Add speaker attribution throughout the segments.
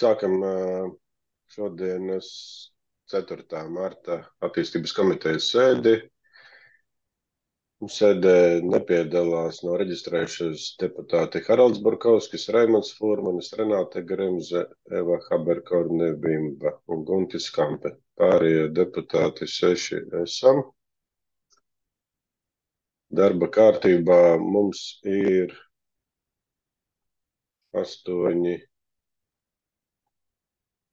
Speaker 1: Sākam šodienas 4. marta attīstības komitejas sēdi. Sēdē nepiedalās no reģistrējušies deputāti Haralds Burkovskis, Raimonds Furmanis, Renāte Grimze, Eva Haberkorne-Bimba un Guntis Kampe. Pārējie deputāti 6 esam. Darba kārtībā mums ir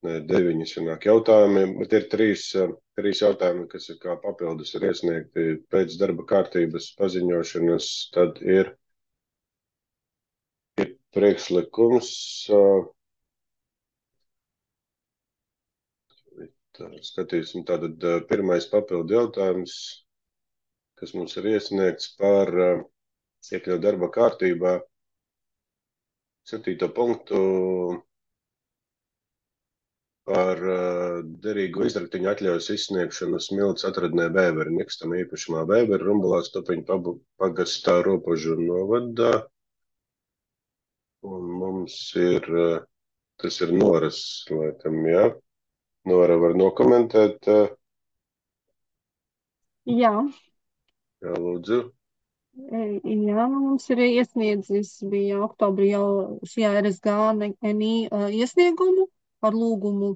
Speaker 1: 9 sanāk jautājumi, bet ir trīs jautājumi, kas ir kā papildus ir iesniegti pēc darba kārtības paziņošanas. Tad ir priekšlikums, skatīsim, tātad pirmais papildu jautājums, kas mums ir iesniegts par iekļaut darba kārtībā 7. punktu par derīgo izraktiņu atļaujas izsniegšanu Smilts atradnē Vēveri, nekustamā īpašumā Vēveri, Rumbulā, Stupiņu pagastā, Ropožu novadā. Un mums ir, tas ir Noras, laikam, jā. Nora var nokomentēt.
Speaker 2: Jā,
Speaker 1: Jā, lūdzu.
Speaker 2: jā, mums ir iesniedzis, bija oktobrī jau šajā RSG NI iesniegumu ar lūgumu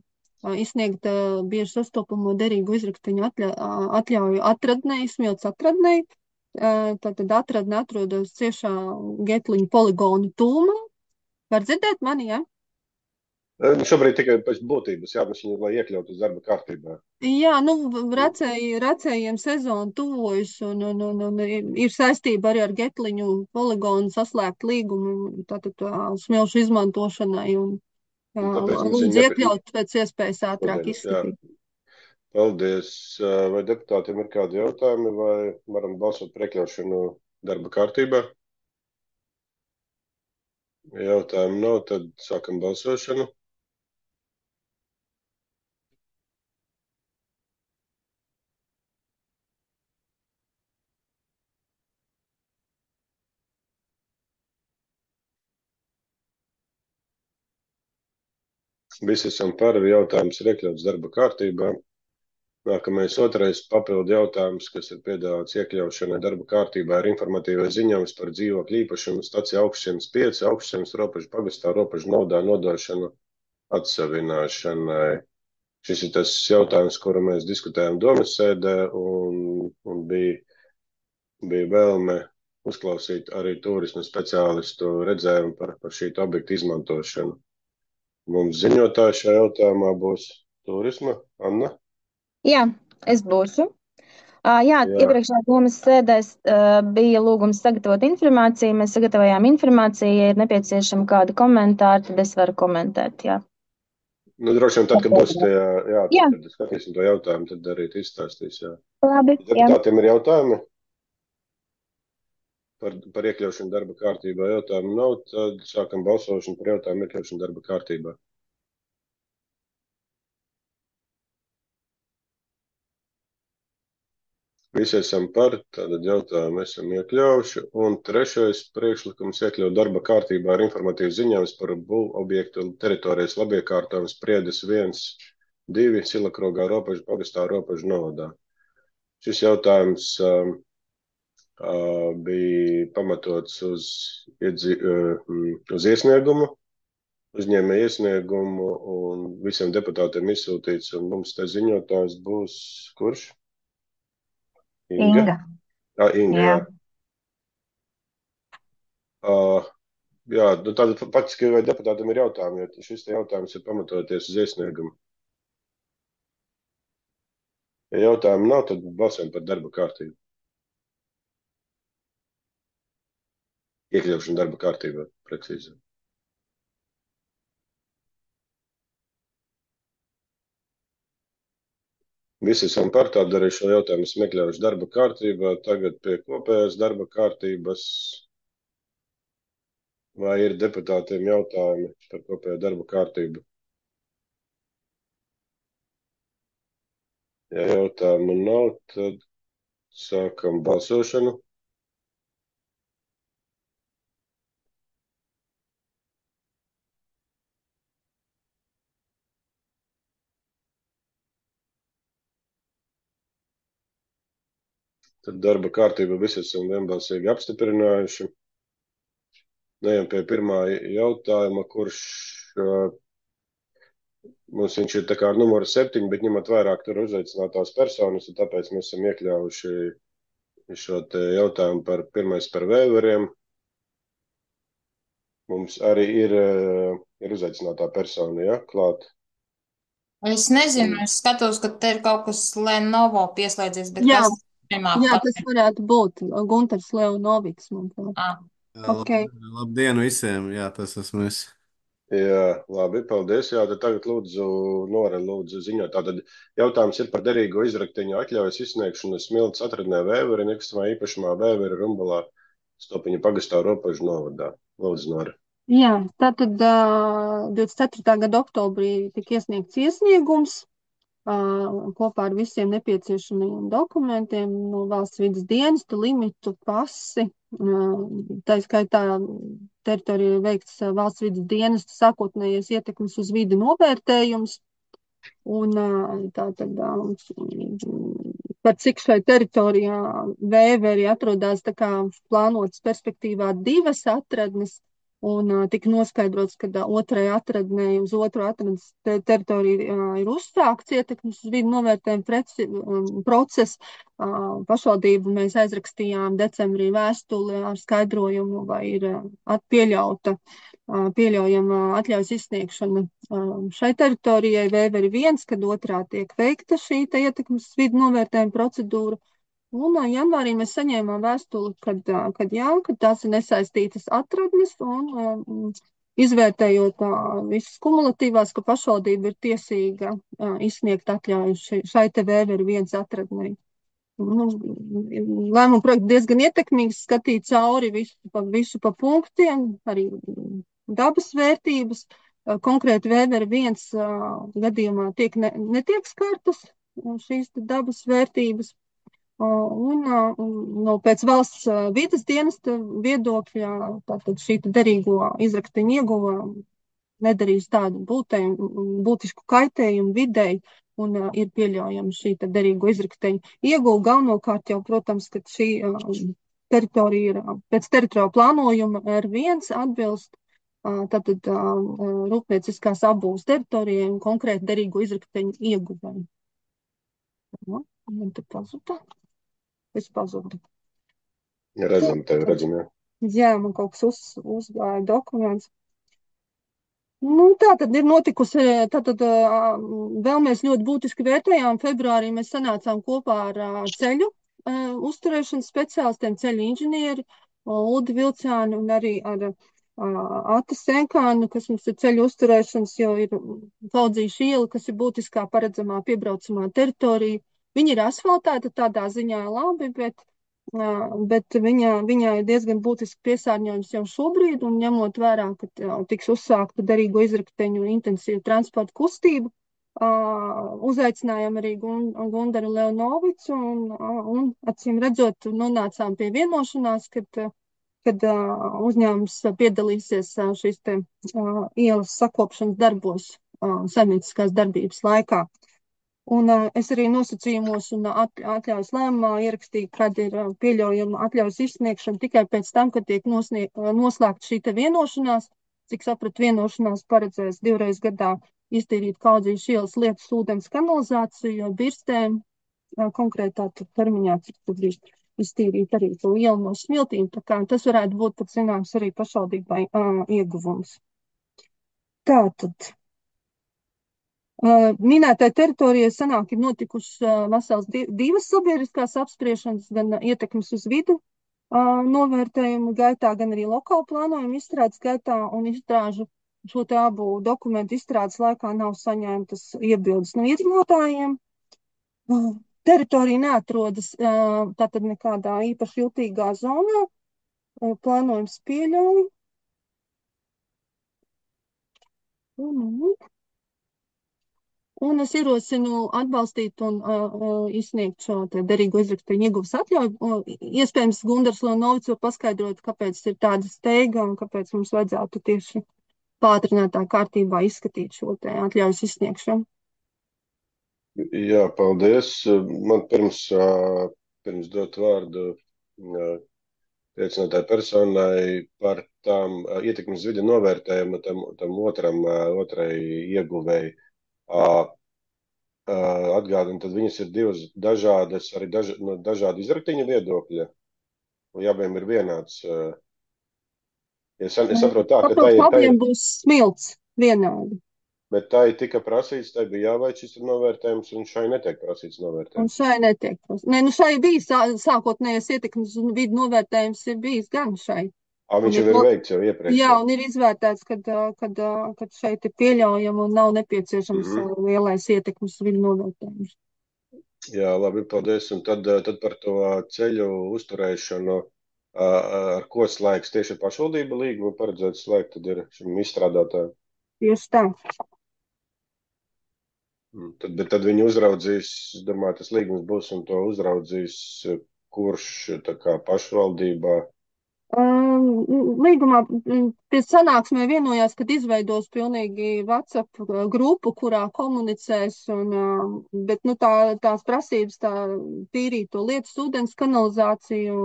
Speaker 2: izsniegt bieži sastopamo derīgu izraktiņu atļauju atradnei, Smilts atradnei. Tātad atradne atrodas ciešā Getliņu poligonu tūmā. Var dzirdēt mani, jā?
Speaker 1: Šobrīd tikai pēc būtības jāmašķina, lai iekļautu uz darba kārtībā.
Speaker 2: Jā, nu, recējiem sezona tuvojas un ir saistība arī ar Getliņu poligonu saslēgt līgumu, tātad smilšu izmantošanai un
Speaker 1: Un tāpēc mums
Speaker 2: lūdzu
Speaker 1: ir
Speaker 2: iekļaut pēc iespējas ātrāk
Speaker 1: jā.
Speaker 2: izskatīt.
Speaker 1: Paldies. Vai deputātiem ir kādi jautājumi, vai varam balsot par iekļaušanu darba kārtībā? Ja jautājumu nav, tad sākam balsošanu. Visi esam par, jautājums ir iekļauts darba kārtībā. Nākamais otrais papildu jautājums, kas ir piedāvāts iekļaušanai darba kārtībā, ir informatīvais ziņojums par dzīvokļu īpašumu staciju Augšzemes 5, Augšzemes Ropožu pagastā, Ropožu novadā nodošanu atsavināšanai. Šis ir tas jautājums, kuru mēs diskutējām domas sēdē, un bija vēlme uzklausīt arī turisma speciālistu redzējumu par šī objekta izmantošanu. Mums ziņotāji šajā jautājumā būs turisma Anna.
Speaker 3: Jā, es būšu.
Speaker 1: Jā.
Speaker 3: Iepriekšējā domas sēdēs bija lūgums sagatavot informāciju. Mēs sagatavojām informāciju. Ja ir nepieciešama kāda komentāra, tad es varu komentēt. Jā.
Speaker 1: Nu, droši vien tad, kad būs tie,
Speaker 3: Jā.
Speaker 1: tad skatīsim to jautājumu, tad arī izstāstīs, jā.
Speaker 3: Labi, jā.
Speaker 1: Deputātiem ir jautājumi par iekļaušanu darba kārtībā. Jautājumu nav, tad sākam balsošanu par jautājumu iekļaušanu darba kārtībā. Visi esam par, tātad jautājumu esam iekļaujuši. Un trešais priekšlikums iekļaut darba kārtībā ar informatīvu ziņojums par būvobjektu teritorijas labiekārtojumu Spriedes 1, 2, Silakrogā, Ropožu pagastā, Ropožu novadā. Šis jautājums bija pamatots uz iesniegumu, uzņēmēju iesniegumu, un visiem deputātiem izsūtīts, un mums te ziņotājs būs kurš?
Speaker 3: Inga.
Speaker 1: Inga, jā. Jā, nu tātad faktiski vai deputātam ir jautājumi, jo šis te jautājums ir pamatoties uz iesniegumu. Ja jautājumu nav, tad balsojam par darba kārtību. Iekļaušanu darba kārtībā, precīzi. Visi esam par, tādu arī šo jautājumu esam iekļaujuši darba kārtībā. Tagad pie kopējās darba kārtības. Vai ir deputātiem jautājumi par kopējo darba kārtību? Ja jautājumu nav, tad sākam balsošanu. Tad darba kārtību visi esam vienbalsīgi apstiprinājuši. Ejam pie pirmā jautājuma, kurš mums viņš ir tā kā numura 7, bet ņemot vairāk tur uzaicinātās personas, un tāpēc mēs esam iekļāvuši šo te jautājumu pirmais par vēveriem. Mums arī ir uzaicinātā persona, ja, klāt.
Speaker 4: Es nezinu, es skatos, ka te ir kaut kas Lenovo pieslēdzies, bet
Speaker 2: Jā,
Speaker 4: kas nemāk
Speaker 2: jā,
Speaker 4: pateikt.
Speaker 2: tas varētu būt Gunters Leonoviks, manuprāt.
Speaker 4: Ah,
Speaker 2: Okay.
Speaker 5: Labdien visiem, jā, tas esmu es.
Speaker 1: Jā, labi, paldies. Jā, tad tagad lūdzu, Nora, lūdzu ziņot. Tātad jautājums ir par derīgo izrakteņu atļaujas izsniegšanu Smiltas atradnē Vēveri, nekustamā īpašumā Vēveri Rumbalā, Stopiņa pagastā Ropažu novadā. Lūdzu, Nora.
Speaker 2: Jā, tātad 24. gada oktobrī tika iesniegts iesniegums kopā ar visiem nepieciešamajiem dokumentiem no valsts vidas dienesta, limitu, pasi. Tā skaitā teritorijā veikts valsts vidas dienesta sākotnējais ietekmes uz vidi novērtējums. Un tātad par cik šai teritorijā Vēveri atrodas tā kā plānotas perspektīvā 2 atradnes, un tika noskaidrots, ka otrai atradnei uz otru atradnes teritoriju ir uzsākts ietekmes uz vidi novērtējuma process. Pašvaldību mēs aizrakstījām decembrī vēstuli ar skaidrojumu, vai ir pieļaujama atļaujas izsniegšana šai teritorijai Vēveri 1, kad otrā tiek veikta šī ietekmes uz vidi novērtējuma procedūra. Un janvārī mēs saņēmām vēstuli, kad tās ir nesaistītas atradnes, un izvērtējot visas kumulatīvās, ka pašvaldība ir tiesīga izsniegt atļauju šai te Vēveri 1 atradnei. Lēmuma projekts diezgan ietekmīgs, skatīt cauri visu pa punktiem, arī dabas vērtības. Konkrēti Vēveri 1 gadījumā netiek skartas šīs dabas vērtības. Un pēc valsts vidas dienesta viedokļa tātad šī derīgo izrakteņu ieguva nedarīs tādu būtisku kaitējumu videi, un ir pieļaujama šī derīgo izrakteņu ieguva. Galvenokārt jau, protams, ka šī teritorija ir pēc teritoriāla plānojuma R1 atbilst tātad rūpnieciskās apbūves teritorijai un konkrēti derīgo izrakteņu ieguvēju. Man te pazuda. Es pazudu.
Speaker 1: Redzam tevi, redzam, jā.
Speaker 2: Jā, man kaut kas uzgāja dokuments. Tā tad ir notikusi, vēl mēs ļoti būtiski vērtējām. Februārī mēs sanācām kopā ar ceļu uzturēšanas speciālistiem, ceļu inženieri, Uldi Vilcāni un arī ar Ati Senkānu, kas mums ir ceļu uzturēšanas, jo ir Kaudzīša iela, kas ir būtiskā paredzamā piebraucamā teritorija. Viņa ir asfaltēta, tādā ziņā labi, bet viņā ir diezgan būtiski piesārņojums jau šobrīd, un ņemot vērā, ka tiks uzsākta derīgo izrakteņu intensīva transporta kustība, uzaicinājām arī Gundaru Leonovicu, un acīm redzot, nonācām pie vienošanās, kad uzņēmums piedalīsies šīs te ielas sakopšanas darbos saimnieciskās darbības laikā. Un es arī nosacījumos un atļaujas lēmumā ierakstīju, kad ir pieļaujama atļaujas izsniegšana tikai pēc tam, kad tiek noslēgta šī te vienošanās. Cik sapratu, vienošanās paredzēs 2 reizes gadā iztīrīt Kaudzīša ielas lietus ūdens kanalizāciju, jo birstēm konkrētā termiņā, cik tad bija iztīrīt arī to ielu no smiltīm. Tā kā tas varētu būt pat zināms arī pašvaldībai ieguvums. Tātad. Minētai teritorijai sanāk ir notikušas vesels 2 sabiedriskās apspriešanas, gan ietekmes uz vidu novērtējumu gaitā, gan arī lokālu plānojumu izstrādes gaitā, un izstrāžu šo te abu dokumentu izstrādes laikā nav saņemtas iebildes no iedzīvotājiem. Teritorija neatrodas tātad nekādā īpaši jutīgā zonā, plānojums pieļauj. Un es ierosinu atbalstīt un izsniegt šo derīgo izrakteņu ieguves atļauju. Iespējams, Gundars Leonovics var paskaidrot, kāpēc ir tāda steiga un kāpēc mums vajadzētu tieši pātrinātā kārtībā izskatīt šo te atļaujas izsniegšanu.
Speaker 1: Jā, paldies. Man pirms pirms dot vārdu liecinātāju personai par tām ietekmes viļņu novērtējumu tam otrai ieguvēji. Atgādinu, tad viņas ir divas dažādas, arī no dažādu izraktiņu viedokļa, un abiem ir vienāds. Es saprotu tā, ka
Speaker 2: Papildus abiem būs smilts vienādi.
Speaker 1: Bet tai tika prasīts, tai bija jāveic šis novērtējums, un šai netiek prasīts
Speaker 2: Un
Speaker 1: novērtējums.
Speaker 2: šai netiek. Nē, nu šai bija sākotnējais ietekmes un vidu novērtējums ir bijis gan šai.
Speaker 1: Viņš jau ir veikts jau iepriekš.
Speaker 2: Jā, un ir izvērtēts, kad šeit ir pieļaujama un nav nepieciešams lielais ietekmes vidu novērtējums.
Speaker 1: Jā, labi, paldies. Un tad par to ceļu uzturēšanu, ar ko slēgs tieši pašvaldība līgumu paredzēts slēgt, tad ir šim izstrādātājam.
Speaker 2: Tieši tā.
Speaker 1: Bet tad viņi uzraudzīs, es domāju, tas līgums būs un to uzraudzīs, kurš tā kā pašvaldībā.
Speaker 2: Līgumā pie sanāksmē vienojās, kad izveidos pilnīgi WhatsApp grupu, kurā komunicēs, bet nu, tās prasības, tā tīrīt to lietas, ūdens kanalizāciju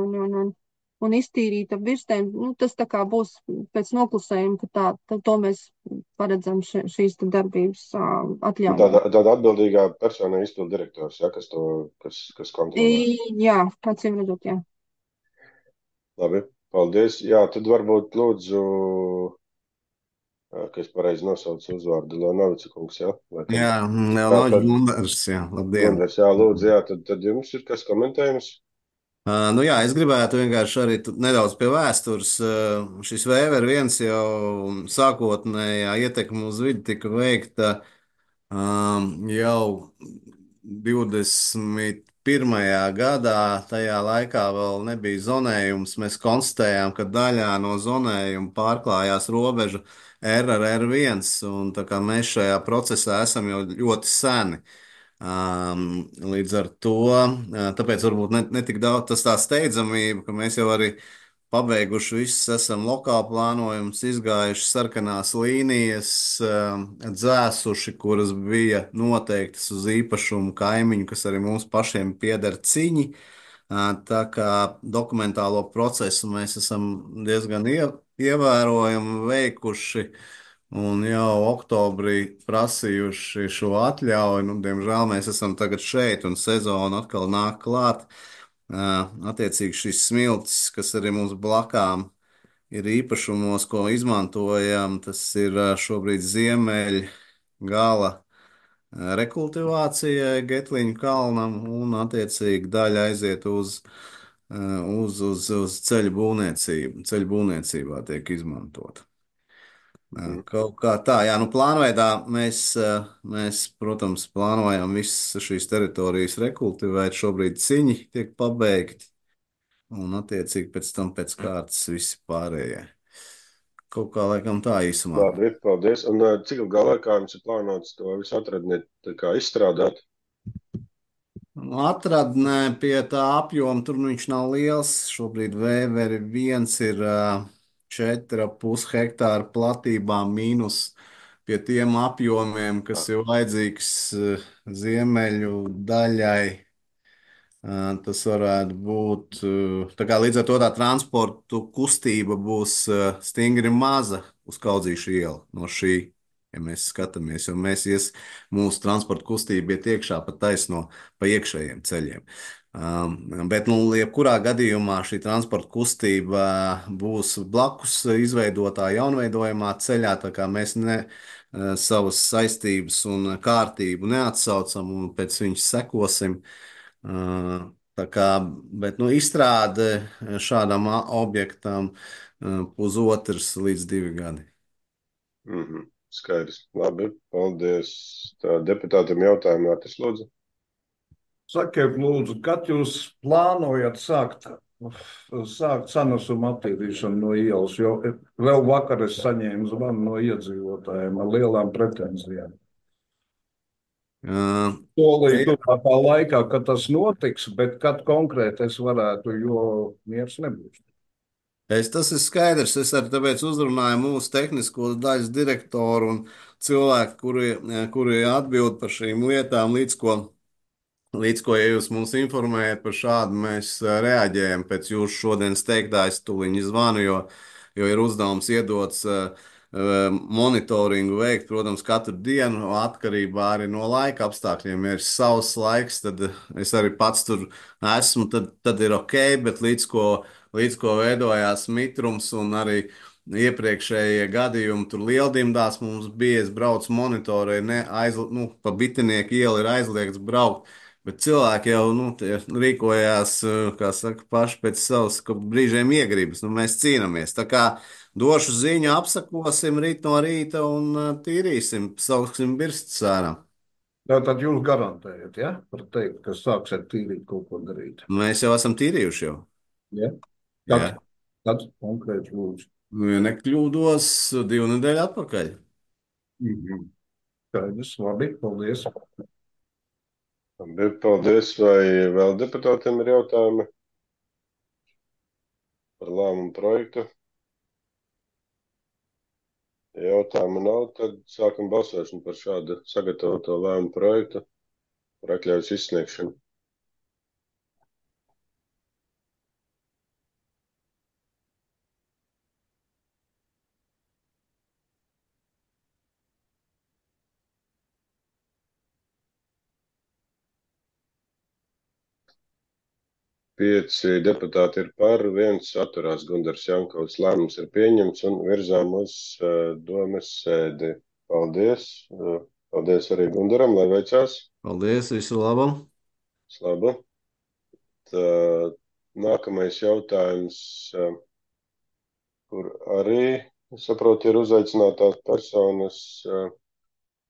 Speaker 2: un iztīrīt ap birstēm, nu, tas tā kā būs pēc noklusējuma, ka to mēs paredzam šīs darbības atļaujam.
Speaker 1: Tāda atbildīgā persona ir izpildu direktors, ja, kas kontrolē.
Speaker 2: Jā, acīm redzot, jā.
Speaker 1: Labi. Paldies. Jā, tad varbūt lūdzu, ka es pareizi nosaucu uzvārdu Leonavica kungs, jā?
Speaker 5: Jā, Leonavica Gundars, jā, labdien.
Speaker 1: Gundars, jā, lūdzu, jā, tad jums ir kas komentējums?
Speaker 5: Nu jā, es gribētu vienkārši arī nedaudz pie vēstures. Šis Vēver viens jau sākotnējā ietekme uz vidi tika veikta jau 21. gadā. Tajā laikā vēl nebija zonējums. Mēs konstatējām, ka daļā no zonējuma pārklājās robeža R ar R1, un tā kā mēs šajā procesā esam jau ļoti seni. Līdz ar to, tāpēc varbūt ne tik daudz tas tā steidzamība, ka mēs jau arī pabeiguši visus, esam lokāli plānojumus, izgājuši sarkanās līnijas, dzēsuši, kuras bija noteiktas uz īpašumu kaimiņu, kas arī mums pašiem pieder ciņi. Tā kā dokumentālo procesu mēs esam diezgan ievērojami veikuši. Un jau oktobrī prasījuši šo atļauju. Nu, diemžēl mēs esam tagad šeit, un sezona atkal nāk klāt. Attiecīgi šis smilts, kas arī mums blakām ir īpašumos, ko izmantojam, tas ir šobrīd ziemeļ gala rekultivācijai Getliņu kalnam, un attiecīgi daļa aiziet uz ceļu būvniecību. Ceļu būvniecībā tiek izmantota. Kaut kā tā, jā, nu plānveidā mēs, protams, plānojam visas šīs teritorijas rekultivēt. Šobrīd ciņi tiek pabeigti, un attiecīgi pēc tam pēc kārtas visi pārējie. Kaut kā laikam tā īsumā.
Speaker 1: Labi, paldies. Un cik ilgā laikā jums ir plānots to visu atradni izstrādāt?
Speaker 5: Atradnē pie tā apjoma, tur nu viņš nav liels. Šobrīd Vēveri viens ir 4,5 hektāru platībā mīnus pie tiem apjomiem, kas ir vajadzīgs ziemeļu daļai. Tas varētu būt. Tā kā līdz ar to tā transportu kustība būs stingri maza uz Kaudzīšu ielu no šī. Ja mēs skatāmies, jo mūsu transporta kustība iet iekšā pa taisno pa iekšējiem ceļiem. Bet, nu, jebkurā gadījumā šī transporta kustība būs blakus izveidotā jaunveidojamā ceļā, tā kā mēs savas saistības un kārtību neatsaucam un pēc viņas sekosim. Tā kā, bet, nu, izstrāde šādam objektam 1,5 līdz 2 gadi.
Speaker 1: Skaidrs. Labi, paldies. Tā, deputātam jautājumu, Mārtis, lūdzu.
Speaker 6: Sakiet, lūdzu, kad jūs plānojat sākt sanesumu attīrīšanu no ielas, jo vēl vakar es saņēmu zvanu no iedzīvotājiem ar lielām pretenzijām. Solīt tuvākā laikā, kad tas notiks, bet kad konkrēti es varētu, jo miers nebūs.
Speaker 5: Tas ir skaidrs. Es arī tāpēc uzrunāju mūsu tehnisko daļas direktoru un cilvēku, kuri atbild par šīm lietām, Līdz ko, ja jūs mums informējat par šādu, mēs reaģējam pēc jūsu šodienas teiktā. Es tuliņi zvanu, jo ir uzdevums iedots monitoringu veikt, protams, katru dienu atkarībā arī no laika apstākļiem. Ja ir savs laiks, tad es arī pats tur esmu, tad ir ok, bet līdz ko veidojās mitrums un arī iepriekšējie gadījumi tur Lieldimdās mums bija, es braucu monitorē, pa Bitinieku ielu ir aizliegts braukt. Bet cilvēki jau rīkojās, kā saka, paši pēc savas brīžiem iegribas. Mēs cīnāmies. Tā kā došu ziņu, apsakosim rīt no rīta un tīrīsim, sauksim birstas ārā.
Speaker 6: Tātad jūs garantējat, ja? Par teikt, ka sāksiet tīrīt kaut ko darīt.
Speaker 5: Mēs jau esam tīrījuši jau.
Speaker 6: Ja?
Speaker 5: Jā.
Speaker 6: Kad konkrēti lūdzu?
Speaker 5: Ja nekļūdos, 2 nedēļu atpakaļ.
Speaker 6: Skaidrs, labi, paldies.
Speaker 1: Paldies, vai vēl deputātiem ir jautājumi par lēmumu projektu? Ja jautājumu nav, tad sākam balsošanu par šādu sagatavoto lēmumu projektu par atļaujas izsniegšanu. Pieci deputāti ir par, 1 atturās. Gundars Jankovs. Lēmums ir pieņemts un virzām uz domes sēdi. Paldies. Paldies arī Gundaram, lai veicās.
Speaker 5: Paldies, visu labu.
Speaker 1: Labu. Nākamais jautājums, kur arī, saprotu, ir uzaicinātās personas,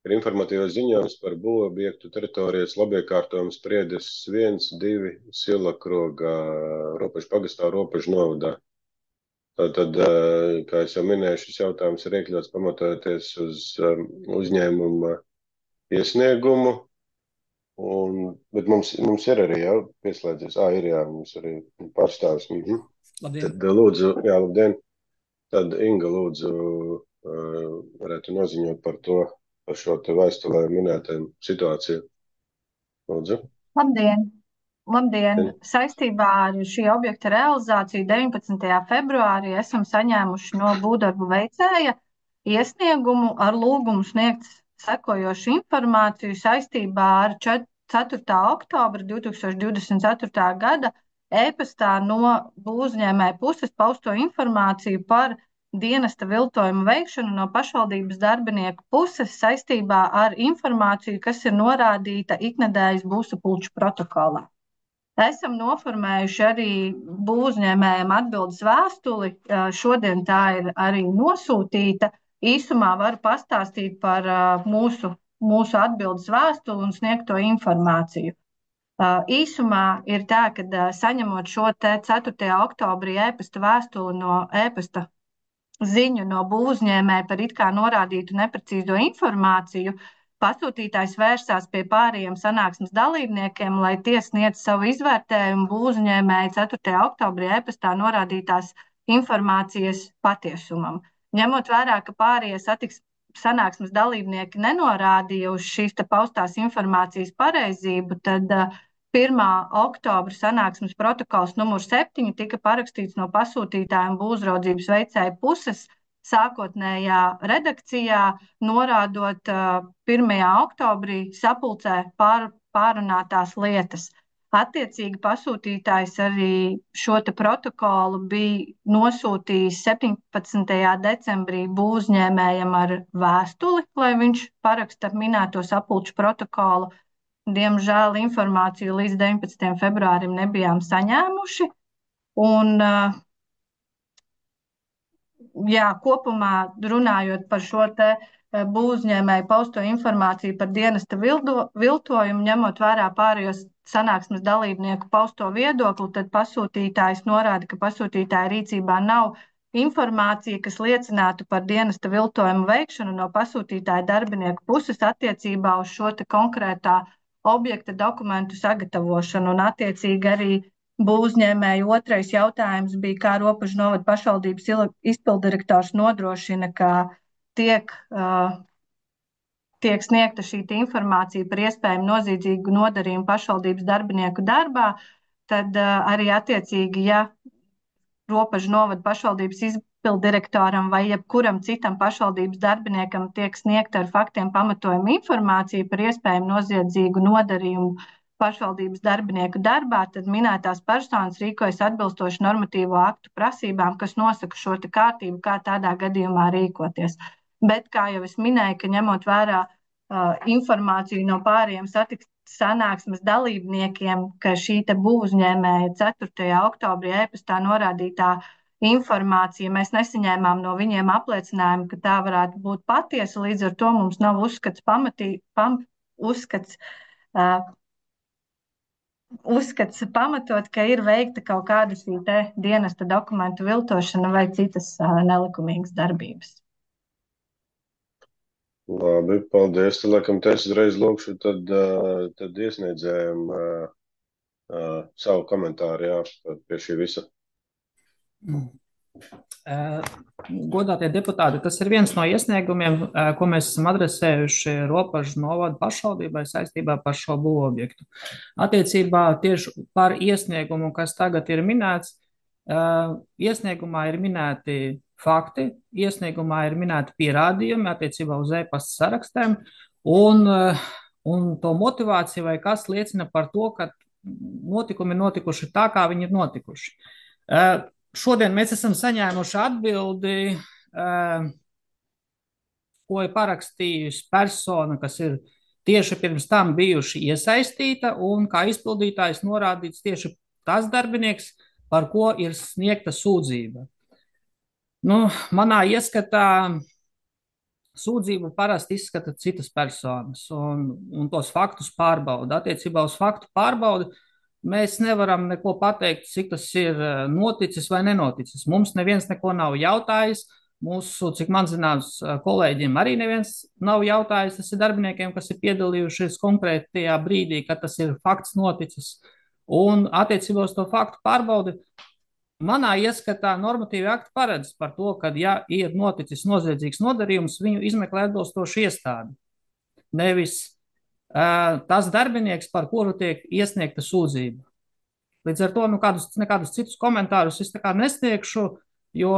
Speaker 1: ir informatīvais ziņojums par būvobjektu teritorijas labiekārtojumu Spriedes 1, 2 Silakroga Ropežu pagastā, Ropežu novadā. Tātad, kā es jau minēju, šis jautājums ir iekļauts pamatojoties uz uzņēmuma iesniegumu, bet mums ir arī jau pieslēdzies. Ir jā, mums arī pārstāvis.
Speaker 7: Labdien.
Speaker 1: Tad lūdzu, jā, labdien. Tad Inga lūdzu varētu noziņot par šo te vēstulē minētajām situāciju. Lūdzu.
Speaker 8: Labdien! Saistībā ar šī objekta realizāciju 19. februārī esam saņēmuši no būvdarbu veicēja iesniegumu ar lūgumu sniegt sekojošu informāciju saistībā ar 4. oktobra 2024. gada e-pastā no būvuzņēmēja puses pausto informāciju par dienesta viltojumu veikšanu no pašvaldības darbinieku puses saistībā ar informāciju, kas ir norādīta iknedēļas būvsapulču protokolā. Esam noformējuši arī būvuzņēmējiem atbildes vēstuli. Šodien tā ir arī nosūtīta. Īsumā varu pastāstīt par mūsu atbildes vēstuli un sniegto informāciju. Īsumā ir tā, ka saņemot šo te 4. oktobrī e-pasta vēstuli no e-pasta ziņu no būvuzņēmēja par it kā norādītu neprecīzo informāciju, pasūtītājs vērsās pie pārējiem sanāksmes dalībniekiem, lai tie sniedz savu izvērtējumu būvuzņēmēja 4. oktobrī e-pastā norādītās informācijas patiesumam. Ņemot vērā, ka pārējie sanāksmes dalībnieki nenorādīja uz šīs te paustās informācijas pareizību, tad 1. oktobra sanāksmes protokols numur 7 tika parakstīts no pasūtītāja un būvuzraudzības veicēja puses sākotnējā redakcijā, norādot 1. oktobrī sapulcē pārunātās lietas. Attiecīgi pasūtītājs arī šo te protokolu bija nosūtījis 17. decembrī būvuzņēmējam ar vēstuli, lai viņš paraksta minēto sapulču protokolu. Diemžēl informāciju līdz 19. februārim nebijām saņēmuši. Un, kopumā runājot par šo te būvuzņēmēju pausto informāciju par dienesta viltojumu, ņemot vērā pārējos sanāksmes dalībnieku pausto viedokli, tad pasūtītājs norāda, ka pasūtītāja rīcībā nav informācija, kas liecinātu par dienesta viltojumu veikšanu no pasūtītāja darbinieku puses attiecībā uz šo te konkrētā objekta dokumentu sagatavošanu, un attiecīgi arī būvuzņēmēju otrais jautājums bija, kā Ropežu novada pašvaldības izpilddirektors nodrošina, ka tiek tiek sniegta šī informācija par iespējamu noziedzīgu nodarījumu pašvaldības darbinieku darbā, tad arī attiecīgi, ja Ropažu novada pašvaldības izpilddirektoram vai jebkuram citam pašvaldības darbiniekam tiek sniegta ar faktiem pamatojumu informācija par iespējamu noziedzīgu nodarījumu pašvaldības darbinieku darbā, tad minētās personas rīkojas atbilstoši normatīvo aktu prasībām, kas nosaka šo kārtību, kā tādā gadījumā rīkoties. Bet, kā jau es minēju, ka ņemot vērā informāciju no pārējiem sanāksmes dalībniekiem, ka šī te būvuzņēmēja 4. oktobrī e-pastā norādītā informācija, mēs nesaņēmām no viņiem apliecinājumu, ka tā varētu būt patiesa, līdz ar to mums nav uzskats pamatot, ka ir veikta kaut kāda šī te dienesta dokumentu viltošana vai citas nelikumīgas darbības.
Speaker 1: Labi, paldies. Tad, laikam, es uzreiz lūkšu tad iesniedzējiem savu komentāru, jā, pie šī visa.
Speaker 7: Godātie deputāti, tas ir viens no iesniegumiem, ko mēs esam adresējuši Ropažu novada pašvaldībai saistībā par šo būvobjektu. Attiecībā tieši par iesniegumu, kas tagad ir minēts, iesniegumā ir minēti fakti, iesniegumā ir minēti pierādījumi attiecībā uz e-pasta sarakstiem un to motivāciju vai kas liecina par to, ka notikumi ir notikuši tā, kā viņi ir notikuši. Šodien mēs esam saņēmuši atbildi, ko ir parakstījusi persona, kas ir tieši pirms tam bijuši iesaistīta un kā izpildītājs norādīts tieši tas darbinieks, par ko ir sniegta sūdzība. Manā ieskatā sūdzību parasti izskata citas personas un tos faktus pārbauda. Attiecībā uz faktu pārbaudi mēs nevaram neko pateikt, cik tas ir noticis vai nenoticis. Mums neviens neko nav jautājis. Mūsu, cik man zināms, kolēģiem arī neviens nav jautājis. Tas ir darbiniekiem, kas ir piedalījušies konkrētajā brīdī, kad tas ir fakts noticis. Un attiecībā uz to faktu pārbaudi manā ieskatā normatīvi akti paredz par to, ka, ja ir noticis noziedzīgs nodarījums, viņu izmeklē atbilstoši iestādi. Nevis tas darbinieks, par kuru tiek iesniegta sūdzība. Līdz ar to nekādus citus komentārus es nesniegšu, jo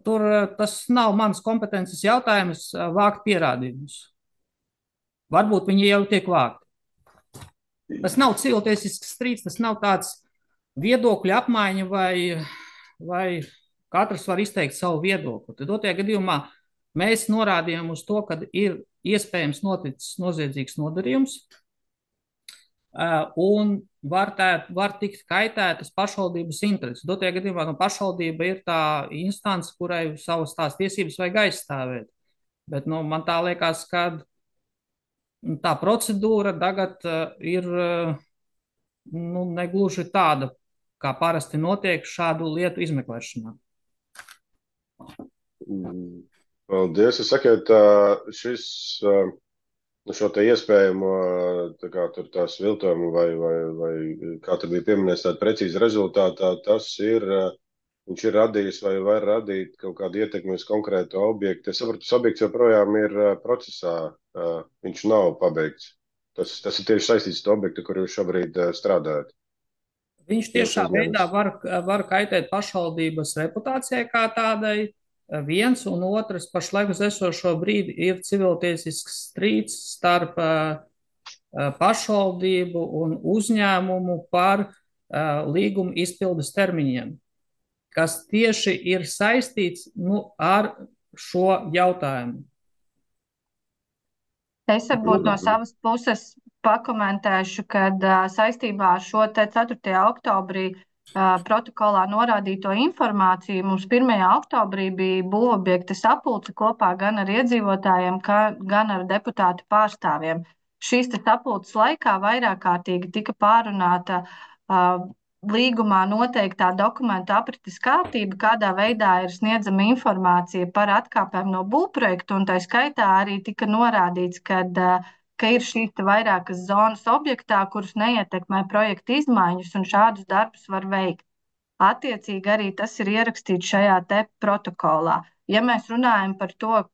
Speaker 7: tur tas nav mans kompetences jautājums vākt pierādījumus. Varbūt viņi jau tiek vākti. Tas nav civiltiesisks strīds, tas nav tāds viedokļu apmaiņa vai katrs var izteikt savu viedokli. Tad otrajā gadījumā mēs norādījām uz to, ka ir iespējams noticis noziedzīgs nodarījums un var tikt kaitētas pašvaldības intereses. Otrajā gadījumā pašvaldība ir tā instance, kurai savas tās tiesības vajag aizstāvēt. Bet man tā liekas, ka tā procedūra tagad ir negluži tāda, kā parasti notiek šādu lietu izmeklēšanā.
Speaker 1: Paldies. Es saku, šis, šo te iespējamo tās viltojumu vai kā tur bija pieminēts tāda precīza rezultātā, viņš ir radījis vai var radīt kaut kādu ietekmi uz konkrētu objektu. Es saprotu, tas objekts joprojām ir procesā, viņš nav pabeigts. Tas ir tieši saistīts ar objektu, kur jūs šobrīd strādājat.
Speaker 7: Viņš tiešā veidā var kaitēt pašvaldības reputācijai kā tādai. Viens un otrs pašlaik uz esošo brīdi ir civiltiesisks strīds starp pašvaldību un uzņēmumu par līguma izpildes termiņiem, kas tieši ir saistīts ar šo jautājumu.
Speaker 8: Es varbūt no savas puses pakomentēšu, kad saistībā ar šo 4. oktobrī protokolā norādīto informāciju mums 1. oktobrī bija būvobjekta sapulce kopā gan ar iedzīvotājiem, gan ar deputātu pārstāvjiem. Šīs sapulces laikā vairāk kārtīgi tika pārunāta līgumā noteiktā dokumentu aprites kārtība, kādā veidā ir sniedzama informācija par atkāpēm no būvprojekta, un tā skaitā arī tika norādīts, ka ir šīs vairākas zonas objektā, kuras neietekmē projekta izmaiņas, un šādus darbus var veikt. Attiecīgi arī tas ir ierakstīts šajā te protokolā. Ja mēs runājam par to,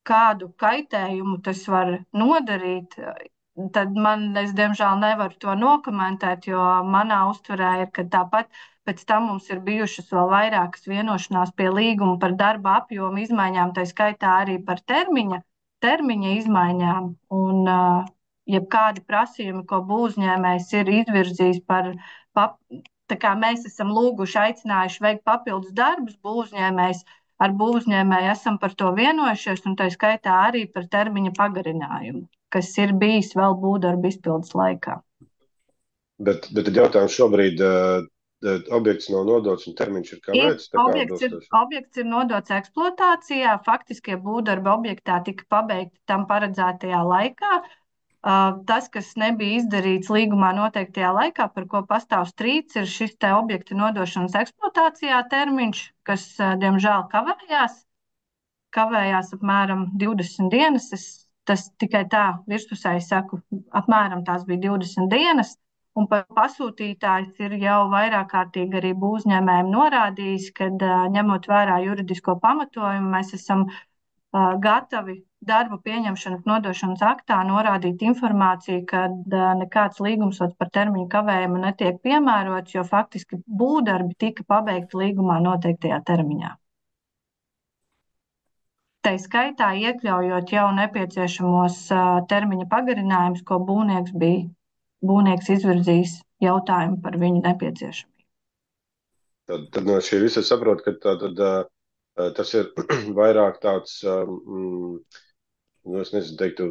Speaker 8: kādu kaitējumu tas var nodarīt, tad es diemžēl nevaru to nokomentēt, jo manā uztverē ir, ka tāpat pēc tam mums ir bijušas vēl vairākas vienošanās pie līguma par darba apjomu izmaiņām, tā skaitā arī par termiņa izmaiņām. Un jebkādi prasījumi, ko būvniecības ir izvirzījis tā kā mēs esam lūguši, aicinājuši veikt papildus darbus, būvniecības ar būvniecēju esam par to vienojušies, un tā skaitā arī par termiņa pagarinājumu, kas ir bijis vēl būvdarbu izpildes laikā.
Speaker 1: Bet tad jautājums šobrīd, objekts nav nodots un termiņš ir kavēts?
Speaker 8: Objekts ir nodots eksploatācijā, faktiskie būvdarbi objektā tika pabeigti tam paredzētajā laikā. Tas, kas nebija izdarīts līgumā noteiktajā laikā, par ko pastāv strīds, ir šis te objekta nodošanas eksploatācijā termiņš, kas, diemžēl, kavējās apmēram 20 dienas. Tas tikai tā virspusēji saku, apmēram tās bija 20 dienas, un pasūtītājs ir jau vairāk kārtīgi arī būvniecējiem norādījis, ka ņemot vērā juridisko pamatojumu, mēs esam gatavi darbu pieņemšanas nodošanas aktā norādīt informāciju, ka nekāds līgums par termiņu kavējumu netiek piemērots, jo faktiski būvdarbi tika pabeigti līgumā noteiktajā termiņā. Tā skaitā iekļaujot jau nepieciešamos termiņa pagarinājumus, ko būvnieks izvirzījis jautājumu par viņu nepieciešamību.
Speaker 1: Tad no šī visa saprot, ka tas ir vairāk tāds, es nezinu, teiktu,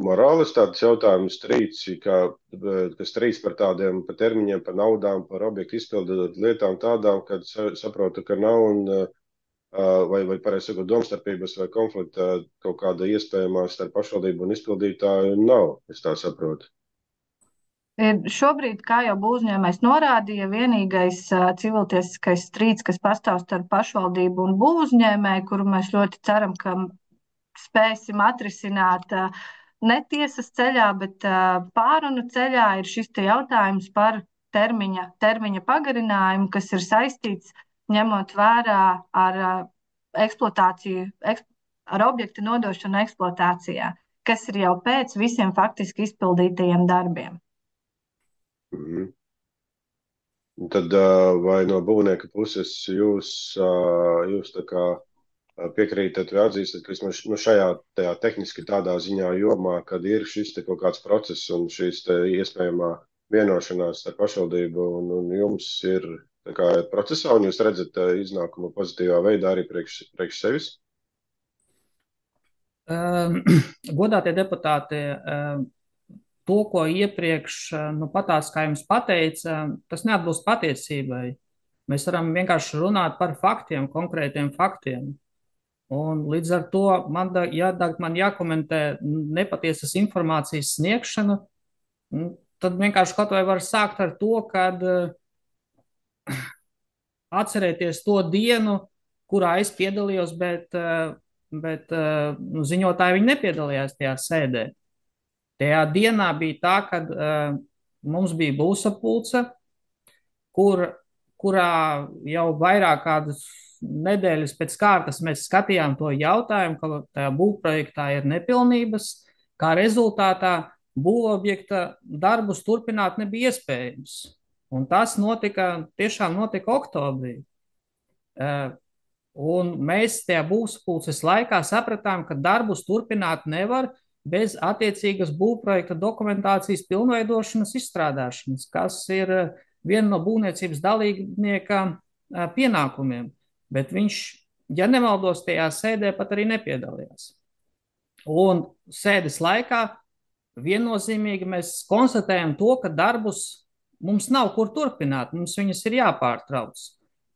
Speaker 1: morālis tāds jautājums, strīds, kas strīds par tādiem, par termiņiem, par naudām, par objektu izpildu lietām tādām, kad saprotu, ka nav un vai pareizi sakot, domstarpības vai konflikta kaut kāda iespējamā starp pašvaldību un izpildītāju nav, es tā saprotu.
Speaker 8: Šobrīd, kā jau būvniecējs norādīja, vienīgais civiltiesiskais strīds, kas pastāv starp pašvaldību un būvniecēju, kuru mēs ļoti ceram, ka spēsim atrisināt ne tiesas ceļā, bet pārunu ceļā, ir šis te jautājums par termiņa pagarinājumu, kas ir saistīts ņemot vērā ar eksploatāciju, ar objektu nodošanu eksploatācijā, kas ir jau pēc visiem faktiski izpildītajiem darbiem.
Speaker 1: Tad vai no būvnieka puses jūs tā kā piekrītat vai atzīstat, ka vismaz šajā tehniski tādā ziņā jomā, kad ir šis te kaut kāds process un šīs te iespējamā vienošanās ar pašvaldību un jums ir tā kā procesā un jūs redzat iznākumu pozitīvā veidā arī priekš sevis?
Speaker 7: Godātie deputāti, to, ko iepriekš patās, kā jums pateica, tas neatbilst patiesībai. Mēs varam vienkārši runāt par faktiem, konkrētiem faktiem. Un līdz ar to man jākomentē nepatiesas informācijas sniegšana, tad vienkārši kaut vai var sākt ar to, kad atcerēties to dienu, kurā es piedalījos, bet ziņotāji viņi nepiedalījās tajā sēdē. Tajā dienā bija tā, kad mums bija būvsapulce, kurā jau vairāk kādas nedēļas pēc kārtas mēs skatījām to jautājumu, ka tajā būvprojektā ir nepilnības, kā rezultātā būvobjekta darbus turpināt nebija iespējams. Un tas tiešām notika oktobrī. Un mēs tajā būvsapulces laikā sapratām, ka darbus turpināt nevar bez attiecīgas būvprojekta dokumentācijas pilnveidošanas izstrādāšanas, kas ir viena no būvniecības dalībnieka pienākumiem. Bet viņš, ja nemaldos, tajā sēdē pat arī nepiedalījās. Un sēdes laikā viennozīmīgi mēs konstatējam to, ka darbus mums nav kur turpināt, mums viņas ir jāpārtrauc.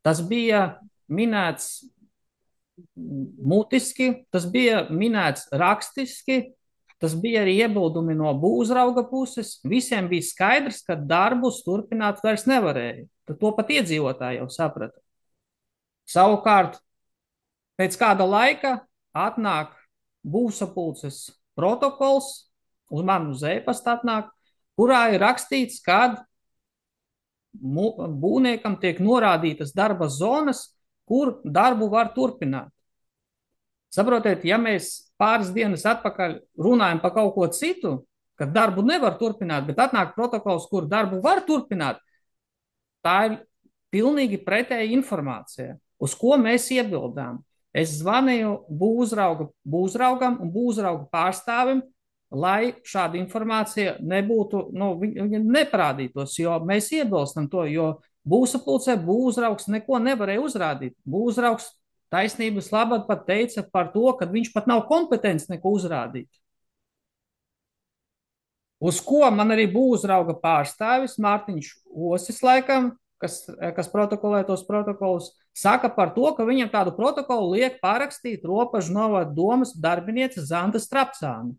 Speaker 7: Tas bija minēts mutiski, tas bija minēts rakstiski, tas bija arī iebildumi no būvuzrauga puses. Visiem bija skaidrs, ka darbus turpināt vairs nevarēja. Tad to pat iedzīvotāji jau saprata. Savukārt, pēc kāda laika atnāk būvsapulces protokols, uz manu uz e-pasta atnāk, kurā ir rakstīts, kad būvniekam tiek norādītas darba zonas, kur darbu var turpināt. Saprotiet, ja mēs pāris dienas atpakaļ runājam par kaut ko citu, ka darbu nevar turpināt, bet atnāk protokols, kur darbu var turpināt, tā ir pilnīgi pretēja informācija, uz ko mēs iebildām. Es zvanīju būvraugam un būvrauga pārstāvim, lai šāda informācija nebūtu, viņa neparādītos, jo mēs iebilstam to, jo būvsapulcē būvraugs neko nevarēja uzrādīt. Būvraugs taisnības labad pat teica par to, ka viņš pat nav kompetents neko uzrādīt. Uz ko man arī būvrauga pārstāvis Mārtiņš Osis laikam, kas protokolē tos protokolus, saka par to, ka viņam tādu protokolu liek parakstīt Ropažu novada domas darbiniece Zanda Strapcāna.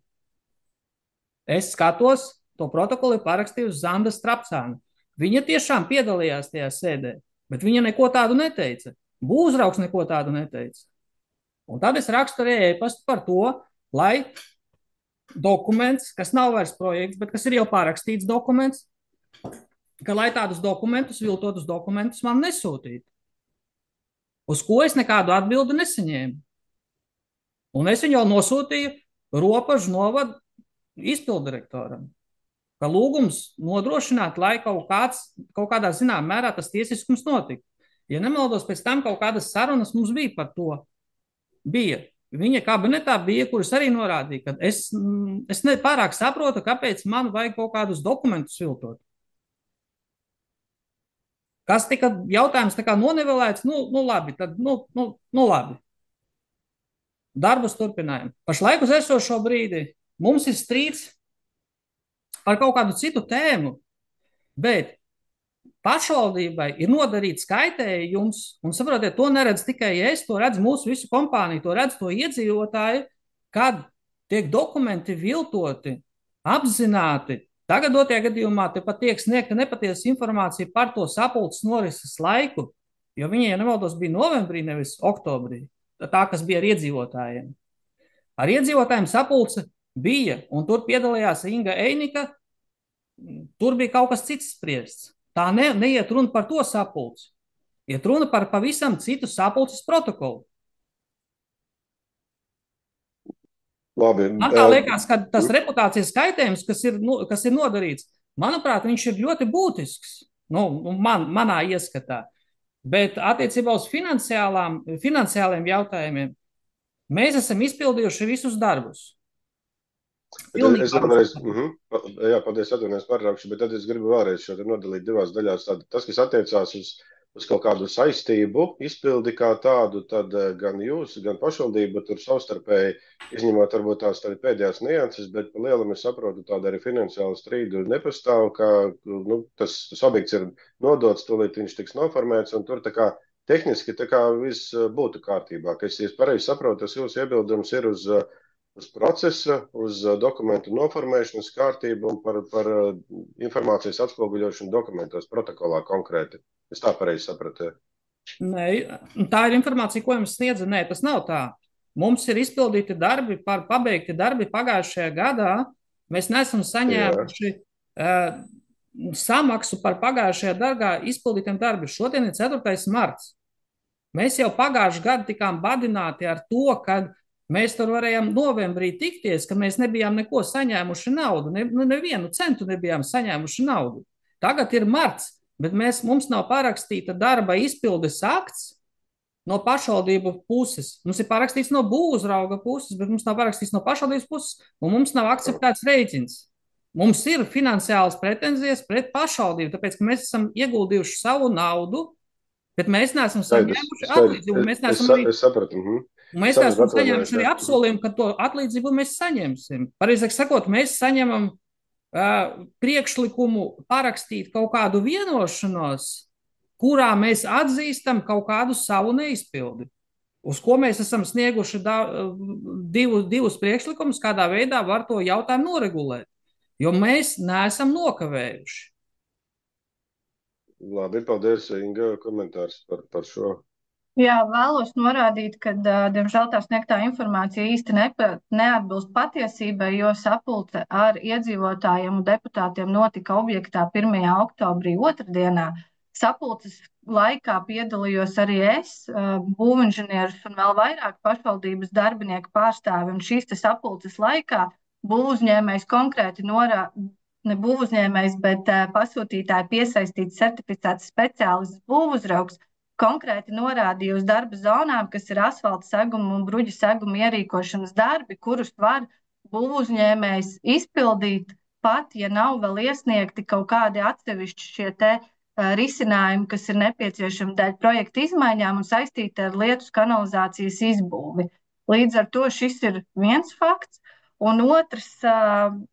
Speaker 7: Es skatos, to protokolu ir parakstījusi Zanda Strapcāna. Viņa tiešām piedalījās tajā sēdē, bet viņa neko tādu neteica. Būvraugs neko tādu neteica. Un tad es rakstu arī e-pastu par to, lai dokuments, kas nav vairs projekts, bet kas ir jau parakstīts dokuments, ka lai tādus dokumentus, viltotus dokumentus man nesūtītu. Uz ko es nekādu atbildi nesaņēmu. Un es viņu jau nosūtīju Ropažu novada izpildirektoram, ka lūgums nodrošināt, lai kaut kādā zināmā mērā tas tiesiskums notika. Ja nemaldos, pēc tam kaut kādas sarunas mums bija par to. Bija. Viņa kabinetā bija, kuras arī norādīja, ka es nepārāk saprotu, kāpēc man vajag kaut kādus dokumentus viltot. Kas tika jautājums tā kā nonivelēts, labi, tad labi. Darbus turpinājam. Pašlaik uz esošo brīdi mums ir strīds par kaut kādu citu tēmu, bet pašvaldībai ir nodarīts kaitējums, un saprotiet, to neredz tikai es, to redz mūsu visu kompāniju, to redz to iedzīvotāji, kad tiek dokumenti viltoti, apzināti. Tagadotajā gadījumā te pat tiek sniegta nepatiesa informācija par to sapulces norises laiku, jo viņi, ja nemaldos, bija novembrī, nevis oktobrī, tā, kas bija ar iedzīvotājiem. Ar iedzīvotājiem sapulce bija, un tur piedalījās Inga Einika, tur bija kaut kas cits spriests. Tā neiet runa par to sapulci. Iet runa par pavisam citu sapulces protokolu.
Speaker 1: Labi.
Speaker 7: Man tā liekas, ka tas reputācijas kaitējums, kas ir nodarīts, manuprāt, viņš ir ļoti būtisks, manā ieskatā. Bet attiecībā uz finansiāliem jautājumiem mēs esam izpildījuši visus darbus.
Speaker 1: Es vēlreiz, paldies, atvainojos pārtraukšu, bet tad es gribu vēlreiz šo nodalīt divās daļās. Tas, kas attiecās uz kaut kādu saistību izpildi kā tādu, tad gan jūs, gan pašvaldība tur savstarpēji, izņemot varbūt tās pēdējās nianses, bet pa lielam es saprotu, tāda arī finansiāla strīdu nepastāv, ka tas objekts ir nodots, tūlīt viņš tiks noformēts, un tur tā kā tehniski tā kā viss būtu kārtībā. Ka es pareizi saprotu, tas jūsu iebildums ir uz procesa, uz dokumentu noformēšanas kārtību un par informācijas atspoguļošanu dokumentos, protokolā konkrēti. Es tā pareizi sapratu.
Speaker 7: Nē, tā ir informācija, ko jums sniedza. Nē, tas nav tā. Mums ir izpildīti darbi, pabeigti darbi pagājušajā gadā. Mēs neesam saņēmuši samaksu par pagājušajā darbā izpildītiem darbiem. Šodien ir 4. marts. Mēs jau pagājušajā gadā tikām badināti ar to, ka mēs tur varējām novembrī tikties, ka mēs nebijām neko saņēmuši naudu, nevienu centu nebijām saņēmuši naudu. Tagad ir marts, bet mums nav parakstīta darba izpildes akts no pašvaldību puses. Mums ir parakstīts no būvrauga puses, bet mums nav parakstīts no pašvaldības puses, un mums nav akceptēts rēķins. Mums ir finansiālas pretenzijas pret pašvaldību, tāpēc, ka mēs esam ieguldījuši savu naudu, bet mēs neesam saņēmuši atlīdzību.
Speaker 1: Es sapratu.
Speaker 7: Mēs esam saņēmuši arī apsolījumu, ka to atlīdzību mēs saņemsim. Pareizāk sakot, mēs saņemam priekšlikumu parakstīt kaut kādu vienošanos, kurā mēs atzīstam kaut kādu savu neizpildi, uz ko mēs esam snieguši divus priekšlikumus, kādā veidā var to jautājumu noregulēt, jo mēs neesam nokavējuši.
Speaker 1: Labi, paldies, Inga, komentārs par šo.
Speaker 8: Jā, vēlos norādīt, ka, diemžēl, tā sniegtā informācija īsti neatbilst patiesībai, jo sapulce ar iedzīvotājiem un deputātiem notika objektā 1. oktobrī otrdienā. Sapulces laikā piedalījos arī es, būvinženieris un vēl vairāk pašvaldības darbinieku pārstāvi. Un šīs sapulces laikā būvuzņēmējs konkrēti ne būvuzņēmējs, bet pasūtītāji piesaistīts certificēts speciālists būvuzraugs konkrēti norādīja uz darba zonām, kas ir asfalta seguma un bruģa seguma ierīkošanas darbi, kurus var būvuzņēmējs izpildīt pat, ja nav vēl iesniegti kaut kādi atsevišķi šie te risinājumi, kas ir nepieciešami dēļ projekta izmaiņām un saistīti ar lietus kanalizācijas izbūvi. Līdz ar to šis ir viens fakts. Un otrs,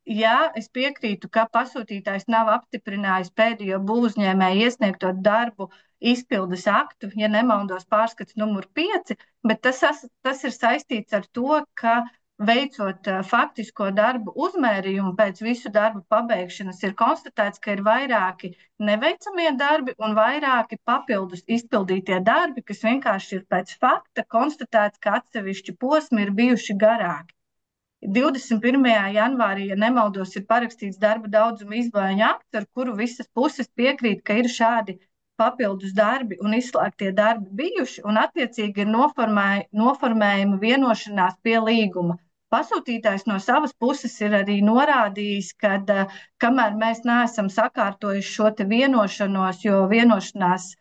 Speaker 8: jā, es piekrītu, ka pasūtītājs nav apstiprinājis pēdējo būvuzņēmēju iesniegto darbu izpildes aktu, ja nemaldos pārskats numur 5, bet tas ir saistīts ar to, ka veicot faktisko darbu uzmērījumu pēc visu darbu pabeigšanas, ir konstatēts, ka ir vairāki neveicamie darbi un vairāki papildus izpildītie darbi, kas vienkārši ir pēc fakta konstatēts, ka atsevišķi posmi ir bijuši garāki. 21. janvārī, ja nemaldos, ir parakstīts darba daudzuma izmaiņu akts, ar kuru visas puses piekrīt, ka ir šādi papildus darbi un izslēgtie darbi bijuši, un attiecīgi ir noformējama vienošanās pie līguma. Pasūtītājs no savas puses ir arī norādījis, ka kamēr mēs neesam sakārtojuši šo te vienošanos, jo vienošanās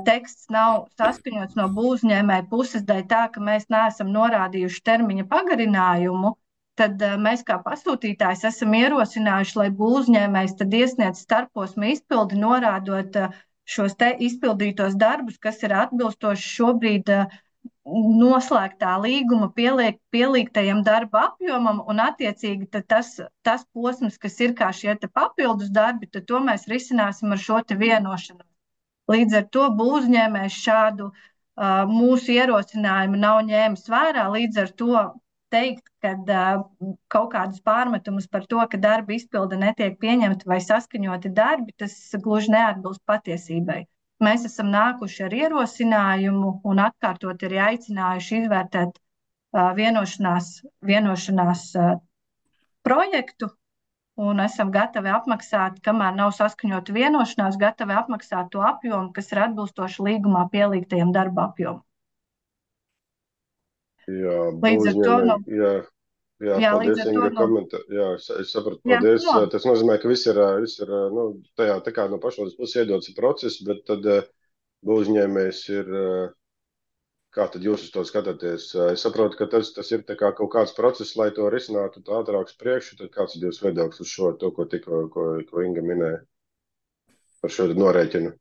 Speaker 8: teksts nav saskaņots no būvuzņēmēja puses dēļ tā, ka mēs neesam norādījuši termiņa pagarinājumu, tad mēs kā pasūtītājs esam ierosinājuši, lai būvuzņēmējs tad iesniedz starposma izpildi, norādot šos te izpildītos darbus, kas ir atbilstoši šobrīd noslēgtā līguma pielīgtajam darba apjomam, un attiecīgi tad tas posms, kas ir kā šie te papildus darbi, tad to mēs risināsim ar šo te vienošanos. Līdz ar to būvuzņēmējs šādu mūsu ierosinājumu nav ņēmis vērā, līdz ar to teikt, ka kaut kādus pārmetumus par to, ka darba izpilde netiek pieņemta vai saskaņoti darbi, tas gluži neatbilst patiesībai. Mēs esam nākuši ar ierosinājumu un atkārtot arī aicinājuši izvērtēt vienošanās projektu un esam gatavi apmaksāt, kamēr nav saskaņota vienošanās, gatavi apmaksāt to apjomu, kas ir atbilstoši līgumā pielīgtajam darba apjomam.
Speaker 1: Jā,
Speaker 8: līdz ar to
Speaker 1: paldies, Inga, komentāru. Jā, es sapratu, paldies. Jā, tas nozīmē, ka viss ir tajā tā kā no pašvaldības puses iedots process, bet tad būvuzņēmējs ir, kā tad jūs uz to skatāties? Es saprotu, ka tas ir tā kā kaut kāds process, lai to risinātu tā ātrāk uz priekšu, tad kāds ir jūs viedoklis uz šo, to, ko Inga minēja par šo norēķinu?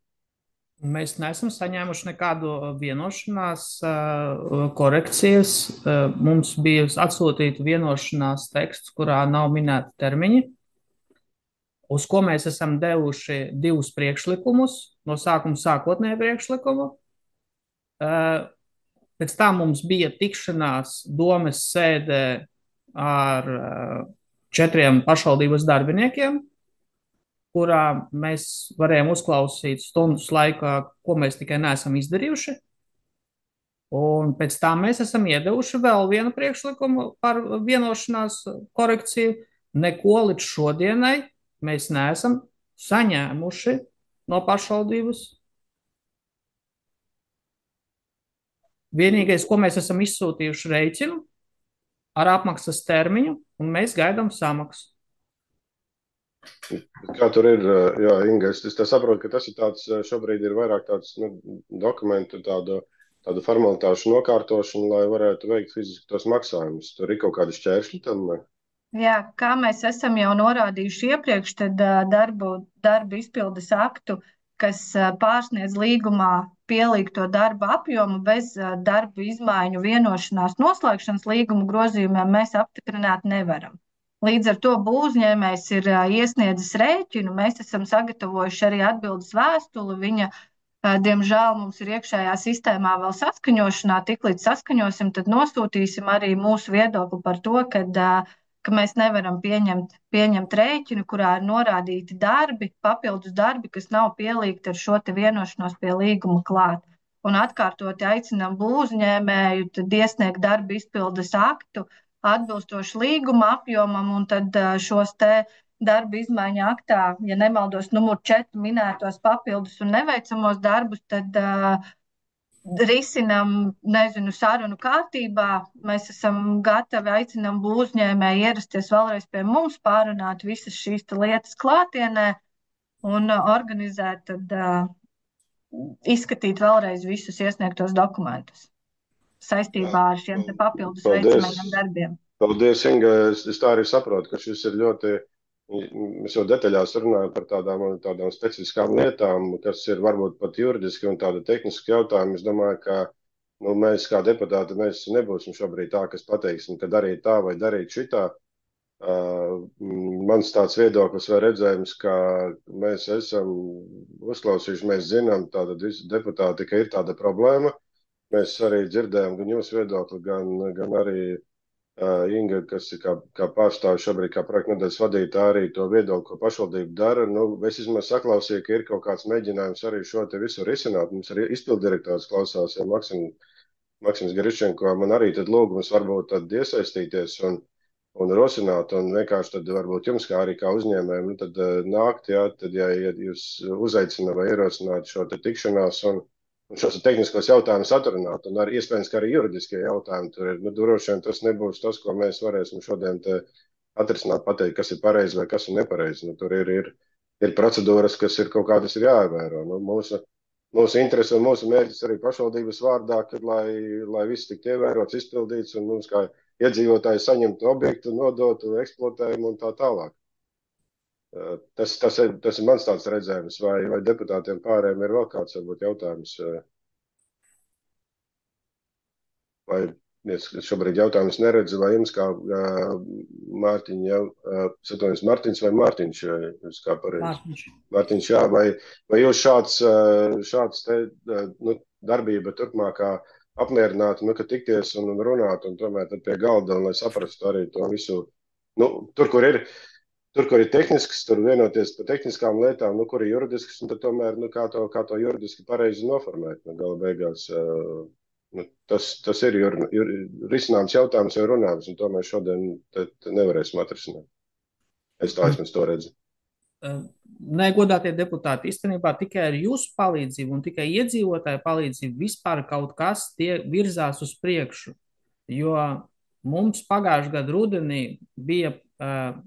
Speaker 7: Mēs neesam saņēmuši nekādu vienošanās korekcijas. Mums bija atsūtīta vienošanās teksts, kurā nav minēti termiņi, uz ko mēs esam devuši 2 priekšlikumus, no sākuma sākotnēju priekšlikumu. Pēc tam mums bija tikšanās domes sēdē ar 4 pašvaldības darbiniekiem, kurā mēs varējām uzklausīt stundas laikā, ko mēs tikai neesam izdarījuši. Un pēc tam mēs esam iedevuši vēl vienu priekšlikumu par vienošanās korekciju. Neko līdz šodienai mēs neesam saņēmuši no pašvaldības. Vienīgais, ko mēs esam izsūtījuši rēķinu ar apmaksas termiņu, un mēs gaidām samaksu.
Speaker 1: Kā tur ir, jā, Inga, es saprotu, ka tas ir tāds, šobrīd ir vairāk tāds dokumentu, tādu formalitāšu nokārtošanu, lai varētu veikt fiziski tos maksājumus. Tur ir kaut kādi šķēršļi tam?
Speaker 8: Jā, kā mēs esam jau norādījuši iepriekš, tad darbu izpildes aktu, kas pārsniedz līgumā pielīgto darba apjomu bez darbu izmaiņu vienošanās noslēgšanas līguma grozījumiem, mēs apstiprināt nevaram. Līdz ar to būvuzņēmējs ir iesniedzis rēķinu, mēs esam sagatavojuši arī atbildes vēstuli, viņa, diemžēl, mums ir iekšējā sistēmā vēl saskaņošanā, tiklīdz saskaņosim, tad nosūtīsim arī mūsu viedokli par to, ka mēs nevaram pieņemt rēķinu, kurā ir norādīti darbi, papildus darbi, kas nav pielīgti ar šo te vienošanos pie līguma klāt. Un atkārtoti aicinām būvuzņēmēju tad iesniegt darba izpildes aktu, atbilstoši līguma apjomam, un tad šos te darba izmaiņu aktā, ja nemaldos, numur 4 minētos papildus un neveicamos darbus, tad risinam, nezinu, sarunu kārtībā. Mēs esam gatavi, aicinam uzņēmēju ierasties vēlreiz pie mums, pārunāt visas šīs lietas klātienē un organizēt, tad izskatīt vēlreiz visus iesniegtos dokumentus saistībā ar šiem te papildus veicamajiem darbiem.
Speaker 1: Paldies, Inga. Es tā arī saprotu, ka šis ir ļoti, mēs jau detaļās runājam par tādām specifiskām lietām, kas ir varbūt pat juridiski un tāda tehniski jautājumi. Es domāju, ka mēs kā deputāti, mēs nebūsim šobrīd tā, kas pateiksim, ka darīt tā vai darīt šitā. Mans tāds viedoklis vai redzējums, ka mēs esam uzklausījuši, mēs zinām, tātad visi deputāti, ka ir tāda problēma. Mēs arī dzirdējām gan jūsu viedokli, gan arī Inga, kas ir kā pārstāvis šobrīd, kā projekta nodaļas vadītāja, arī to viedokli, ko pašvaldība dara. Es vismaz saklausīju, ka ir kaut kāds mēģinājums arī šo te visu risināt. Mums arī izpildirektors klausās, ja Maksims Griščenko, man arī tad lūgums varbūt tad iesaistīties un rosināt, un vienkārši tad varbūt jums, kā arī kā uzņēmējiem, tad nākt, tad, ja jūs uzaicināt vai ierosināt šo te tikšanās un šos tehniskos jautājumus atrunāt, un arī iespējams, ka arī juridiskie jautājumi tur ir. Droši vien tas nebūs tas, ko mēs varēsim šodien te atrisināt, pateikt, kas ir pareizi vai kas ir nepareizi. Tur ir procedūras, kas ir kaut kādas ir jāievēro. Mūsu interese un mūsu mērķis arī pašvaldības vārdā, kad lai viss tiktu ievērots, izpildīts, un mums kā iedzīvotāji saņemtu objektu, nodotu, eksploatējumu un tā tālāk. Tas ir mans tāds redzējums, vai deputātiem pārējiem ir vēl kāds varbūt jautājums, vai es šobrīd jautājumus neredzu, vai jums kā Mārtiņš vai Mārtiņš, jūs kā pareizi? Mārtiņš, jā, vai jūs šāds te, darbība turpmākā apmierinātu, ka tikties un runāt un tomēr tad pie galda, un lai saprastu arī to visu, Tur, kur ir tehnisks, tur vienoties par tehniskām lietām, kur ir juridisks, un tad tomēr, kā to juridiski pareizi noformēt. Gala beigās tas ir risināms jautājums vai runājums, un to mēs šodien nevarēsim atrisināt. Es tā esmu to redzu.
Speaker 7: Negodātie deputāti, īstenībā tikai ar jūsu palīdzību un tikai iedzīvotāju palīdzību vispār kaut kas tie virzās uz priekšu, jo mums pagājušajā gadu rudenī bija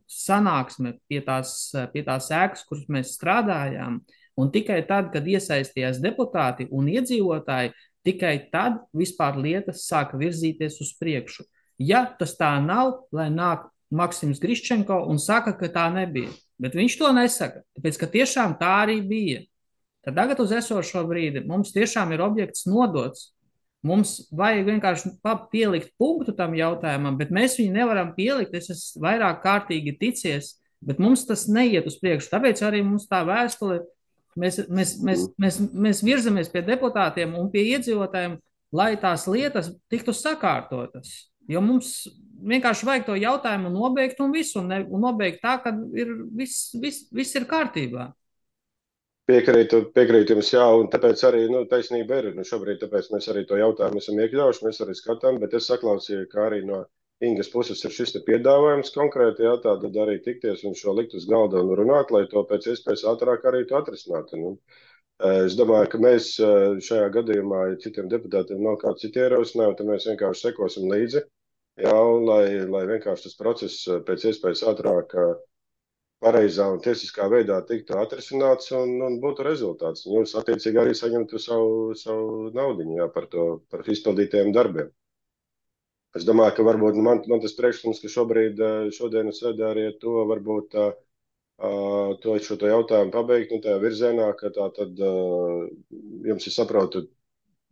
Speaker 7: sanāksme pie tās ēkas, kuras mēs strādājām, un tikai tad, kad iesaistījās deputāti un iedzīvotāji, tikai tad vispār lietas sāka virzīties uz priekšu. Ja tas tā nav, lai nāk Maksims Griščenko un saka, ka tā nebija, bet viņš to nesaka, tāpēc, ka tiešām tā arī bija. Tad tagad uz esošo brīdi mums tiešām ir objekts nodots. Mums vajag vienkārši pielikt punktu tam jautājumam, bet mēs viņu nevaram pielikt. Es esmu vairāk kārtīgi ticies, bet mums tas neiet uz priekšu. Tāpēc arī mums tā vēstule, mēs virzamies pie deputātiem un pie iedzīvotājiem, lai tās lietas tiktu sakārtotas. Jo mums vienkārši vajag to jautājumu nobeigt un visu, un nobeigt tā, ka viss ir kārtībā.
Speaker 1: Piekrītu jums, jā, un tāpēc arī taisnība ir. Šobrīd tāpēc mēs arī to jautājumu esam iekļaujuši, mēs arī skatām, bet es saklausīju, ka arī no Ingas puses ir šis te piedāvājums konkrēti, jā, tātad arī tikties un šo likt uz galda un runāt, lai to pēc iespējas ātrāk arī to atrisinātu. Es domāju, ka mēs šajā gadījumā, ja citiem deputātiem nav kāds citi ierosinājumi, tad mēs vienkārši sekosim līdzi, jā, un lai vienkārši tas process pēc iespējas ātrāk pareizā un tiesiskā veidā tiktu atrisināts un būtu rezultāts. Jūs attiecīgi arī saņemtu savu naudiņu, jā, par izpildītajiem darbiem. Es domāju, ka varbūt man tas priekšlikums, ka šodienas sēdē arī to varbūt šo jautājumu pabeigt, tajā virzienā, ka tā tad jums ir saprotu,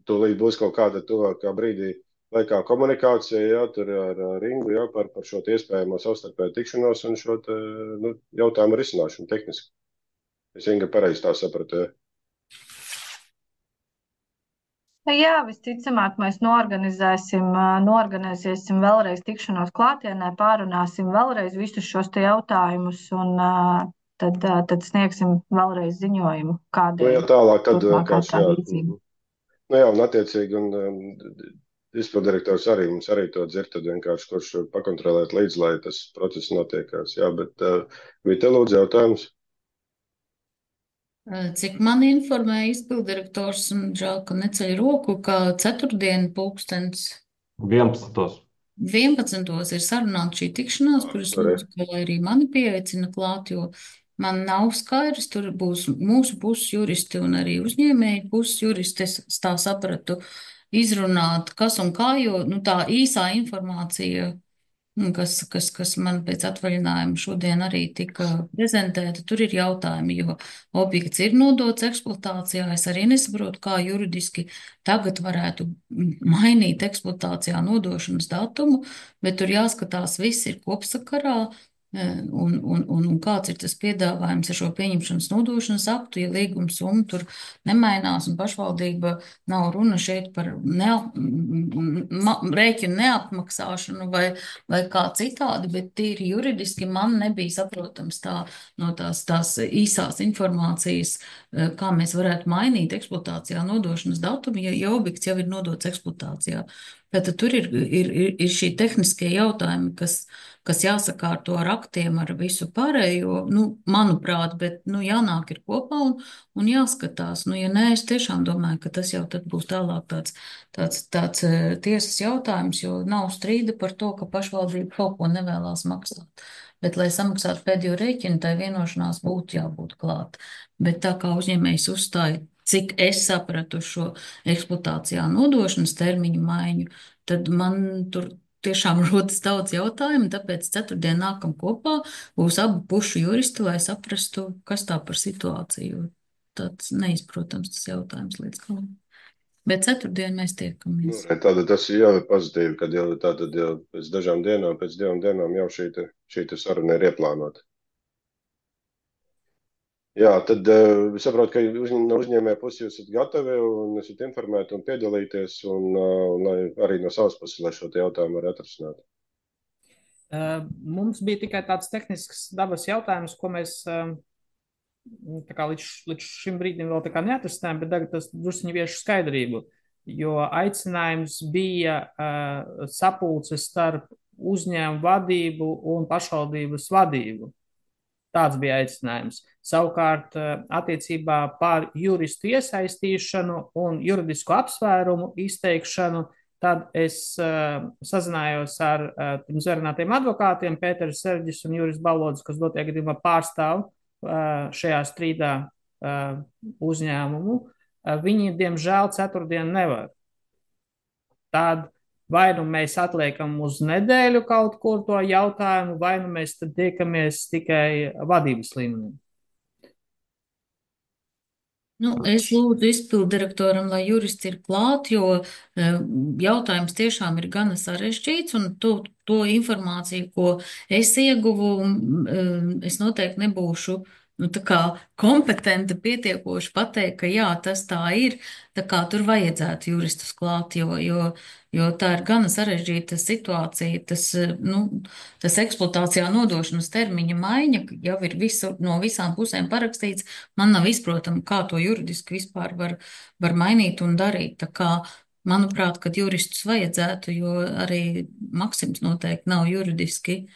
Speaker 1: tūlīt būs kaut kāda tuvākā brīdī laikā komunikācija, jā, tur ar Ringu, jā, par šo iespējamo savstarpēju tikšanos un šo jautājumu risināšanu tehniski. Es Inga pareizi tā sapratu, jā.
Speaker 8: Jā, visticamāk, mēs norganizēsim vēlreiz tikšanos klātienē, pārunāsim vēlreiz visus šos te jautājumus un tad sniegsim vēlreiz ziņojumu, kāda
Speaker 1: ir
Speaker 8: turpmākā tā
Speaker 1: jā,
Speaker 8: rīcība.
Speaker 1: jā, un attiecīgi, izpildirektors arī mums arī to dzird, tad vienkārši kurš pakontrolēt līdz, lai tas process notiekās. Jā, bet Vita, lūdzu, jautājums.
Speaker 4: Cik man informēja izpildirektors, un žēl, ka neceļ roku, ka ceturtdien pulkstens
Speaker 9: 11.
Speaker 4: 11. ir sarunāta šī tikšanās, kuras lūdzu, ka lai arī mani pieaicina klāt, jo man nav skaidrs, tur būs mūsu puses juristi un arī uzņēmēji puses juristi, es tā sapratu, izrunāt, kas un kā, jo tā īsā informācija, kas man pēc atvaļinājuma šodien arī tika prezentēta, tur ir jautājumi, jo objekts ir nodots eksploatācijā. Es arī nesaprotu, kā juridiski tagad varētu mainīt eksploatācijā nodošanas datumu, bet tur jāskatās, viss ir kopsakarā. Un kāds ir tas piedāvājums ar šo pieņemšanas nodošanas aktu, ja līguma summa tur nemainās un pašvaldība nav runa šeit par rēķinu neapmaksāšanu vai kā citādi, bet tīri juridiski man nebija saprotams no tās īsās informācijas, kā mēs varētu mainīt eksploatācijā nodošanas datumu, ja objekts jau ir nodots eksploatācijā. Tātad tur ir šī tehniskie jautājumi, kas jāsakārto ar aktiem, ar visu pārējo, manuprāt, bet, jānāk ir kopā un jāskatās. Ja nē, es tiešām domāju, ka tas jau tad būs tālāk tāds tiesas jautājums, jo nav strīda par to, ka pašvaldība kaut ko nevēlās maksāt. Bet, lai samaksātu pēdējo rēķinu, tai vienošanās būtu jābūt klāt. Bet tā kā uzņēmējs uzstāja, cik es sapratu šo eksploatācijā nodošanas termiņu maiņu, tad man tur tiešām rodas daudz jautājumu, tāpēc ceturtdien nākam kopā, būs abu pušu juristi, lai saprastu, kas tā par situāciju. Tāds neizprotams tas jautājums līdz galam. Bet ceturtdien mēs tiekamies.
Speaker 1: Tātad tas jau ir pozitīvi, kad jau tātad jau pēc dažām dienām, pēc 2 dienām jau šī saruna ir ieplānota. Jā, tad es saprotu, ka no uzņēmēja puses jūs esat gatavi un esat informēti un piedalīties, un lai arī no savas puses, lai šo jautājumu var atrisināt.
Speaker 7: Mums bija tikai tāds tehnisks dabas jautājums, ko mēs līdz šim brīdim vēl neatrisinājām, bet tagad tas drusciņi viešu skaidrību, jo aicinājums bija sapulces starp uzņēmumu vadību un pašvaldības vadību. Tāds bija aicinājums. Savukārt, attiecībā par juristu iesaistīšanu un juridisku apsvērumu izteikšanu, tad es sazinājos ar pirms varinātiem advokātiem, Pēteris Serģis un Juris Balodis, kas dotajā gadījumā pārstāv šajā strīdā uzņēmumu. Viņi, diemžēl, ceturtdien nevar. Tad vai nu mēs atliekam uz nedēļu kaut kur to jautājumu, vai nu mēs tad tiekamies tikai vadības līmenī.
Speaker 4: Es lūdzu izpildirektoram, lai jurists ir klāt, jo jautājums tiešām ir gana sarežģīts, un to informāciju, ko es ieguvu, es noteikti nebūšu tā kā kompetenti pietiekoši pateikt, ka jā, tas tā ir, tā kā tur vajadzētu juristus klāt, jo tā ir gana sarežģīta situācija. Tas eksploatācijā nodošanas termiņa maiņa jau ir no visām pusēm parakstīts. Man nav izprotama, kā to juridiski vispār var mainīt un darīt. Tā kā, manuprāt, kad juristus vajadzētu, jo arī Maksims noteikti nav juridiski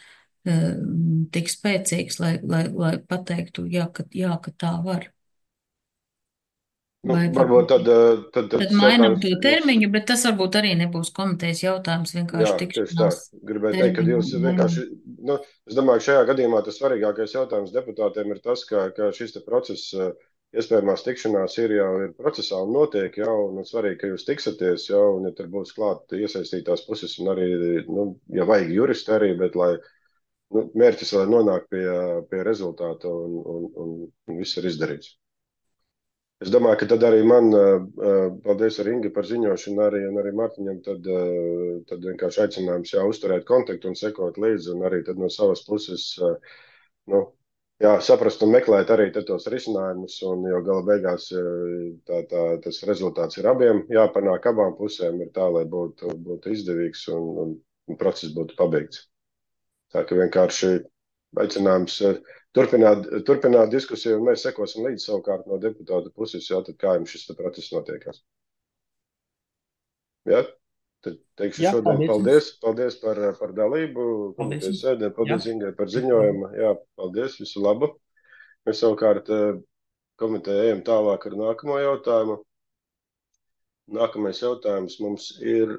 Speaker 4: tik spēcīgs, lai pateiktu, jā, ka tā var.
Speaker 1: Varbūt tad
Speaker 4: mainam to termiņu, bet tas varbūt arī nebūs komitejas jautājums, vienkārši tikšanās.
Speaker 1: Gribēju teikt, ka jūs vienkārši, es domāju, ka šajā gadījumā tas svarīgākais jautājums deputātiem ir tas, ka šis process, iespējamās tikšanās ir procesā un notiek jau, un svarīgi, ka jūs tiksities jau, un ja tur būs klāt iesaistītās puses, un arī, ja vajag juristi arī, bet lai mērķis, lai nonāk pie rezultāta un viss ir izdarīts. Es domāju, ka tad arī man, paldies ar Ingi par ziņošanu, un arī Martiņam, tad vienkārši aicinājums uzturēt kontaktu un sekot līdzi, un arī tad no savas puses, saprast un meklēt arī tos risinājumus, un jo gala beigās tas rezultāts ir abiem, jāpanāk abām pusēm ir tā, lai būtu izdevīgs un process būtu pabeigts. Tā ka vienkārši aicinājums turpināt diskusiju, un mēs sekosim līdzi savukārt no deputāta puses, tad kā jums šis process notiekās. Ja? Tad teikšu
Speaker 7: Jā,
Speaker 1: šodien
Speaker 7: paldies.
Speaker 1: paldies par dalību
Speaker 7: Paldies.
Speaker 1: komitejas sēdē, paldies
Speaker 7: Jā.
Speaker 1: Ingai par ziņojumu, jā, paldies, visu labu. Mēs savukārt komiteja ejam tālāk ar nākamo jautājumu. Nākamais jautājums mums ir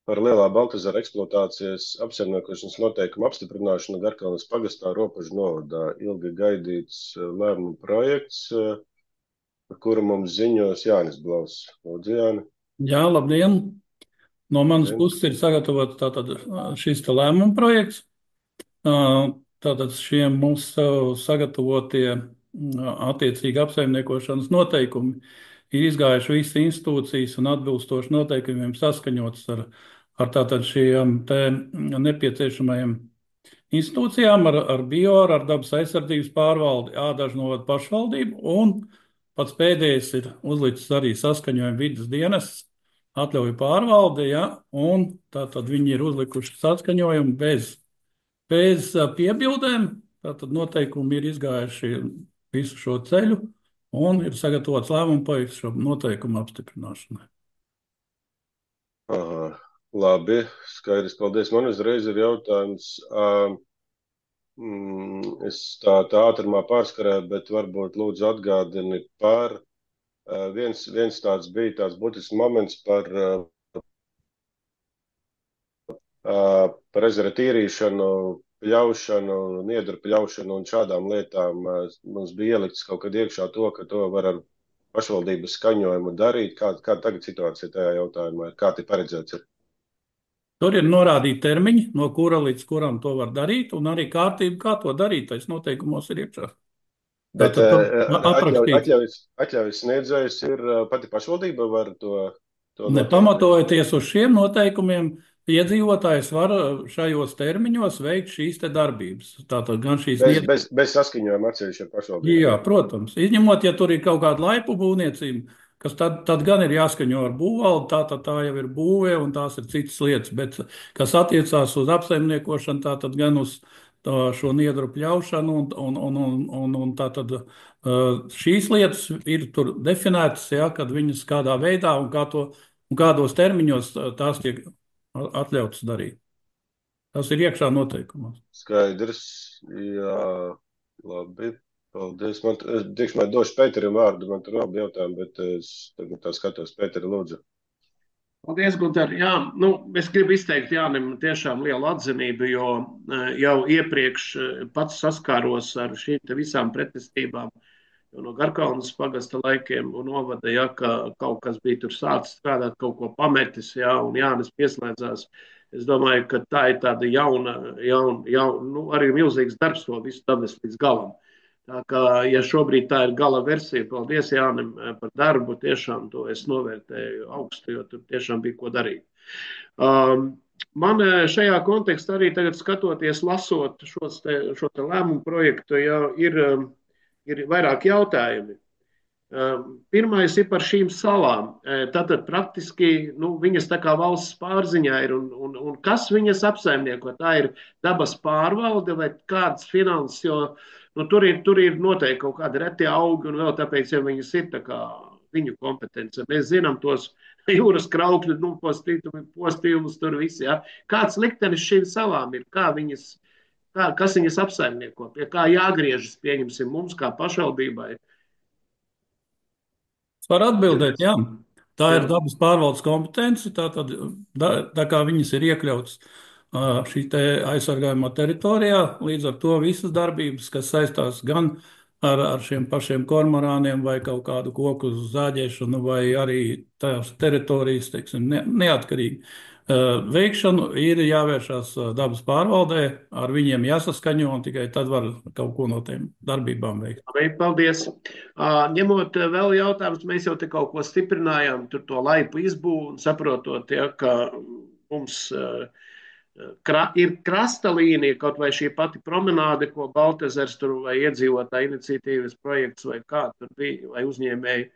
Speaker 1: par Lielā Baltezera eksploatācijas apsaimniekošanas noteikumu apstiprināšanu Garkalnes pagastā Ropažu novadā. Ilgi gaidīts lēmuma projekts, par kuru mums ziņos Jānis Blaus. Lūdzu, Jāni.
Speaker 9: Jā, labdien! No manas
Speaker 1: Labdien.
Speaker 9: puses ir sagatavots tātad šis te lēmuma projekts. Tātad šie mūsu sagatavotie attiecīgi apsaimniekošanas noteikumi ir izgājuši visas institūcijas un atbilstoši noteikumiem saskaņots ar tātad šiem te nepieciešamajiem institūcijām, ar BIOR, ar dabas aizsardzības pārvaldi, Ādažu novada pašvaldību, un pats pēdējais ir uzlicis arī saskaņojumu vidas dienests, atļauju pārvalde, ja, un tātad viņi ir uzlikuši saskaņojumu bez piebildēm, tātad noteikumi ir izgājuši visu šo ceļu, un ir sagatavots lēmuma projekts šo noteikumu apstiprināšanai.
Speaker 1: Aha, labi, skaidrs, paldies. Man uzreiz ir jautājums, es tā ātrumā pārskarēju, bet varbūt lūdzu atgādini par, viens tāds bija tāds būtisks moments par ezera tīrīšanu, pļaušanu, niedru pļaušanu un šādām lietām. Mums bija ielikts kaut kad iekšā to, ka to var ar pašvaldības skaņojumu darīt. Kā tagad situācija tajā jautājumā ir? Kā tie paredzēts ir?
Speaker 9: Tur ir norādīti termiņi, no kura līdz kuram to var darīt, un arī kārtība, kā to darīt, tais noteikumos ir iekšā.
Speaker 1: Bet
Speaker 9: aprakstīts.
Speaker 1: atļaujas sniedzējs ir pati pašvaldība var to
Speaker 9: Pamatojoties uz šiem noteikumiem, iedzīvotājs var šajos termiņos veikt šīs te darbības. Tātad gan šīs
Speaker 1: bez saskaņojuma atsevišķi ar pašvaldību.
Speaker 9: Jā, protams. Izņemot, ja tur ir kaut kāda laipu būvniecība, kas tad gan ir jāskaņo ar būvvaldi, tā jau ir būve un tās ir citas lietas. Bet kas attiecās uz apsaimniekošanu, tātad gan uz šo niedru pļaušanu un tātad šīs lietas ir tur definētas, ja, kad viņas kādā veidā un kādos termiņos tās tiek atļautas darīt. Tas ir iekšā noteikumos.
Speaker 1: Skaidrs, jā, labi, paldies. Man došu Pēterim vārdu, man tur vēl bija jautājumi, bet es tagad tā skatos. Pēteri, lūdzu.
Speaker 10: Paldies, Gunter. Jā, es gribu izteikt Jānim tiešām lielu atzinību, jo jau iepriekš pats saskāros ar šīm te visām pretestībām, jo no Garkalnes pagasta laikiem un novada, ja, ka kaut kas bija tur sācis strādāt, kaut ko pametis, ja, un Jānis pieslēdzās. Es domāju, ka tā ir tāda jauna, arī milzīgs darbs to visu davest līdz galam. Tā kā, ja šobrīd tā ir gala versija, paldies Jānim par darbu, tiešām to es novērtēju augstu, jo tur tiešām bija ko darīt. Man šajā kontekstā arī tagad skatoties, lasot šo te lēmumu projektu, ja, ir vairāk jautājumi. Pirmais ir par šīm salām. Tātad praktiski viņas tā kā valsts pārziņā ir un kas viņas apsaimnieko? Tā ir dabas pārvalde vai kāds finanses, jo tur ir noteikti kaut kādi reti augi un vēl tāpēc, ja viņas ir tā kā viņu kompetence. Mēs zinām tos jūras kraukļu, postījumus tur visi. Ja? Kāds liktenis šīm salām ir? Kas viņas apsaimnieko? Pie kā jāgriežas, pieņemsim mums kā pašvaldībai?
Speaker 9: Var atbildēt, jā. Tā ir dabas pārvaldes kompetence, tā kā viņas ir iekļautas šī te aizsargājumā teritorijā, līdz ar to visas darbības, kas saistās gan ar šiem pašiem kormorāniem vai kaut kādu koku zāģēšanu vai arī tās teritorijas, teiksim, neatkarīgi veikšanu, ir jāvēršās dabas pārvaldē, ar viņiem jāsaskaņo un tikai tad var kaut ko no tiem darbībām veikt.
Speaker 10: Paldies. Ņemot vēl jautājumus, mēs jau te kaut ko stiprinājām, tur to laipu izbūvu un saprotot, ja, ka mums ir krasta līnija, kaut vai šī pati promenāde, ko Baltezers tur vai iedzīvotāja iniciatīvas projekts vai kā tur bija, vai uzņēmēji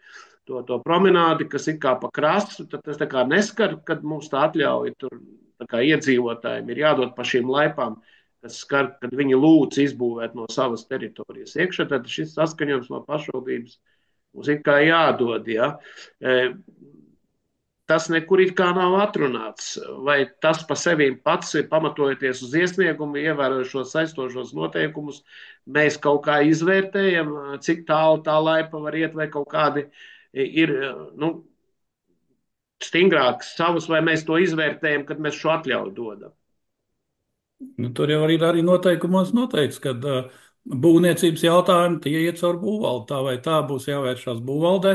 Speaker 10: to promenādi, kas ir kā pa krastu, tad tas tā kā neskar, kad mums tā atļauja tur tā kā iedzīvotājiem ir jādod pa šīm laipām, kas skar, kad viņi lūdz izbūvēt no savas teritorijas iekšā, tad šis saskaņojums no pašvaldības mums ir kā jādod, ja. tas nekur it kā nav atrunāts. Vai tas pa sevi pats ir pamatojoties uz iesniegumu, ievērojušos saistošos noteikumus, mēs kaut kā izvērtējam, cik tālu tā laipa var iet, vai kaut kādi ir stingrāks savus, vai mēs to izvērtējam, kad mēs šo atļauju dodam.
Speaker 9: Tur jau ir arī noteikumos noteikts, ka būvniecības jautājumi tie iet caur būvvaldi. Tā vai tā būs jāvēršās būvvaldē,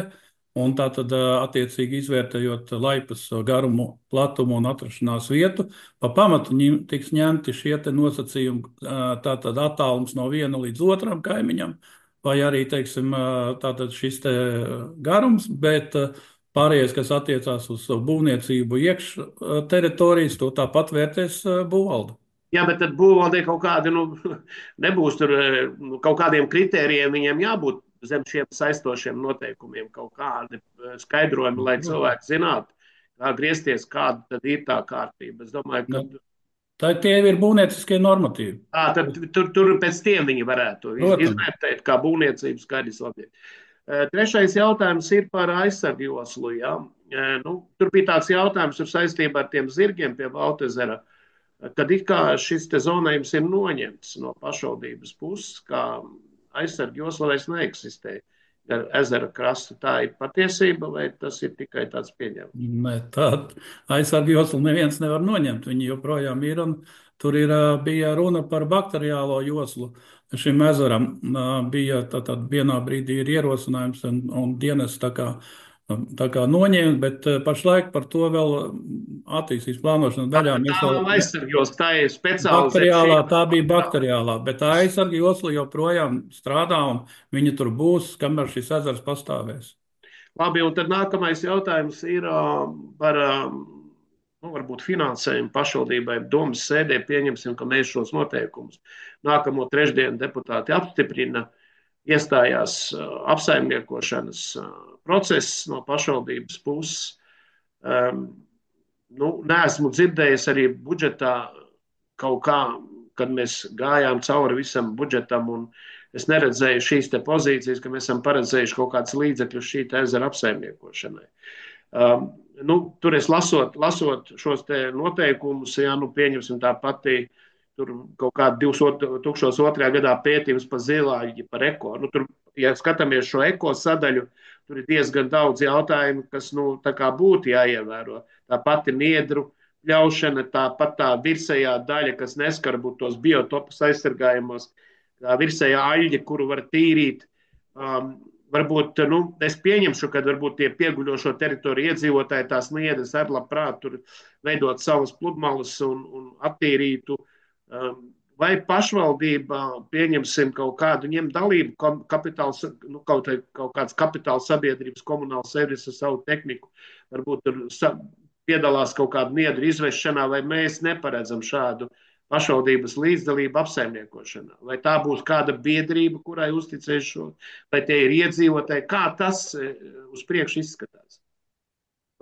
Speaker 9: un tā tad attiecīgi izvērtējot laipas garumu, platumu un atrašanās vietu, pa pamatu tiks ņemti šie te nosacījumi, tātad attālums no viena līdz otram kaimiņam, vai arī, teiksim, tātad šis te garums, bet pārējais, kas attiecās uz būvniecību iekš teritorijas, to tāpat vērtēs būvvalde.
Speaker 10: Jā, bet tad būvvaldē kaut kādi, nebūs tur kaut kādiem kritērijiem, viņiem jābūt zem šiem saistošiem noteikumiem, kaut kādi skaidrojumi, lai cilvēki zinātu, kā griezties, kāda tad ir tā kārtība. Es domāju, ka
Speaker 9: tie ir būvnieciskie normatīvi.
Speaker 10: Tad tur pēc tiem viņi varētu izvērtēt, kā būvniecības skaidrs objekts. Trešais jautājums ir par aizsargu joslu. Ja? Tur bija tāds jautājums saistībā ar tiem zirgiem pie Baltezera, kad it kā šis te zonējums ir noņemts no pašvaldības puses, kā aizsargu josla vairs neeksistē ar ezera krastu. Tā ir patiesība, vai tas ir tikai tāds pieņemts?
Speaker 9: Nē, tāda aizsargu joslu neviens nevar noņemt. Viņi joprojām ir, un tur bija runa par bakteriālo joslu. Šim ezeram bija tātad vienā brīdī ir ierosinājums un dienas tā kā noņēma, bet pašlaik par to vēl attīstības plānošanas daļā.
Speaker 10: Tā nav aizsargu josla, tā ir specializēta.
Speaker 9: Tā bija bakteriālā, bet tā aizsargu josla joprojām strādā un viņa tur būs, kamēr šis ezers pastāvēs.
Speaker 10: Labi, un tad nākamais jautājums ir par varbūt finansējumu pašvaldībai. Domas sēdē pieņemsim, ka mēs šos noteikumus nākamo trešdienu deputāti apstiprina, iestājās apsaimniekošanas process no pašvaldības puses. Neesmu dzirdējis arī budžetā kaut kā, kad mēs gājām cauri visam budžetam, un es neredzēju šīs te pozīcijas, ka mēs esam paredzējuši kaut kāds līdzekļus šī ezera apsaimniekošanai. Tur es lasot šos te noteikumus, pieņemsim tā pati, tur kaut kāda 2002. Gadā pētījums par zilāģi, par eko. Tur, ja skatāmies šo eko sadaļu, tur ir diezgan daudz jautājumu, kas tā kā būtu jāievēro. Tā pati niedru pļaušana, tāpat tā virsējā daļa, kas neskar būt tos biotopus aizsargājumos, tā virsējā aļģe, kuru var tīrīt. Varbūt, es pieņemšu, ka varbūt tie pieguļošo teritoriju iedzīvotāji tās niedres ar labprāt tur veidot savas pludmales un attīrītu. Vai pašvaldība, pieņemsim kaut kādu, ņem dalību kaut kāds kapitāla sabiedrības komunāla servis ar savu tehniku, varbūt tur piedalās kaut kādu niedru izvešanā, vai mēs neparedzam šādu pašvaldības līdzdalību apsaimniekošanā? Vai tā būs kāda biedrība, kurai uzticēs šo, vai tie ir iedzīvotāji? Kā tas uz priekšu izskatās?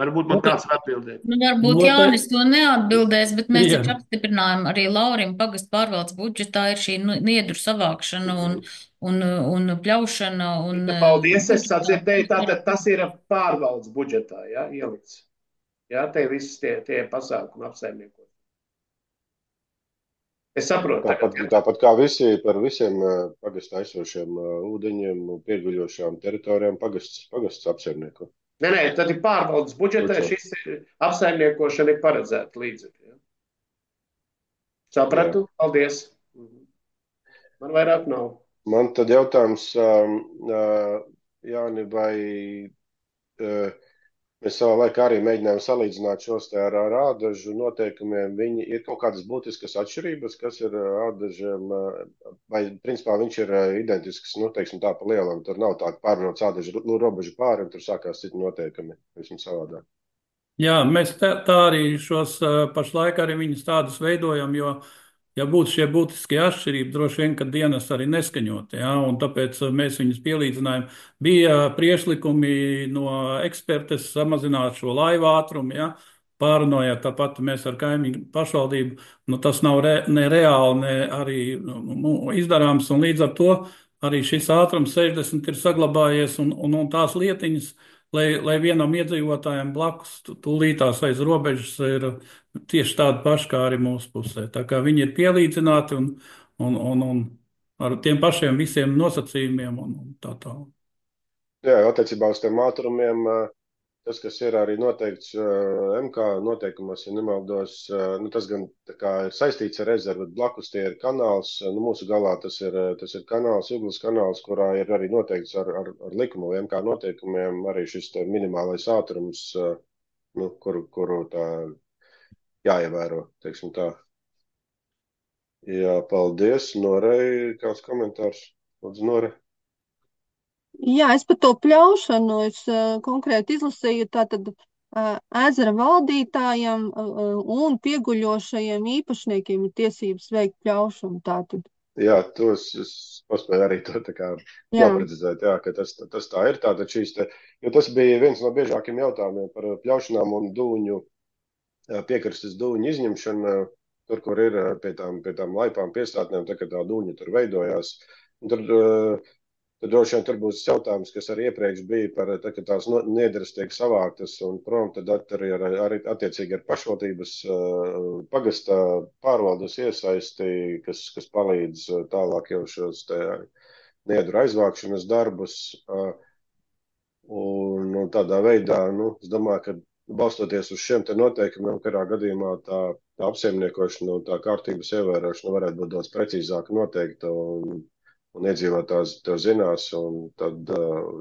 Speaker 10: Varbūt man kāds var atbildēt.
Speaker 4: Varbūt Jānis to neatbildēs, bet mēs taču apstiprinājām arī Laurim pagastu pārvaldes budžetā ir šī niedru savākšana un pļaušana.
Speaker 10: Paldies, es sadzirdēju, tātad tas ir pārvaldes budžetā, ielikts. Te visi tie pasākumi apsaimniekot. Es saprotu.
Speaker 1: Tāpat kā par visiem pagastu aizsošiem ūdeņiem, pieguļošām teritorijām pagasts apsaimnieko.
Speaker 10: Nē, tad ir pārvaldes budžetā, šis apsaimniekošana ir paredzēta līdzekļi. Sapratu? Paldies. Man vairāk nav.
Speaker 1: Man tad jautājums, Jāni, vai mēs savā laikā arī mēģinājām salīdzināt šos te ar ādažu noteikumiem. Viņi ir kaut kādas būtiskas atšķirības, kas ir ādažiem, vai principā viņš ir identisks, teiksim tā pa lielam. Tur nav tāda pārnots ādažu robežu pāri, un tur sākās citi noteikumi, visam savādāk.
Speaker 9: Jā, mēs tā arī šos pašlaik arī viņus tādus veidojam, jo, ja būtu šie būtiskie atšķirība, droši vien, ka dienas arī neskaņot, un tāpēc mēs viņus pielīdzinājām. Bija priešlikumi no ekspertes samazināt šo laivu ātrumu, pārunājot tāpat mēs ar kaimiņu pašvaldību. Tas nav ne reāli, ne arī izdarāms, un līdz ar to arī šis ātrums 60 ir saglabājies, un tās lietiņas, lai vienam iedzīvotājam blakus tūlītās aiz robežas ir tieši tādi paši kā arī mūsu pusē. Tā kā viņi ir pielīdzināti un ar tiem pašiem visiem nosacījumiem un tā tālāk.
Speaker 1: Jā, attiecībā uz tiem ātrumiem, tas, kas ir arī noteikts MK noteikumos, ja nemaldos, nu, tas gan tā kā ir saistīts ar rezervu, bet blakus tie ir kanāls. Nu, mūsu galā tas ir kanāls, Juglas kanāls, kurā ir arī noteikts ar likumu vai MK noteikumiem arī šis minimālais ātrums, nu, kuru tā jāievēro, teiksim tā. Jā, paldies. Norei, kāds komentārs? Lūdzu, Nore.
Speaker 2: Jā, es par to pļaušanu konkrēti izlasīju, tātad ezera valdītājiem un pieguļošajiem īpašniekiem ir tiesības veikt pļaušanu. Tātad.
Speaker 1: Jā, es paspēju arī to tā kā noprecizēt, jā, ka tas tā ir. Tātad jo tas bija viens no biežākiem jautājumiem par pļaušanām un dūņu, piekrastes dūņu izņemšanu, tur, kur ir pie tām laipām piestātnēm, tā kā tā dūņa tur veidojās. Un tad droši vien tur būs jautājums, kas arī iepriekš bija par, ka tās niedras tiek savāktas un prom, tad arī attiecīgi ar pašvaldības pagasta pārvaldes iesaisti, kas palīdz tālāk jau šos niedru aizvākšanas darbus. Un tādā veidā, es domāju, ka balstoties uz šiem te noteikumiem, kurā gadījumā tā apsaimniekošana un tā kārtības ievērošana varētu būt daudz precīzāk noteikta un iedzīvotājs to zinās, un tad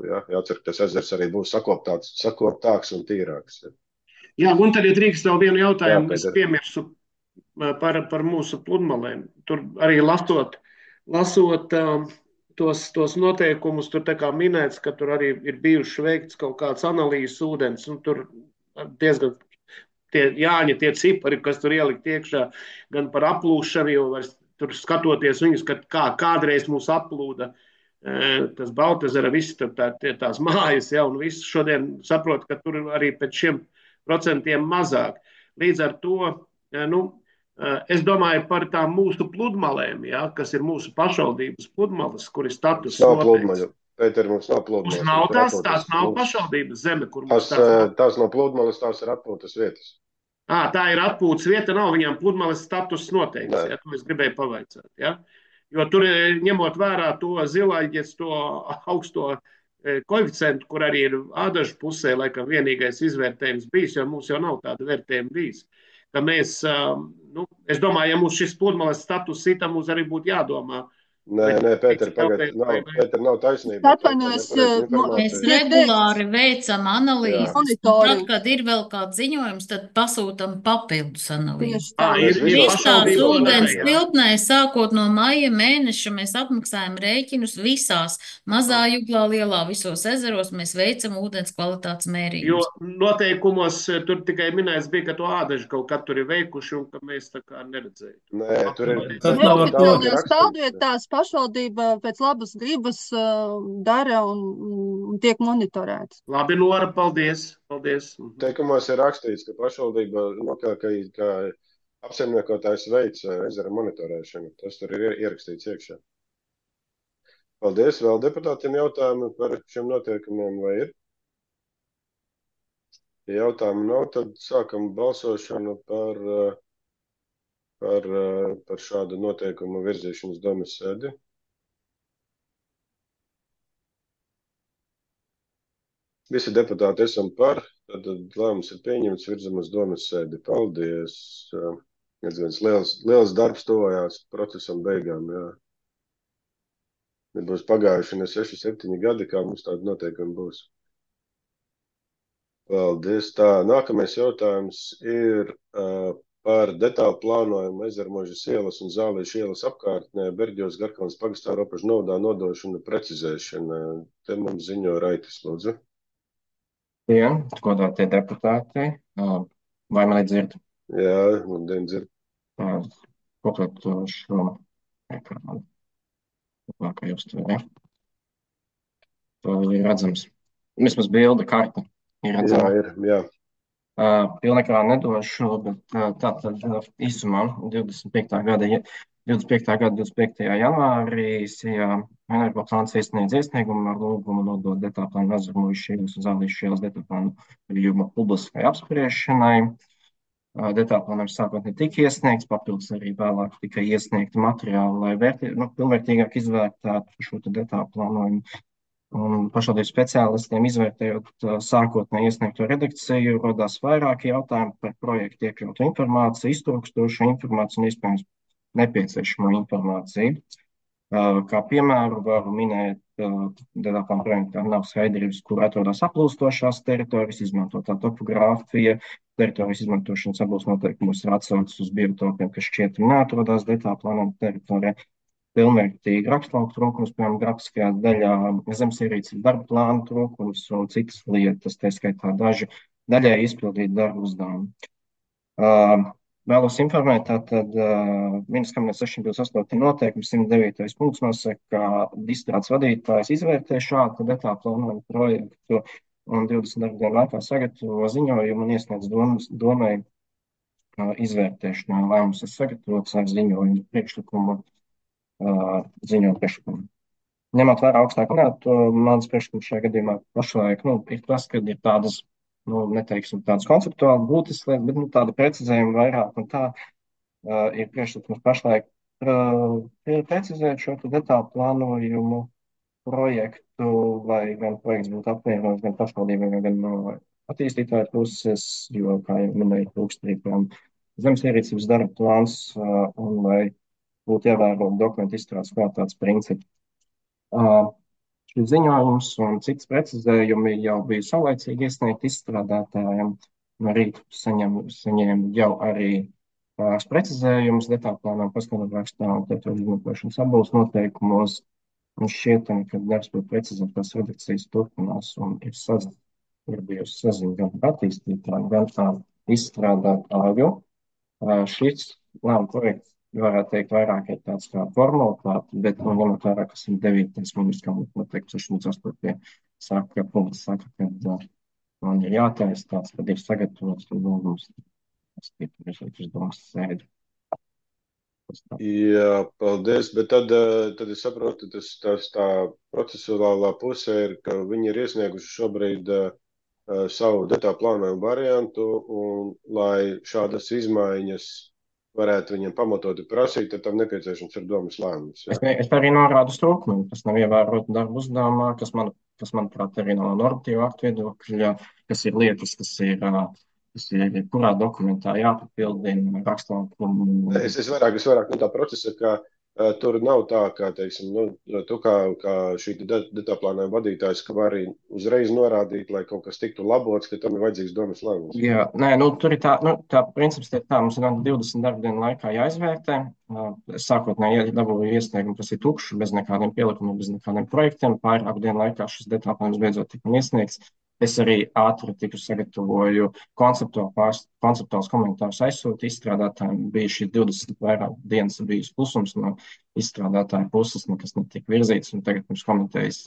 Speaker 1: jācer, ka tas ezers arī būs sakoptāks un tīrāks.
Speaker 10: Jā, un tad, ja drīkst vēl vienu jautājumu, es piemirsu par mūsu pludmalēm. Tur arī lasot tos noteikumus, tur tā kā minēts, ka tur arī ir bijuši veikts kaut kāds analīzes ūdens, un tur diezgan tie cipari, kas tur ielikt iekšā, gan par aplūšanu, jo vairs tur skatoties viņus, kā kādreiz mūs aplūda tas Baltezera, visi tās mājas, un viss šodien saprot, ka tur arī pēc šiem procentiem mazāk. Līdz ar to, es domāju par tām mūsu pludmalēm, kas ir mūsu pašvaldības pludmales, kur ir status noteikts.
Speaker 1: Pēter, mums nav pludmales.
Speaker 10: Mums nav tās nav pašvaldības zeme, kur mums
Speaker 1: tās nav pludmales, tās ir atpūtas vietas.
Speaker 10: Tā ir atpūtas vieta, nav viņām pludmales status noteikts, to es gribēju pavaicāt. Ja? Jo tur, ņemot vērā to zilaiģes, to augsto koeficientu, kur arī ir ādažu pusē, laikam vienīgais izvērtējums bijis, jo mums jau nav tāda vērtējuma bijis. Ka mēs, es domāju, ja mums šis pludmales status ir, tad mums arī būtu jādomā.
Speaker 1: Nē, Pēter, nav taisnība.
Speaker 4: Mēs regulāri veicam analīzes. Tad, kad ir vēl kāds ziņojums, tad pasūtam papildus analīzes. Viss tāds ūdens tilpnē, sākot no maija mēneša, mēs apmaksājam rēķinus visās mazā Juglā, lielā, visos ezeros, mēs veicam ūdens kvalitātes mērījumus.
Speaker 10: Jo noteikumos tur tikai minēts bija, ka to ādaži kaut kad tur ir veikuši un ka mēs tā kā neredzējām.
Speaker 1: Nē, tur ir
Speaker 2: neoficiālajās stāvvietās pašvaldība pēc labas gribas dara un tiek monitorēts.
Speaker 10: Labi, Nora, paldies.
Speaker 1: Teikumos ir rakstīts, ka pašvaldība, ka apsaimniekotājs veic ezera monitorēšanu. Tas tur ir ierakstīts iekšā. Paldies. Vēl deputātiem jautājumi par šiem noteikumiem vai ir? Ja jautājumu nav, tad sākam balsošanu par šādu noteikumu virzīšanas domas sēdi. Visi deputāti esam par, tad lēmums ir pieņemts, virzam uz domas sēdi. Paldies. Liels darbs tuvojās procesam beigām. Jā. Nebūs pagājuši ne 6-7 gadi, kā mums tāda noteikumi būs. Paldies. Tā, nākamais jautājums ir par detālu plānojumu Ezermožas ielas un Zālīšu ielas apkārtnē Berģos Garkalnas pagastā robežu novadā nodošana precizēšana. Te mums ziņo Raitis, lūdzu.
Speaker 11: Jā, godātie deputāti, vai mani dzird?
Speaker 1: Jā, man dzird.
Speaker 11: Kopiet šo ekrānu. Kā jūs to ir redzams. Vismaz bilde karta ir redzama.
Speaker 1: Jā.
Speaker 11: Pilnekrā nedošu, bet tātad īsumā 25. gada 25. janvārī Sijā Energoplāns iesniedz iesniegumu ar lūgumu nodot detaļplānu Ezermuižas ielas un Zālīšu ielas detaļplānu gadījuma publiskai apspriešanai. Detaļplānam sākotnēji tika iesniegts, papildus arī vēlāk tika iesniegti materiāli, lai pilnvērtīgāk izvērtētu šo detaļplānojumu. Un pašvaldības speciālistiem izvērtējot sākotnēji iesniegto redakciju, rodās vairāki jautājumi par projektu iekļautu informāciju, iztrūkstošu informāciju un iespējams nepieciešamo informāciju. Kā piemēru varu minēt, detaļplāna projektā nav skaidrības, kur atrodas aplūstošās teritorijas, izmantotā topogrāfija, teritorijas izmantošanas abos noteikumos ir atsaucis uz biotopiem, kas šķietami neatrodas detaļplānā teritorijā. Pilnvērtīgi rakstlauku trūkums, piemēram, grafiskajā daļā, zemesierīces darba plāna trūkums un citas lietas, tā skaitā daļai izpildīt darbu uzdevumu. Vēlos informēt, tātad Ministrijas kabineta 628 noteikums 109. punkts nosaka, ka izstrādes vadītājs izvērtē šādu detaļplānojumu projektu un 20 darba dienu laikā sagatavo ziņojumu un iesniedz domai izvērtēšanai. Lēmums ir sagatavots ar ziņojumu priekšlikumu. Ziņot priekšlikumu. Ņemot vērā augstāku minēto, mans priekšlikums šajā gadījumā pašlaik ir tas, ka ir tādas, neteiksim, tādas konceptuāli būtiskas lietas, bet tāda precizējuma vairāk, un tā ir priekšlikums pašlaik precizēt šo detālu plānojumu projektu, lai gan projekts būtu apvienots gan pašvaldībiem, gan no attīstītāju puses, jo, kā jau minēju, trūkst arī zemesierīcības darba plāns, un lai būtu ievērot dokumentu izstrādes kvalitātes principi. Šis ziņojums un cits precizējumi jau bija saulaicīgi iesniegti izstrādātājiem. No rīta saņēmu jau arī pāris precizējumus detaļplānām, paskatām rakstā un teritorijas izmantošanas abos noteikumos. Un šķietami, ka darbs pie precizētās redakcijas turpinās un ir bijusi saziņa gan ar attīstītājiem, gan ar izstrādātāju. Šis lēmuma projekts varētu teikt, vairāk ir tāds kā formalitāte, bet ņemot vērā, ka 109. Ministrijas kabineta noteikums 68. saka, ka man ir jātaisa tāds, kad ir sagatavots un lūgums uz domas sēdi.
Speaker 1: Jā, paldies, bet tad es saprotu, tā procesuālā puse ir, ka viņi ir iesnieguši šobrīd savu detaļu plānojumu variantu, un lai šādas izmaiņas varētu viņiem pamatoti prasīt, tad tam nepieciešams ir domas lēmums.
Speaker 11: Es arī norādu trūkumu, kas nav ievērota darba uzdevumā, kas, manuprāt, arī no normatīva aktu viedokļa, kas ir lietas, kas ir kurā dokumentā jāpapildina rakstlaukumu.
Speaker 1: Es vairāk no tā procesa, ka tur nav tā, kā, teiksim, tu kā šī detaļplānojuma vadītājs, ka var arī uzreiz norādīt, lai kaut kas tiktu labots, ka tam ir vajadzīgs domas lēmums.
Speaker 11: Jā, nē, tur ir tā princips ir tā, mums ir 20 darba dienu laikā jāizvērtē. Sākotnēji dabūju iesniegumu, kas ir tukšs, bez nekādiem pielikumiem, bez nekādiem projektiem. Pārāku dienu laikā šis detaļplānojums beidzot tika iesniegts. Es arī ātri sagatavoju konceptuāls komentārus aizsūtu izstrādātājiem. Bija šī 20 vairāk dienas bijis klusums no izstrādātāja puses, nekas netika virzīts, un tagad mums komitejas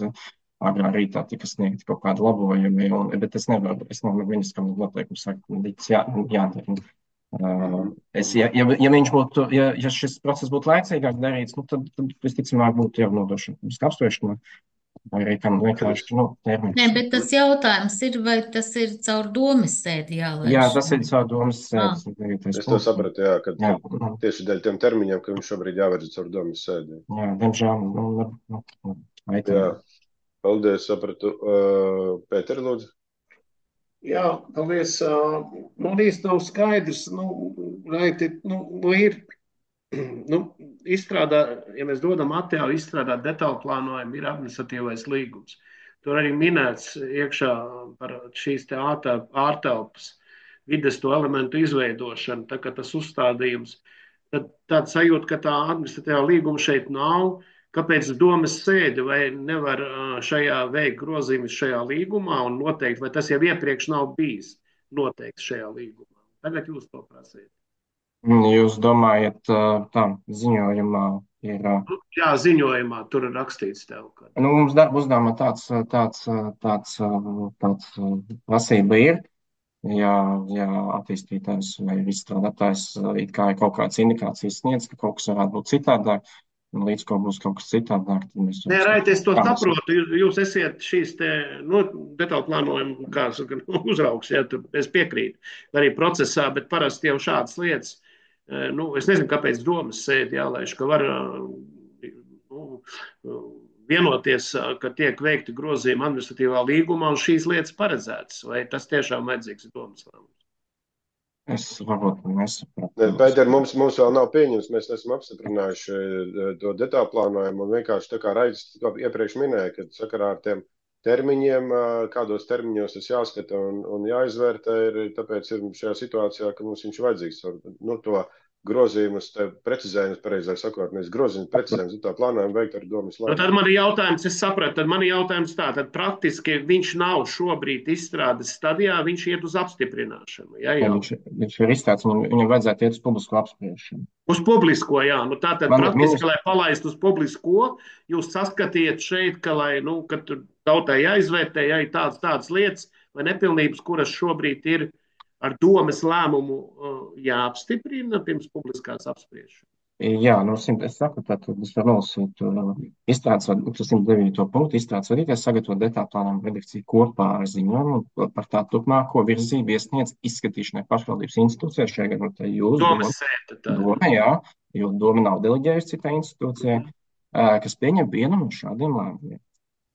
Speaker 11: agrā rītā tika sniegti kaut kādi labojumi, bet es nevaru Ministrijas kabineta noteikumu sagt, jādara. Ja viņš būtu, ja šis process būtu laicīgāk darīts, tad visticamāk būtu jau nodošana apspriešanai. Vai arī tam vienkārši termiņš.
Speaker 4: Nē, bet tas jautājums ir, vai tas ir caur domas sēdi jālaiž?
Speaker 11: Jā, tas ir caur domas sēdi.
Speaker 1: Es to sapratu, jā, ka tieši dēļ tiem termiņiem, ka viņš šobrīd jāvirza caur domas sēdi.
Speaker 11: Jā, diemžēl.
Speaker 1: Jā, paldies, sapratu. Pēter, lūdzu.
Speaker 10: Jā, paldies. Man īsti nav skaidrs, ir. Ja mēs dodam atļauju izstrādāt detaļu plānojumu, ir administratīvais līgums. Tur arī minēts iekšā par šīs te ārtelpas vides to elementu izveidošanu, tā kā tas uzstādījums. Tad tāda sajūta, ka tā administratīvā līguma šeit nav, kāpēc domas sēde vai nevar šajā veikt grozījumus šajā līgumā un noteikt, vai tas jau iepriekš nav bijis noteikts šajā līgumā. Tagad jūs to prasiet.
Speaker 11: Jūs domājat, tā ziņojumā ir?
Speaker 10: Jā, ziņojumā tur ir rakstīts tev. Ka...
Speaker 11: Mums darba uzdevumā tāds prasība ir. Ja attīstītājs vai izstrādātājs it kā ir kaut kādas indikācijas sniedz, ka kaut kas varētu būt citādāk, līdz ko būs kaut kas citādāk, tad mēs
Speaker 10: Nē, Raiti, es to
Speaker 11: kā mēs
Speaker 10: saprotu. Jūs esat šīs te, detālu plānojuma, kā saka, uzraugs, ja, es piekrītu, arī procesā, bet parasti jau šādas lietas, es nezinu, kāpēc domas sēdi jālaiž, ka var vienoties, ka tiek veikti grozījumi administratīvā līgumā un šīs lietas paredzētas, vai tas tiešām vajadzīgs domas lēmums?
Speaker 11: Es varbūt nesapratu.
Speaker 1: Pēter, mums vēl nav pieņems, mēs esam apstiprinājuši to detālu plānojumu un vienkārši tā kā Raidis iepriekš minēja, ka sakarā ar tiem termiņiem, kādos termiņos tas jāskata un jāizvērtē, tāpēc ir šajā situācijā, ka mums viņš vajadzīgs to grozījumus, precizējumus, pareizāk sakot, nevis grozījumus, precizējumus, tā plānojumu veikt ar domas lēmumu.
Speaker 10: Tad man ir jautājums, es sapratu, tad man ir jautājums tā, tad praktiski viņš nav šobrīd izstrādes stadijā, viņš iet uz apstiprināšanu. Ja, jau.
Speaker 11: Viņš ir izstrādes, viņam vajadzētu iet uz publisko apspriešanu.
Speaker 10: Uz publisko, jā. Tātad praktiski, lai palaistu uz publisko, jūs saskatiet šeit, ka, kad tautai jāizvērtē, ja ir tādas lietas vai nepilnības, kuras šobrīd ir ar domas lēmumu jāapstiprina pirms publiskās apspriešanas.
Speaker 11: Jā, es saku, tad es varu nolasīt izstrādes 109. punktu. Izstrādes vadītājs sagatavo detālu plānojumu redakciju kopā ar ziņojumu par tā turpmāko virzību iesniedz izskatīšanai pašvaldības institūcijai. Šajā gadījumā jūs
Speaker 10: domas sēta.
Speaker 11: Doma, jā, jo doma nav deleģējusi citai institūcijai, kas pieņem vienu no šādiem lēmumiem.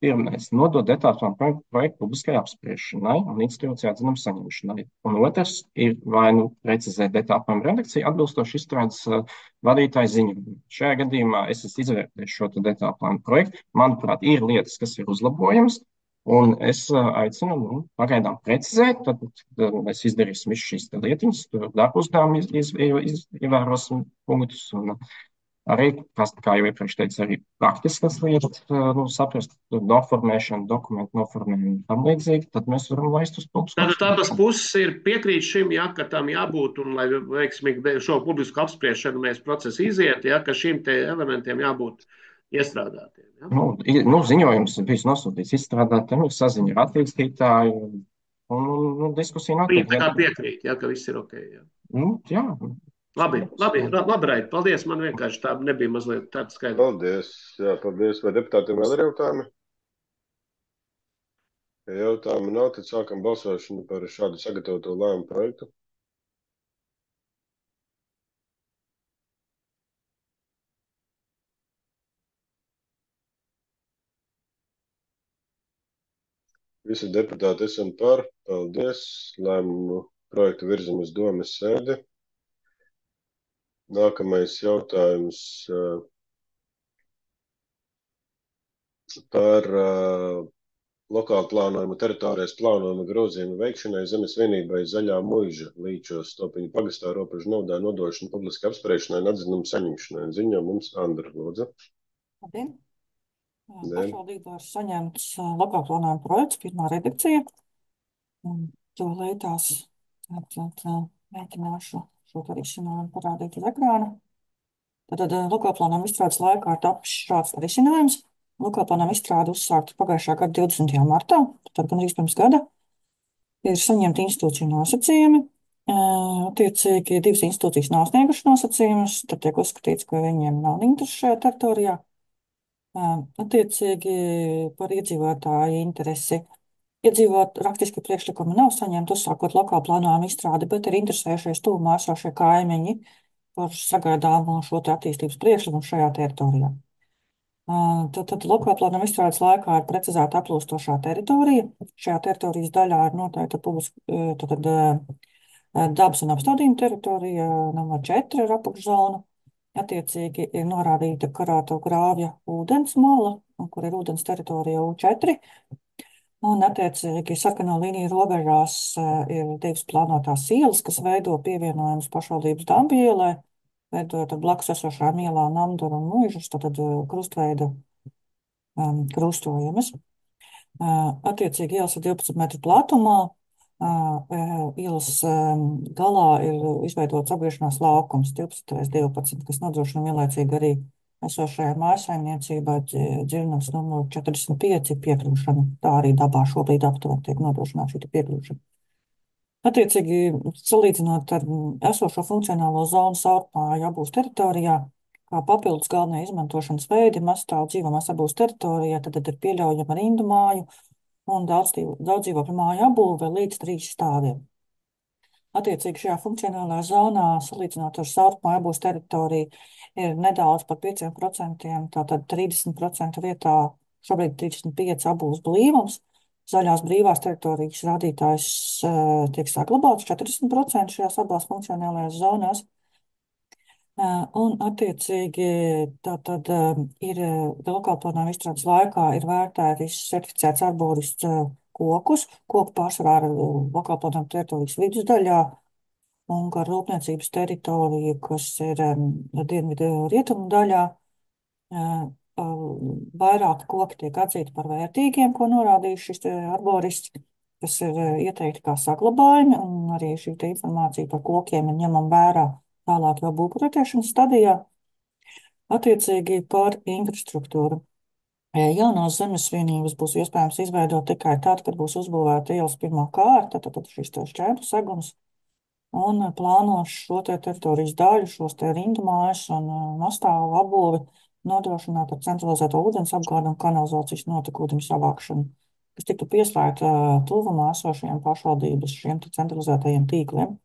Speaker 11: Pirmais, nodot detālu projektu publiskai apspriešanai un institūcijā atzinumu saņemšanai. Un otrs ir vai precizēt detālu plānu redakciju atbilstoši izstrādes vadītāju ziņojumu. Šajā gadījumā es esmu izvērtējis šo detālu plānu projektu. Manuprāt, ir lietas, kas ir uzlabojamas, un es aicinu pagaidām precizēt, tad mēs izdarīsim visu šīs lietiņas, darbu uzdevumu ievērosim punktus un arī, kā jau iepriekš teicu, arī praktiskas lietas, saprast, noformēšanu, dokumentu noformēšanu un tam līdzīgi, tad mēs varam laist uz publisku.
Speaker 10: Tātad abas puses ir piekrīt šim, ja, ka tam jābūt, un lai veiksmīgi šo publisku apspriešanu mēs procesu iziet, ja, ka šim te elementiem jābūt iestrādātiem. Ja?
Speaker 11: Ziņojums bijis nosūtīts izstrādātiem, ir saziņa ar attīstītāju, un diskusija notiek.
Speaker 10: Tā kā piekrīt, ja, ka viss ir ok. Ja?
Speaker 11: Jā.
Speaker 10: Labi, Raid, paldies. Man vienkārši tā nebija mazliet tāda skaidra.
Speaker 1: Paldies. Jā, paldies. Vai deputātiem vēl ir jautājumi? Ja jautājumi nav, tad sākam balsošanu par šādu sagatavoto lēmumu projektu. Visi deputāti esam par. Paldies. Lēmumu projektu virzam uz domas sēdi. Nākamais jautājums par lokālu plānojumu, teritorijas plānojumu grozījumu veikšanai zemes vienībai Zaļā Muiža Līčos Stopiņu pagastā robežu nodā nodošanu publiski apspriešanai un atzinumu saņemšanai. Ziņo mums Andra, lūdzu.
Speaker 12: Labdien. Pašvaldībā ir saņemts lokālu plānojumu projekts, pirmā redakcija. To lietās mēģināšu šo risinājumu parādīt uz ekrāna. Tad lokālplānojuma izstrādes laikā ir tapis šāds risinājums. Lokālplānojuma izstrāde uzsākta pagājušā gada 20. martā, tad gandrīz pirms gada. Ir saņemti institūciju nosacījumi. Attiecīgi, divas institūcijas nav sniegušas nosacījumus, tad tiek uzskatīts, ka viņiem nav interesu šajā teritorijā. Attiecīgi, par iedzīvotāju interesi. Rakstiski priekšlikumi nav saņemti uzsākot lokālu plānojumu izstrādi, bet ir interesējušies tuvumā esošie kaimiņi par sagaidāmo šo attīstības priekšlikumu šajā teritorijā. Tad lokālu plānojumu izstrādes laikā ir precizēta aplūstošā teritorija. Šajā teritorijas daļā ir noteikta dabas un apstādījuma teritorija, numur 4 ir apakšzona. Attiecīgi ir norādīta karāto grāvja ūdens mala, kur ir ūdens teritorija U4. Un, attiecīgi, sarkano līniju robežās ir divas plānotās ielas, kas veido pievienojumus pašvaldības Dambu ielai, veidojot ar blakus esošām ielām Namduru un Muižas, tad krustveida krustojumus. Attiecīgi, ielas ir 12 metru platumā, ielas galā ir izveidots apgriešanās laukums 12x12, kas nodrošina vienlaicīgi arī esošajā mājsaimniecībā dzirnavas numuru 45 piekļūšana. Tā arī dabā šobrīd aptuveni tiek nodrošināta šī piekļūšana. Attiecīgi, salīdzinot ar esošo funkcionālo zonu Saurpāju Abūs teritorijā, kā papildus galvenie izmantošanas veidi mazstāvu dzīvamās apbūves teritorijā, tad ir pieļaujama rindu māju un daudz dzīvokļu māju apbūve līdz 3 stāviem. Attiecīgi šajā funkcionālajā zonā, salīdzinot ar saurumu apbūves teritoriju, ir nedaudz par 5%, tātad 30% vietā šobrīd 35 apbūves blīvums. Zaļās brīvās teritorijas rādītājs tiek saglabāts 40% šajās abās funkcionālajās zonās. Un, attiecīgi, tātad ir lokalplānojuma izstrādes laikā ir vērtēti certificēts arborists kokus. Koku pārsvarā ir lokalplānojuma teritorijas vidusdaļā un gar rūpniecības teritoriju, kas ir dienvidu rietumu daļā. Vairāki koki tiek atzīti par vērtīgiem, ko norādījuši šis arborists, kas ir ieteikti kā saglabājumi, un arī šī informācija par kokiem ir ņemama vērā tālāk jau būvprojektēšanas stadijā. Attiecīgi par infrastruktūru. Jaunās zemes vienības būs iespējams izveidot tikai tad, kad būs uzbūvēta ielas pirmā kārta, tad šis šķērslis segums, un plānos šo teritorijas daļu, šos rindu mājas un mastāvu apbūvi nodrošināt ar centralizēto ūdens apgādi un kanalizācijas notekūdeņu savākšanu, kas tiktu pieslēgta tuvumā esošajiem pašvaldības šiem centralizētajiem tīkliem.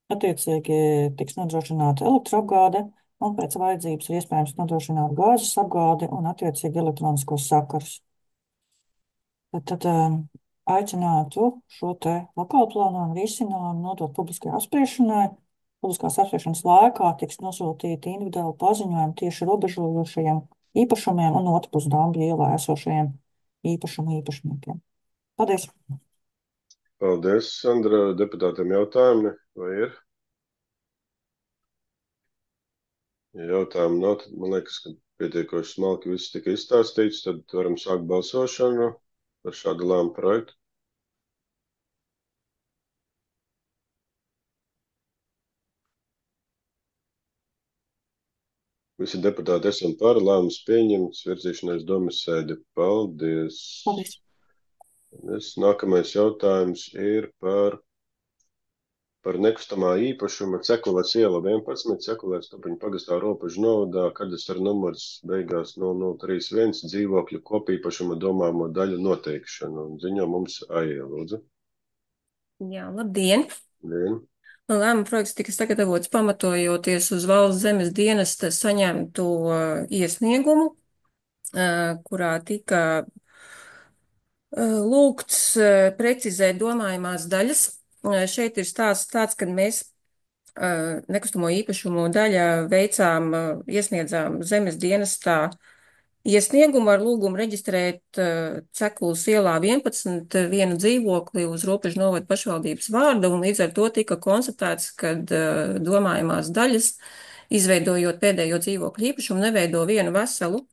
Speaker 12: Attiecīgi tiks nodrošināta elektroapgāde, un pēc vajadzības ir iespējams nodrošināt gāzes apgādi un attiecīgi elektroniskos sakarus. Tad aicinātu šo lokālplānojumu risinājumu nodot publiskajai apspriešanai. Publiskās apspriešanas laikā tiks nosūtīti individuāli paziņojumi tieši robežojošajiem īpašumiem un otrpus Dambja ielā esošajiem īpašumu īpašniekiem. Paldies!
Speaker 1: Paldies, Sandra. Deputātiem jautājumi vai ir? Ja jautājumu nav, tad man liekas, ka pietiekoši smalki viss tika izstāstīts, tad varam sākt balsošanu par šādu lēmumu projektu. Visi deputāti esam par, lēmums pieņemts, virzīšanai uz domas sēdi. Paldies!
Speaker 12: Paldies!
Speaker 1: Nākamais jautājums ir par nekustamā īpašuma Cekulēs iela 11, Cekulēs Tupiņu pagastā Robežu novadā, kadastra numurs beigās 0031, dzīvokļu kopīpašuma domāmo daļu noteikšanu. Ziņo mums Aija, lūdzu.
Speaker 13: Jā, labdien!
Speaker 1: Labdien!
Speaker 13: Lēmuma projekts tika sagatavots pamatojoties uz Valsts zemes dienesta saņemto iesniegumu, kurā tika lūgts precizēt domājumās daļas. Šeit ir stāsts tāds, ka mēs nekustamo īpašumu daļā iesniedzām zemes dienestā iesniegumu ar lūgumu reģistrēt Cekulas ielā 11 vienu dzīvokli uz Robežu novada pašvaldības vārda, un līdz ar to tika konstatēts, ka domājumās daļas, izveidojot pēdējo dzīvokļu īpašumu, neveido vienu veselu.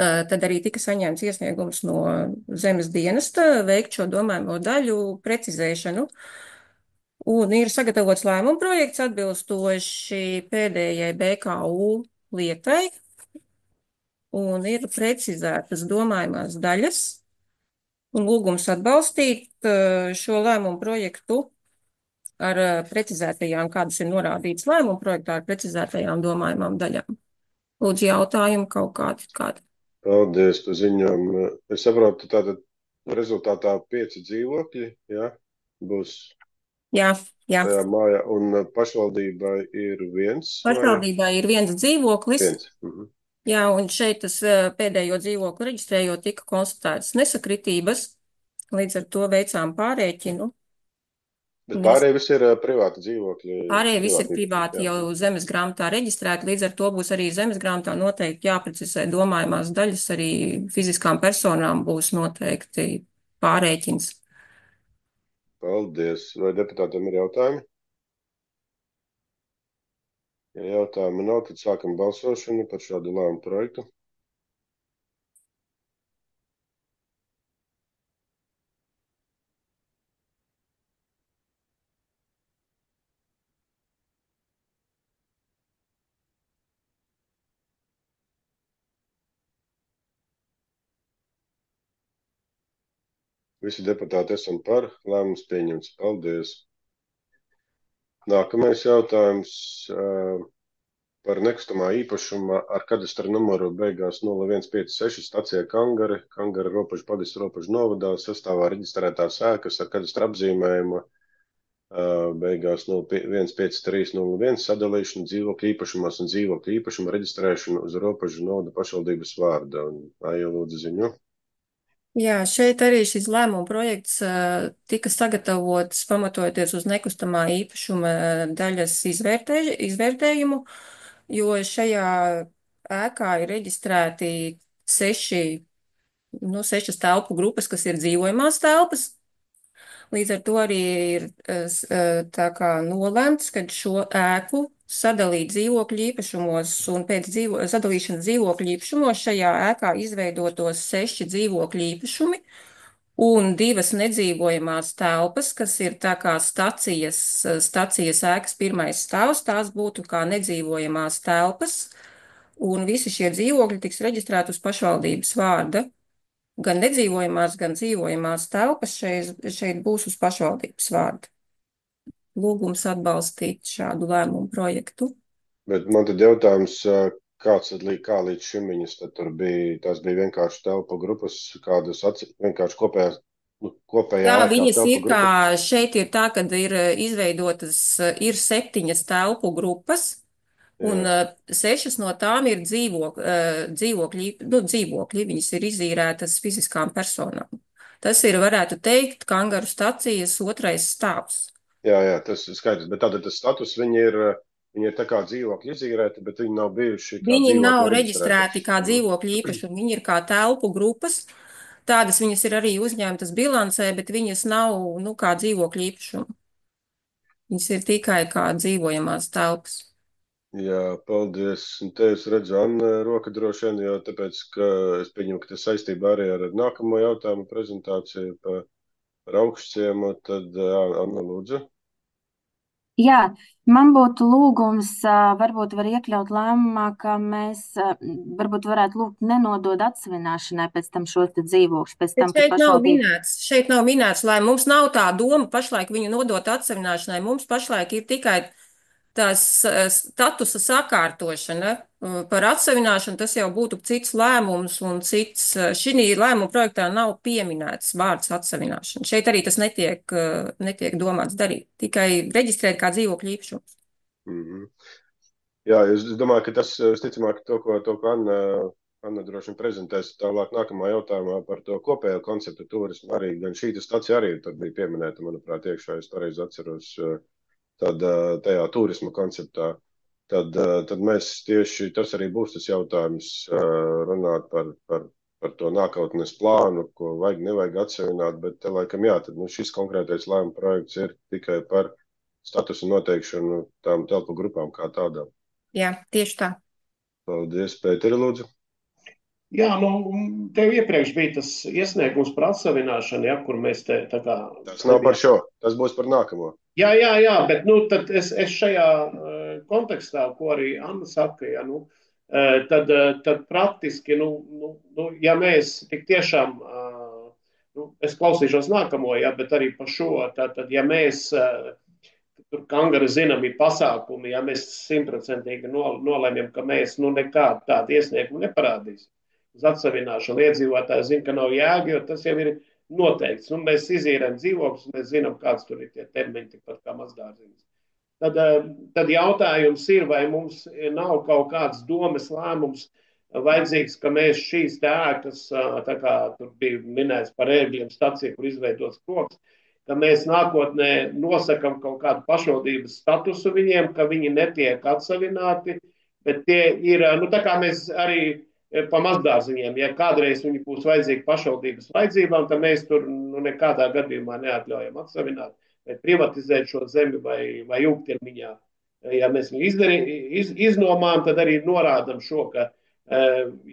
Speaker 13: Tad arī tika saņemts iesniegums no zemes dienesta veikt šo domājamo daļu precizēšanu. Un ir sagatavots lēmuma projekts atbilstoši pēdējai BKU lietai. Un ir precizētas domājumās daļas. Un lūgums atbalstīt šo lēmumu projektu ar precizētajām, kādas ir norādītas lēmuma projektā, ar precizētajām domājumām daļām. Lūdzu, jautājumu kaut kādi.
Speaker 1: Paldies par ziņojumu. Es saprotu, tātad rezultātā 5 dzīvokļi, jā, būs
Speaker 13: Jā.
Speaker 1: tajā mājā, un pašvaldībai ir viens?
Speaker 13: Pašvaldībai ir viens dzīvoklis.
Speaker 1: Viens.
Speaker 13: Jā, un šeit tas pēdējo dzīvokli reģistrējot tika konstatētas nesakritības, līdz ar to veicām pārēķinu.
Speaker 1: Bet pārējie visi ir privāti dzīvokļi.
Speaker 13: Pārējie visi ir privāti jau zemes grāmatā reģistrēti, līdz ar to būs arī zemes grāmatā noteikti jāprecizē domājumās daļas, arī fiziskām personām būs noteikti pārēķins.
Speaker 1: Paldies. Vai deputātiem ir jautājumi? Ja jautājumi nav, tad sākam balsošanu par šādu lēmumu projektu. Visi deputāti esam par, lēmums pieņemts. Paldies. Nākamais jautājums. par nekustamā īpašuma ar kadastra numuru beigās 0156 stacija Kangara robežu pagasts robežu novadā sastāvā reģistrētās ēkas ar kadastra apzīmējumu beigās 15301 sadalīšanu dzīvokļu īpašumos un dzīvokļu īpašumu reģistrēšanu uz robežu novada pašvaldības vārda. Un Aija lūdzu ziņu.
Speaker 13: Jā, šeit arī šis lēmuma projekts tika sagatavots pamatojoties uz nekustamā īpašuma daļas izvērtējumu, jo šajā ēkā ir reģistrēti sešas telpu grupas, kas ir dzīvojamās telpas. Līdz ar to arī ir tā kā nolēmts, ka šo ēku sadalīt dzīvokļu īpašumos un pēc sadalīšanas dzīvokļu īpašumos šajā ēkā izveidotos 6 dzīvokļu īpašumi un 2 nedzīvojamās telpas, kas ir tā kā stacijas ēkas pirmais stāvs, tās būtu kā nedzīvojamās telpas, un visi šie dzīvokļi tiks reģistrēti uz pašvaldības vārda. Gan nedzīvojamās, gan dzīvojamās telpas šeit būs uz pašvaldības vārda. Lūgums atbalstīt šādu lēmumu projektu.
Speaker 1: Bet man tad jautājums, kā līdz šim viņas tad tur bija, tās bija vienkārši telpu grupas, kādas vienkārši kopējā
Speaker 13: Jā,
Speaker 1: ēkā
Speaker 13: viņas
Speaker 1: telpu
Speaker 13: ir kā,
Speaker 1: grupas?
Speaker 13: šeit ir tā, kad ir izveidotas, ir 7 telpu grupas, un 6 no tām ir dzīvokļi, viņas ir izīrētas fiziskām personām. Tas ir, varētu teikt, Kangaru stacijas 2. stāvs.
Speaker 1: Jā, tas ir skaidrs, bet tātad tas status viņi ir tā kā dzīvokļi izīrēti, bet viņi nav bijuši kā
Speaker 13: Viņi
Speaker 1: dzīvokļi
Speaker 13: nav
Speaker 1: reģistrēti.
Speaker 13: reģistrēti kā dzīvokļu īpašumi, viņi ir kā telpu grupas. Tādas viņas ir arī uzņemtas bilancē, bet viņas nav, kā dzīvokļu īpašumi. Viņas ir tikai kā dzīvojamās telpas.
Speaker 1: Jā, paldies. Un te es redzu Anna roka droši vien, jo tāpēc, ka es pieņemu, ka tas saistībā arī ar nākamo jautājumu prezentāciju par augšciemu, tad Anna lūdzu.
Speaker 3: Jā, man būtu lūgums, varbūt var iekļaut lēmumā, ka mēs varbūt varētu lūgt nenodod atsevināšanai pēc tam šos te dzīvokļus, pēc tam, kad pašvaldība.
Speaker 13: Šeit nav minēts, lai mums nav tā doma pašlaik viņu nodot atsevināšanai. Mums pašlaik ir tikai tās statusa sakārtošana. Par atsevināšanu tas jau būtu cits lēmums un cits. Šī lēmuma projektā nav pieminēts vārds atsevināšana. Šeit arī tas netiek domāts darīt. Tikai reģistrēt kā dzīvokļu īpašums.
Speaker 1: Mm-hmm. Jā, es domāju, ka tas, visticamāk, to, ko Anna droši vien prezentēs tālāk nākamā jautājumā par to kopējo konceptu turismu. Arī gan šī stacija arī tad bija pieminēta, manuprāt, iekšā, es pareizi atceros. Tad tajā turisma konceptā, tad mēs tieši tas arī būs tas jautājums runāt par to nākotnes plānu, ko vajag, nevajag atsevināt, bet laikam jā, tad šis konkrētais lēmuma projekts ir tikai par statusu noteikšanu tām telpu grupām kā tādām.
Speaker 13: Jā, tieši tā.
Speaker 1: Paldies, Pēteri, lūdzu.
Speaker 10: Jā, tev iepriekš bija tas iesniegums par atsevināšanu, ja, kur mēs te tā kā...
Speaker 1: Tas nav par šo, tas būs par nākamo.
Speaker 10: Jā, bet tad es šajā kontekstā, ko arī Anna saka, ja, tad praktiski, ja mēs tik tiešām, es klausīšos nākamo, ja, bet arī par šo, tad ja mēs, tur Kangara zināmi pasākumi, ja mēs 100% nolēmjam, ka mēs nekādu tādu iesniegumu neparādīsim uz atsevināšanu, iedzīvotāji zina, ka nav jēga, jo tas jau ir noteikts. Mēs izīrējam dzīvokļus, mēs zinām, kāds tur ir tie termiņi, tikpat kā mazdārziņas. Tad jautājums ir, vai mums nav kaut kāds domes lēmums vajadzīgs, ka mēs šīs ēkas, tā kā tur bija minēts par ērgļiem staciju, kur izveidots koks, ka mēs nākotnē nosakam kaut kādu pašvaldības statusu viņiem, ka viņi netiek atsavināti, bet tie ir, tā kā mēs arī pa mazdārziņiem, ja kādreiz viņi būs vajadzīgi pašvaldības vajadzībām, tad mēs tur nekādā gadījumā neatļaujam atsavināt vai privatizēt šo zemi vai ilgtermiņā. Ja mēs viņu iznomājam, tad arī norādam šo, ka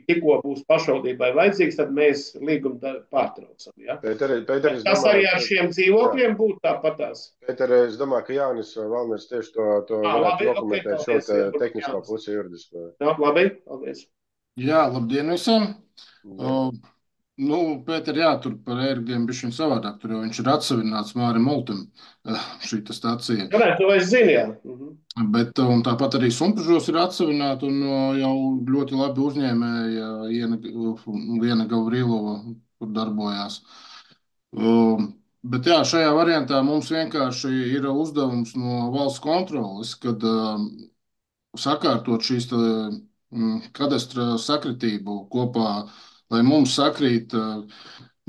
Speaker 10: tikko būs pašvaldībai vajadzīgs, tad mēs līgumu pārtraucam. Ja?
Speaker 1: Pēteris,
Speaker 10: tas arī ar šiem dzīvokļiem būtu tāpatās.
Speaker 1: Pēter, es domāju, ka Jānis Valners tieši to varētu dokumentēt šo tehnisko pusi juridisko.
Speaker 10: Jā, labi, paldies.
Speaker 14: Jā, labdien visiem. Nu, Pēter, jā, tur par ērgļiem bišķiņ savādāk, tur jau viņš ir atsevināts Mārim Oltim, šī ta stacija.
Speaker 10: Varētu, to es zinu, jā.
Speaker 14: Bet un tāpat arī Sumpažos ir atsevināta un jau ļoti labi uzņēmēja Liena Gavrilova, kur darbojās. Bet jā, šajā variantā mums vienkārši ir uzdevums no valsts kontroles, kad sakārtot šīs kadastra sakritību kopā, lai mums sakrīt,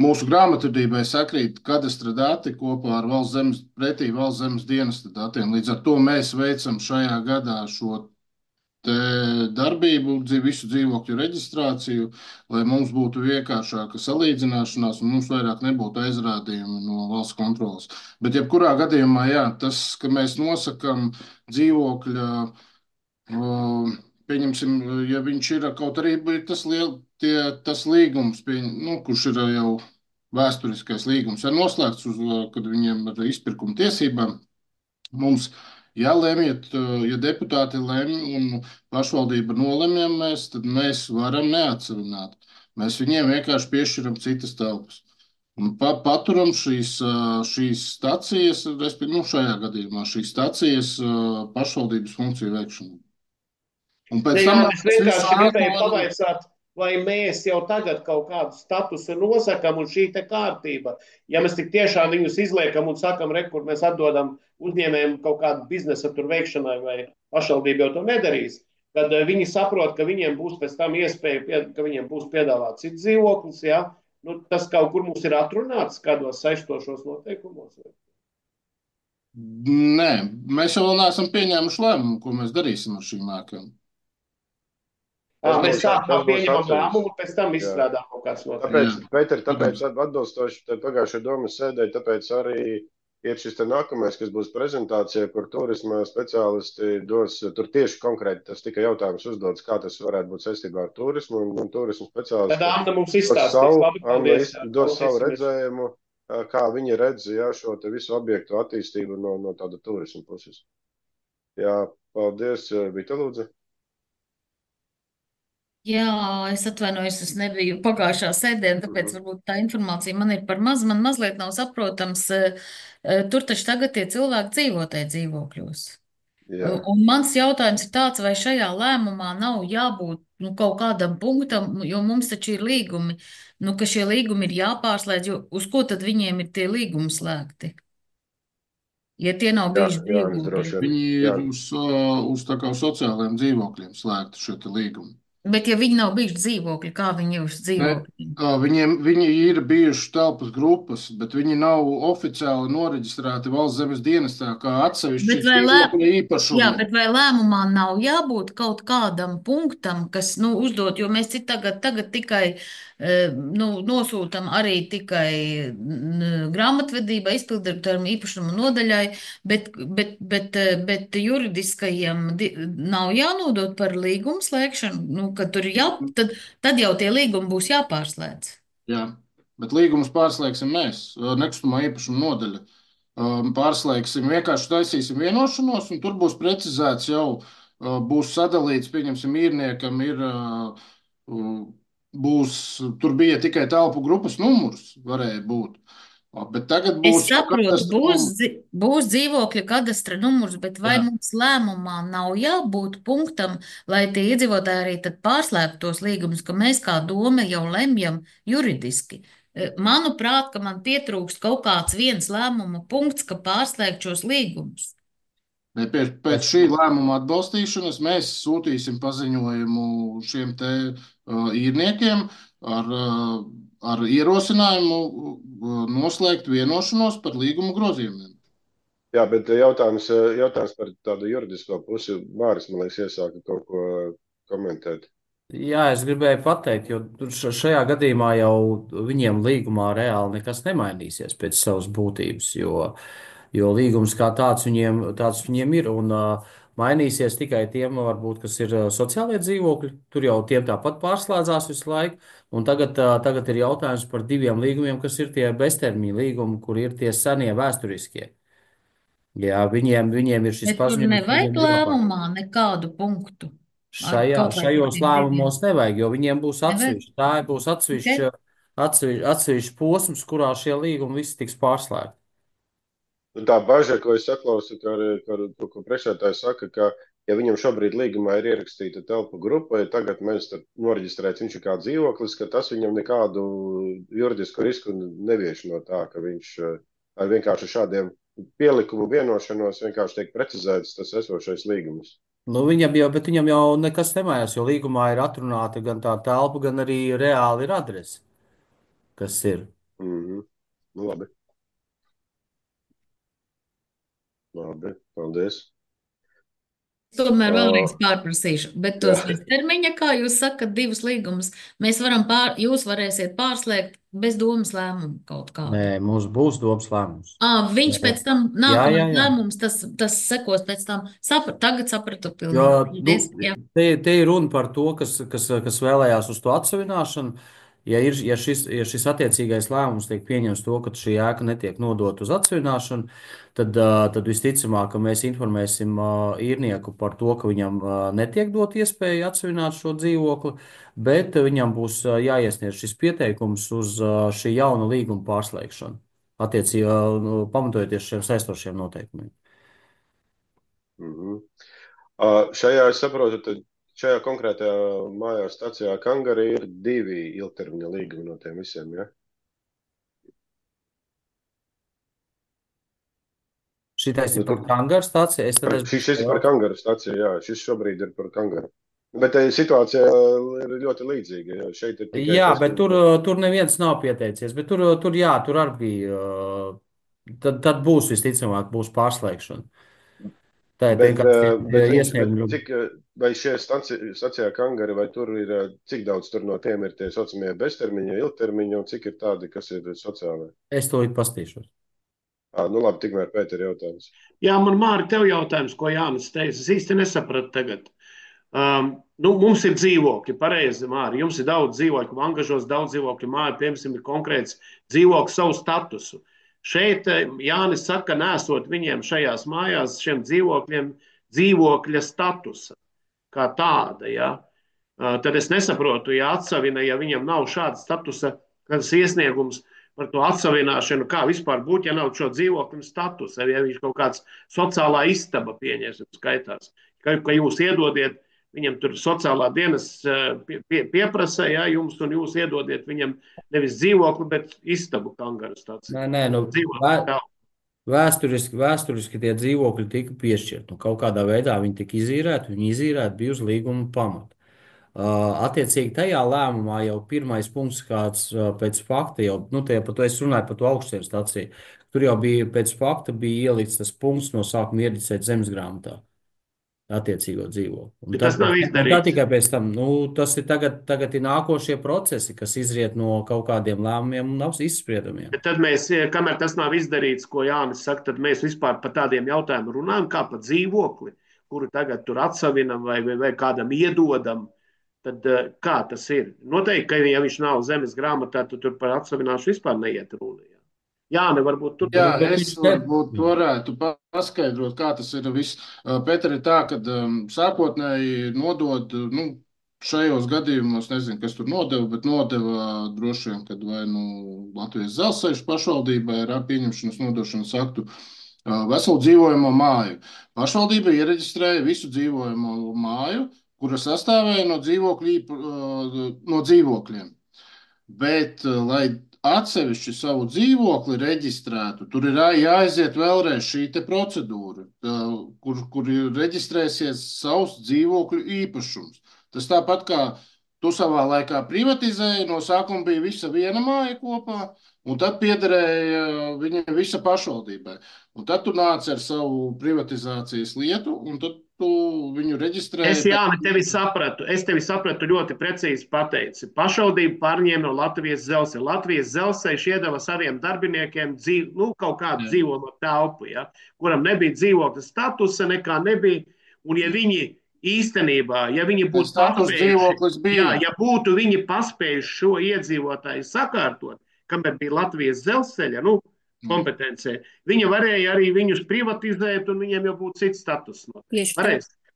Speaker 14: mūsu grāmatvedībai sakrīt kadastra dati kopā ar valsts zemes dienesta datiem. Līdz ar to mēs veicam šajā gadā šo te darbību, visu dzīvokļu reģistrāciju, lai mums būtu vienkāršāka salīdzināšanās un mums vairāk nebūtu aizrādījumi no valsts kontrolas. Bet jebkurā gadījumā, jā, tas, ka mēs nosakam dzīvokļa, pieņemsim, ja viņš ir kaut arī tas līgums, kurš ir jau vēsturiskais līgums, ir noslēgts, kad viņiem ir izpirkuma tiesībām, mums lemjat, ja deputāti lemj un pašvaldība nolemjam mēs, tad mēs varam neatsevināt. Mēs viņiem vienkārši piešķiram citas telpas. Un paturam šīs stacijas, respektīvi, šajā gadījumā šīs stacijas pašvaldības funkciju veikšanu. Un pēc tam
Speaker 10: es vienkārši gribēju pavaicāt, vai mēs jau tagad kaut kādu statusu nosakam un šī te kārtība, ja mēs tik tiešām viņus izliekam un sakam, kur mēs atdodam uzņēmējiem kaut kādu biznesa tur veikšanai vai pašvaldība jau to nedarīs, tad viņi saprot, ka viņiem būs pēc tam iespēja, ka viņiem būs piedāvāt cits dzīvoklis, ja? Nu, tas kaut kur mums ir atrunāts kādos saistošos noteikumos?
Speaker 14: Nē, mēs jau vēl neesam pieņēmuši lēmumu, ko mēs darīsim ar šīm ēkām.
Speaker 10: Mēs sākumā pieņemam lēmumu un pēc tam izstrādām kaut kāds noteikums.
Speaker 1: Tāpēc atbilstoši pagājušajā domas sēdē, tāpēc arī ir šis te nākamais, kas būs prezentācija, kur turisma speciālisti dos, tur tieši konkrēti tas tika jautājums uzdots, kā tas varētu būt saistībā ar turismu, un turisma speciālisti
Speaker 10: Tad Anna mums izstāstīs, labi, paldies.
Speaker 1: Dos savu redzējumu, kā viņi redz, šo te visu objektu attīstību no tāda turisma puses. Jā, paldies, Vita lūdzu.
Speaker 4: Jā, es atvainojos, es nebiju pagājušā sēdē, tāpēc varbūt tā informācija man ir par maz, man mazliet nav saprotams. Tur taču tagad tie cilvēki dzīvo tajā dzīvokļos.
Speaker 1: Jā.
Speaker 4: Un mans jautājums ir tāds, vai šajā lēmumā nav jābūt kaut kādam punktam, jo mums taču ir līgumi, ka šie līgumi ir jāpārslēdz, jo uz ko tad viņiem ir tie līgumi slēgti? Ja tie nav bijuši dzīvokļi.
Speaker 14: Viņi ir uz tā kā sociālajiem dzīvokļiem slēgti šie te līgumi.
Speaker 4: Bet ja viņi nav bijuši dzīvokļi, kā viņi ir uz dzīvokļiem?
Speaker 14: Viņi ir bijuši telpas grupas, bet viņi nav oficiāli noreģistrēti valsts zemes dienestā kā atsevišķi dzīvokļu īpašumi.
Speaker 4: Jā, bet vai lēmumā nav jābūt kaut kādam punktam, kas, uzdot, jo mēs tagad tikai nosūtam arī tikai grāmatvedībai, izpildirektoram, īpašumu nodaļai, bet juridiskajiem nav jānodot par līgumu slēgšanu, ka tur tad jau tie līgumi būs jāpārslēdz.
Speaker 14: Jā, bet līgumus pārslēgsim mēs, nekustamā īpašuma nodaļa. Pārslēgsim, vienkārši taisīsim vienošanos, un tur būs precizēts jau, būs sadalīts, pieņemsim, īrniekam ir, tur bija tikai telpu grupas numurs, varēja būt. Bet tagad būs.
Speaker 4: Es saprotu, būs dzīvokļa kadastra numurs, bet vai mums lēmumā nav jābūt punktam, lai tie iedzīvotāji arī tad pārslēgtu tos līgumus, ka mēs kā doma jau lemjam juridiski? Manuprāt, ka man pietrūkst kaut kāds viens lēmuma punkts, ka pārslēgt šos līgumus.
Speaker 14: Pēc šī lēmuma atbalstīšanas mēs sūtīsim paziņojumu šiem te īrniekiem ar ierosinājumu noslēgt vienošanos par līguma grozījumiem.
Speaker 1: Jā, bet jautājums par tādu juridisko pusi. Māris, man liekas, iesāka kaut ko komentēt.
Speaker 15: Jā, es gribēju pateikt, jo šajā gadījumā jau viņiem līgumā reāli nekas nemainīsies pēc savas būtības, jo līgums kā tāds viņiem ir, un mainīsies tikai tiem, varbūt, kas ir sociālie dzīvokļi. Tur jau tiem tāpat pārslēdzās visu laiku, un tagad ir jautājums par diviem līgumiem, kas ir tie beztermiņa līgumi, kur ir tie senie vēsturiskie. Jā, viņiem ir šis paziņojums.
Speaker 4: Tur nevajag lēmumā nekādu punktu.
Speaker 15: Šajos lēmumos nevajag, jo viņiem būs atsevišķi. Tā būs atsevišķs posms, kurā šie līgumi visi tiks pārslēgti.
Speaker 1: Tā bažas, ko es saklausu, ko priekšsēdētājs saka, ka, ja viņam šobrīd līgumā ir ierakstīta telpu grupa, ja tagad mēs noreģistrēts viņš ir kā dzīvoklis, ka tas viņam nekādu juridisku risku nevieš no tā, ka viņš ar vienkārši šādiem pielikumu vienošanos vienkārši tiek precizēts tas esošais līgums.
Speaker 15: Nu, viņam jau nekas nemainās, jo līgumā ir atrunāta gan tā telpa, gan arī reāli ir adrese, kas ir.
Speaker 1: Nu, labi. Labi, paldies.
Speaker 4: Tomēr vēlreiz pārprasīšu, bet tos termiņa, kā jūs sakat, 2 līgumus, jūs varēsiet pārslēgt bez domas lēmumu kaut kādu.
Speaker 15: Nē, mums būs domas lēmums.
Speaker 4: Viņš pēc tam nākamais lēmums, tas sekos pēc tam. Tagad sapratu pilnīgi.
Speaker 15: Te ir runa par to, kas vēlējās uz to atsavināšanu. Ja šis attiecīgais lēmums tiek pieņems to, ka šī ēka netiek nodota uz atsavināšanu, tad visticamāk, ka mēs informēsim īrnieku par to, ka viņam netiek dot iespēja atsavināt šo dzīvokli, bet viņam būs jāiesniedz šis pieteikums uz šī jauna līguma pārslēgšanu, attiecīgi pamatojoties šiem saistošiem noteikumiem.
Speaker 1: Šajā, es saprotu, tad šajā konkrētajā mājās stacijā Kangarī ir 2 ilgtermiņa līgumi no tiem visiem, ja?
Speaker 15: Šitais ir par Kangaru stāciju?
Speaker 1: Šis ir par Kangaru stāciju, jā. Šis šobrīd ir par Kangaru. Bet situācija ir ļoti līdzīga. Ja? Šeit ir tikai
Speaker 15: jā, bet tur neviens nav pieteicies. Bet tur arī bija. Tad būs visticamāk, būs pārslēgšana.
Speaker 1: Vai šie stacijā Kangari, vai tur ir, cik daudz tur no tiem ir tie saucamie beztermiņa, ilgtermiņa, un cik ir tādi, kas ir sociālai?
Speaker 15: Es to pastīšos.
Speaker 1: Nu labi, tikmēr Pēter jautājums.
Speaker 10: Jā, man Māri, tev jautājums, ko Jānis teica. Es īsti nesapratu tagad. Mums ir dzīvokļi, pareizi, Māri. Jums ir daudz dzīvokļu, angažos daudz dzīvokļu māju, piemēram, ir konkrēts dzīvokļu savu statusu. Šeit Jānis saka, nesot viņiem šajās mājās, šiem dzīvokļiem, dzīvokļa statusa kā tāda. Ja? Tad es nesaprotu, ja atsavina, ja viņam nav šāda statusa, kāds iesniegums par to atsavināšanu, kā vispār būt, ja nav šo dzīvokļu statusa, ja viņš kaut kāds sociālā istaba pieņēsim skaitās, ka jūs iedodiet, viņam tur sociālā dienas pieprasa, ja, jums, un jūs iedodiet viņam nevis dzīvokli, bet istabu Kangaru stāciju.
Speaker 15: Nē, vēsturiski tie dzīvokļi tika piešķirti. Kaut kādā veidā viņi tika izīrēti, bija uz līguma pamata. Attiecīgi tajā lēmumā jau pirmais punkts, kāds pēc fakta, par to es runāju par to augstiem staciju, tur jau bija pēc fakta bija ielikts tas punkts no sākuma ieradicēt zemesgrāmatā. Attiecīgo dzīvokli.
Speaker 10: Tas nav izdarīts.
Speaker 15: Tā tikai pēc tam, tas ir tagad ir nākošie procesi, kas izriet no kaut kādiem lēmumiem un izspriedumiem.
Speaker 10: Bet tad mēs, kamēr tas nav izdarīts, ko Jānis saka, tad mēs vispār par tādiem jautājumiem runājam, kā par dzīvokli, kuru tagad tur atsavinam vai kādam iedodam. Tad kā tas ir? Noteikti, ka ja viņš nav zemes grāmatā, tad tur par atsavināšanu vispār neiet runa. Jā, varbūt tur.
Speaker 14: Jā, es varbūt varētu paskaidrot, kā tas ir viss. Pēter, ir tā, ka sākotnēji nodod, šajos gadījumos, nezinu, kas tur nodeva, bet nodeva droši vien, kad vai Latvijas Dzelzceļa pašvaldībai ir pieņemšanas nodošanas aktu veselu dzīvojamo māju. Pašvaldība iereģistrēja visu dzīvojamo māju, kura sastāvēja no dzīvokļiem. Bet, lai atsevišķi savu dzīvokli reģistrētu, tur ir jāaiziet vēlreiz šī procedūra, kur reģistrēsies savs dzīvokļu īpašums. Tas tāpat kā tu savā laikā privatizēji, no sākuma bija visa viena māja kopā, un tad piederēja viņa visa pašvaldībai. Un tad tu nāc ar savu privatizācijas lietu, un tad tu viņu reģistrēji.
Speaker 10: Es, Jāni, tevi sapratu ļoti precīzi pateici. Pašvaldība pārņēma no Latvijas Dzelzceļa. Latvijas Dzelzceļš iedeva saviem darbiniekiem kaut kādu dzīvojamo telpu, ja, kuram nebija dzīvokļa statusa, nekā nebija. Un ja viņi īstenībā, ja viņi būtu paspējuši šo iedzīvotāju sakārtot, kamēr bija Latvijas Dzelzceļa, kompetencē, viņa varēja arī viņus privatizēt, un viņiem jau būtu cits status.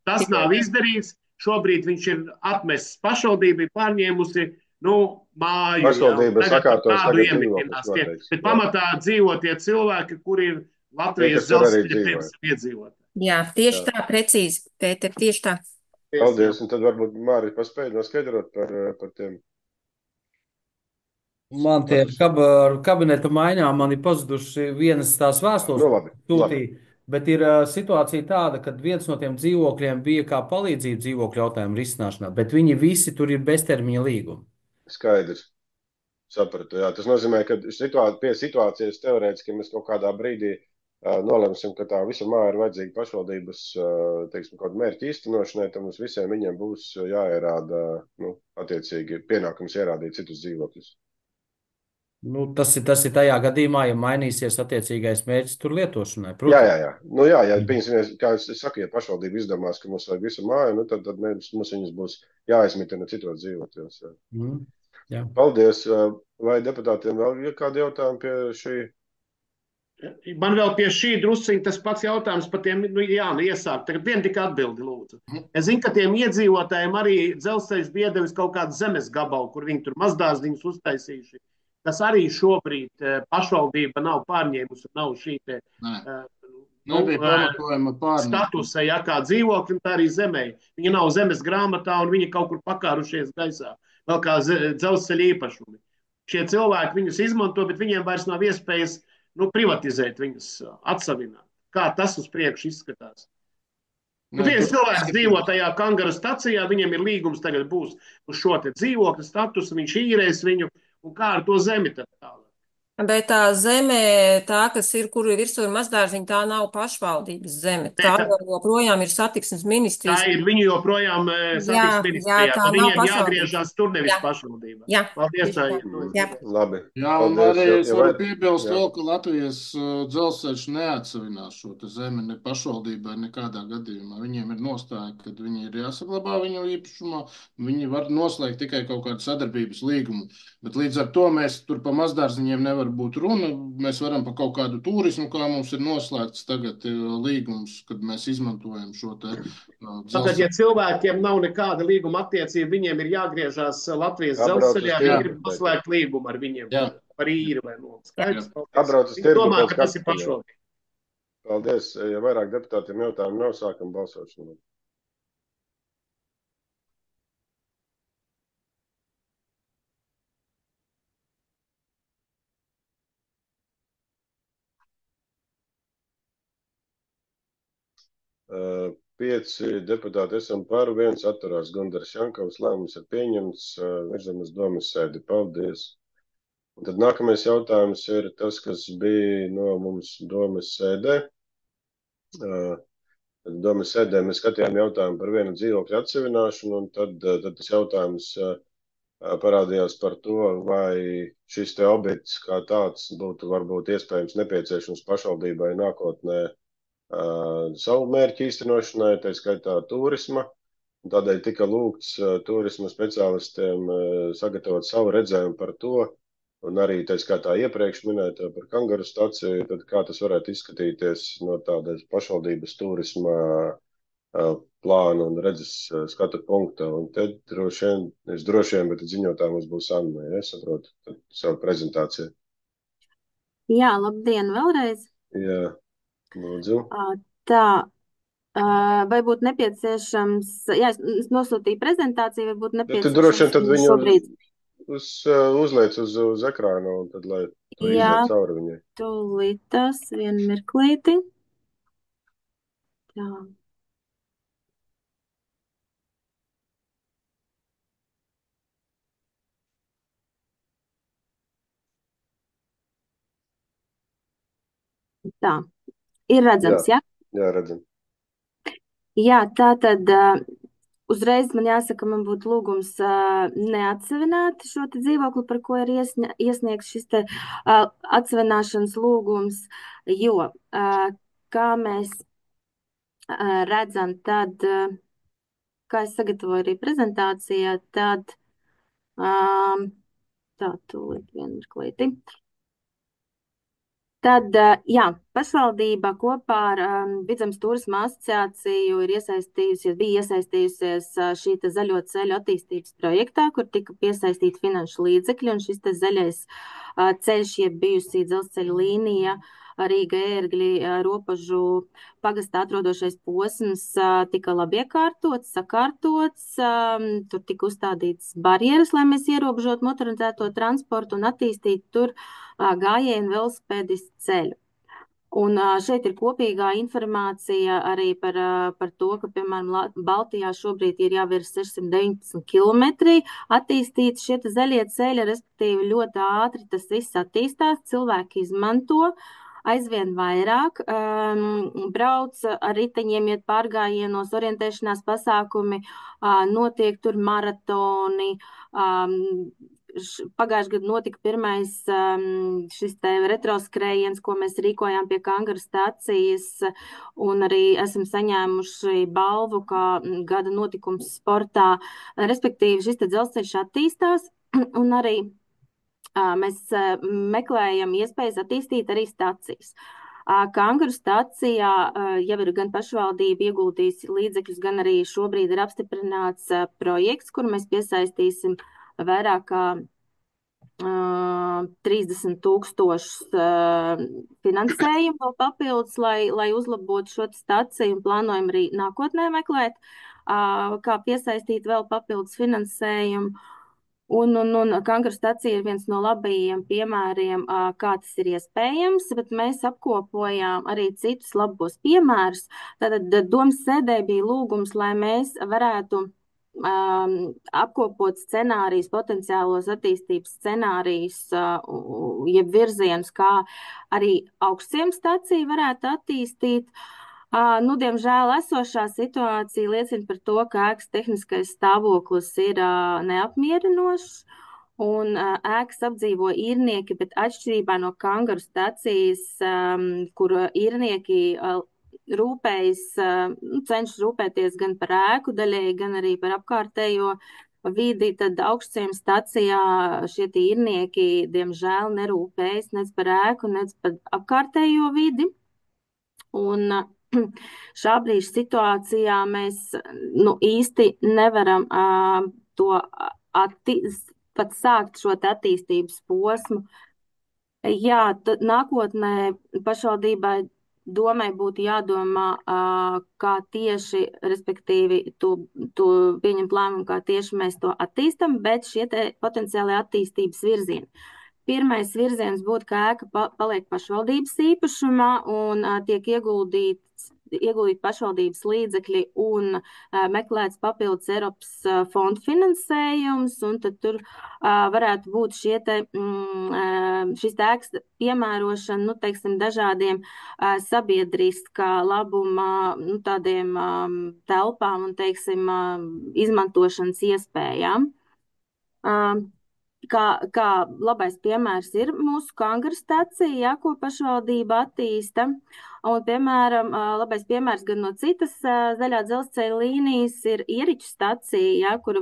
Speaker 10: Tas nav izdarīts. Šobrīd viņš ir atmests pašvaldībai, pārņēmusi māju jau.
Speaker 1: Pašvaldība
Speaker 10: Tagad par
Speaker 1: sakārtos,
Speaker 10: tādu
Speaker 1: tagad
Speaker 10: iemetinās
Speaker 1: dzīvoklis
Speaker 10: tie.
Speaker 1: noteiks.
Speaker 10: Bet pamatā dzīvo tie cilvēki, kuri ir
Speaker 1: Tie,
Speaker 10: Latvijas
Speaker 1: kas tur arī
Speaker 10: dzelzceļa,
Speaker 1: dzīvo.
Speaker 10: piemēram, iedzīvotāji.
Speaker 13: Jā, tieši
Speaker 1: Jā.
Speaker 13: tā, precīzi, Pēter, tieši tā.
Speaker 1: Paldies, un tad varbūt Māri paspēj noskaidrot par tiem.
Speaker 15: Man tie ar kabineta maiņām man ir pazuduši vienas tās vēstules,
Speaker 1: Nu, labi.
Speaker 15: sūtīja, bet ir situācija tāda, ka viens no tiem dzīvokļiem bija kā palīdzība dzīvokļu jautājumu risināšanā, bet viņi visi tur ir beztermiņa līgumi.
Speaker 1: Skaidrs. Sapratu, jā. Tas nozīmē, ka pie situācijas teorētiski mēs kaut kādā brīdī nolemsim, ka tā visa māja ir vajadzīga pašvaldības, teiksim, kaut mērķi īstenošanai, tad mums visiem viņiem būs jāierāda, attiecīgi pienākums ierādīt citus dzīvokļus.
Speaker 15: Nu, tas ir tajā gadījumā, ja mainīsies attiecīgais mērķis tur lietošanai. Protams.
Speaker 1: Jā. Ja piemēram, kā es saku, ja pašvaldība izdomās, ka mums vajag visu māju, tad mums viņas būs jāizmitina citos dzīvokļos.
Speaker 15: Jā.
Speaker 1: Paldies. Vai deputātiem vēl ir kādi jautājumi pie šī?
Speaker 10: Man vēl pie šī drusciņa tas pats jautājums par tiem, iesākt. Tagad vien tik atbildi, lūdzu. Es zinu, ka tiem iedzīvotājiem arī dzelzceļš bija iedevis kaut kādu zemes gabalu, kur viņi tur mazdārziņus uztaisījuši. Tas arī šobrīd pašvaldība nav pārņēmusi, nav šī te statusa, kā dzīvokļi, tā arī zemē. Viņi nav zemes grāmatā un viņi kaut kur pakārušies gaisā, vēl kā dzelzceļa īpašumi. Šie cilvēki viņus izmanto, bet viņiem vairs nav iespējas privatizēt viņus, atsavināt. Kā tas uz priekšu izskatās? Viens cilvēks dzīvo tajā Kangaru stacijā, viņam ir līgums tagad būs uz šo te dzīvokļu statusu, viņš īrēs viņu, un kā ar to zemi tad tālāk?
Speaker 13: Bet tā zeme, tā, kas ir, kur ir virsū ir mazdārziņa, tā nav pašvaldības zeme. Tā joprojām ir satiksmes ministrijas.
Speaker 10: Tā ir viņu joprojām satiksmes ministrijā.
Speaker 13: Jā, tā nav
Speaker 10: viņiem
Speaker 13: pašvaldības.
Speaker 10: jāgriežās tur, nevis pašvaldībā.
Speaker 13: Jā.
Speaker 10: Paldies, tā
Speaker 13: ir.
Speaker 1: Labi.
Speaker 14: Jā, un arī es varu piebilst vēl, ka Latvijas dzelzceļš neatsavinās šo te zemi ne pašvaldībai nekādā gadījumā. Viņiem ir nostāja, ka viņi ir jāsaglabā viņu īpašumā, viņi var noslēgt tikai kaut kādu sadarbības līgumu. Bet līdz ar to mēs tur pa mazdārziņiem nevar būt runa. Mēs varam pa kaut kādu turismu, kā mums ir noslēgts tagad līgums, kad mēs izmantojam šo te
Speaker 10: Tātad, ja cilvēkiem nav nekāda līguma attiecība, viņiem ir jāgriežās Latvijas dzelzceļā, viņi grib noslēgt līgumu ar viņiem par īri vai nomu. Skaidrs? Viņi domā, ka tas ir pašvaldība.
Speaker 1: Paldies. Ja vairāk deputātiem jautājumu nav, sākam balsošanu. Pieci deputāti esam par, viens atturās Gundaris Jankovs, lēmums ir pieņemts, virzam uz domas sēdi. Paldies. Un tad nākamais jautājums ir tas, kas bija no mums domas sēdē. Domas sēdē mēs skatījām jautājumu par vienu dzīvokļu atsevināšanu, un tad tas jautājums parādījās par to, vai šis te objekts kā tāds būtu varbūt iespējams nepieciešams pašvaldībai nākotnē savu mērķu īstenošanai, tā skaitā turisma. Tādēļ tika lūgts turisma speciālistiem sagatavot savu redzējumu par to, un arī tā skaitā iepriekš minēto par Kangaru staciju, tad kā tas varētu izskatīties no tādas pašvaldības turisma plāna un redzes skatu punkta. Un te droši vien, bet ziņotā mums būs Anna, ja es saprotu savu prezentāciju.
Speaker 3: Jā, labdien vēlreiz.
Speaker 1: Jā. Lūdzu.
Speaker 3: Tā, vai būtu nepieciešams, jā, es nosūtīju prezentāciju, vai būtu nepieciešams.
Speaker 1: Tu droši vien tad viņu uzliec uz ekrāna, un tad, lai tu iziet cauri viņai.
Speaker 3: Tūlīt tas, vienu mirklīti. Tā. Tā. Ir redzams, jā?
Speaker 1: Jā, redzam.
Speaker 3: Jā, tā tad uzreiz man jāsaka, man būtu lūgums neatsevināt šo te dzīvokli, par ko ir iesniegts šis te atsevināšanas lūgums, jo, kā mēs redzam, tad, kā es sagatavoju arī prezentācijā, tad tā, tūlīt vienu mirklīti. Tad, jā, pašvaldība kopā ar Vidzemes turisma asociāciju bija iesaistījusies šī te zaļo ceļu attīstības projektā, kur tika piesaistīti finanšu līdzekļi, un šis te zaļais ceļš, jeb bijusī dzelzceļa līnija, Rīga ērgļi robežu pagastā atrodošais posms tika labi iekārtots, sakārtots, tur tika uzstādītas barjeras, lai mēs ierobežotu motorizēto transportu un attīstītu tur gājienu velosipēdistu ceļu. Un šeit ir kopīgā informācija arī par to, ka, piemēram, Baltijā šobrīd ir jau ir 619 kilometri attīstīti šie zaļie ceļi, respektīvi ļoti ātri tas viss attīstās, cilvēki izmanto aizvien vairāk, brauc ar riteņiem, iet pārgājienos, orientēšanās pasākumi, notiek tur maratoni. Pagājušajā gadā notika pirmais šis te retroskrējiens, ko mēs rīkojām pie Kangaru stacijas, un arī esam saņēmuši balvu kā gada notikums sportā. Respektīvi, šis te dzelzceļš attīstās, un arī mēs meklējam iespējas attīstīt arī stacijas. Kangaru stacijā jau ir gan pašvaldība ieguldījusi līdzekļus, gan arī šobrīd ir apstiprināts projekts, kur mēs piesaistīsim vairāk kā 30 000 finansējumu vēl papildus, lai uzlabotu šo staciju, un plānojam arī nākotnē meklēt, kā piesaistīt vēl papildus finansējumu. Un Kangaru stacija ir viens no labajiem piemēriem, kā tas ir iespējams, bet mēs apkopojām arī citus labos piemērus. Tātad domas sēdē bija lūgums, lai mēs varētu apkopot scenārijus, potenciālos attīstības scenārijus, jeb virzienus, kā arī augstciems staciju varētu attīstīt. Diemžēl esošā situācija liecina par to, ka ēkas tehniskais stāvoklis ir neapmierinošs, un ēkas apdzīvo īrnieki, bet atšķirībā no Kangaru stacijas, kur īrnieki rūpējas, cenšas rūpēties gan par ēku daļēji, gan arī par apkārtējo vidi, tad augstciems stacijā šie īrnieki, diemžēl, nerūpējas nec par ēku, nec par apkārtējo vidi. Un šā brīža situācijā mēs īsti nevaram pat sākt šo attīstības posmu. Jā, tad nākotnē pašvaldībai domai būtu jādomā, kā tieši, respektīvi, to pieņemt lēmumu, kā tieši mēs to attīstam, bet šie te potenciāli attīstības virzieni. Pirmais virziens būtu, ka ēka paliek pašvaldības īpašumā un tiek ieguldīt pašvaldības līdzekļi un meklēts papildus Eiropas fondu finansējums, un tad tur varētu būt šis ēkas piemērošana, teiksim, dažādiem sabiedriskā labuma, tādiem telpām un, teiksim, izmantošanas iespējām. Kā labais piemērs ir mūsu Kangaru stacija, ko pašvaldība attīsta. Un, piemēram, labais piemērs gan no citas zaļā dzelzceļa līnijas ir Ieriķu stacija, kur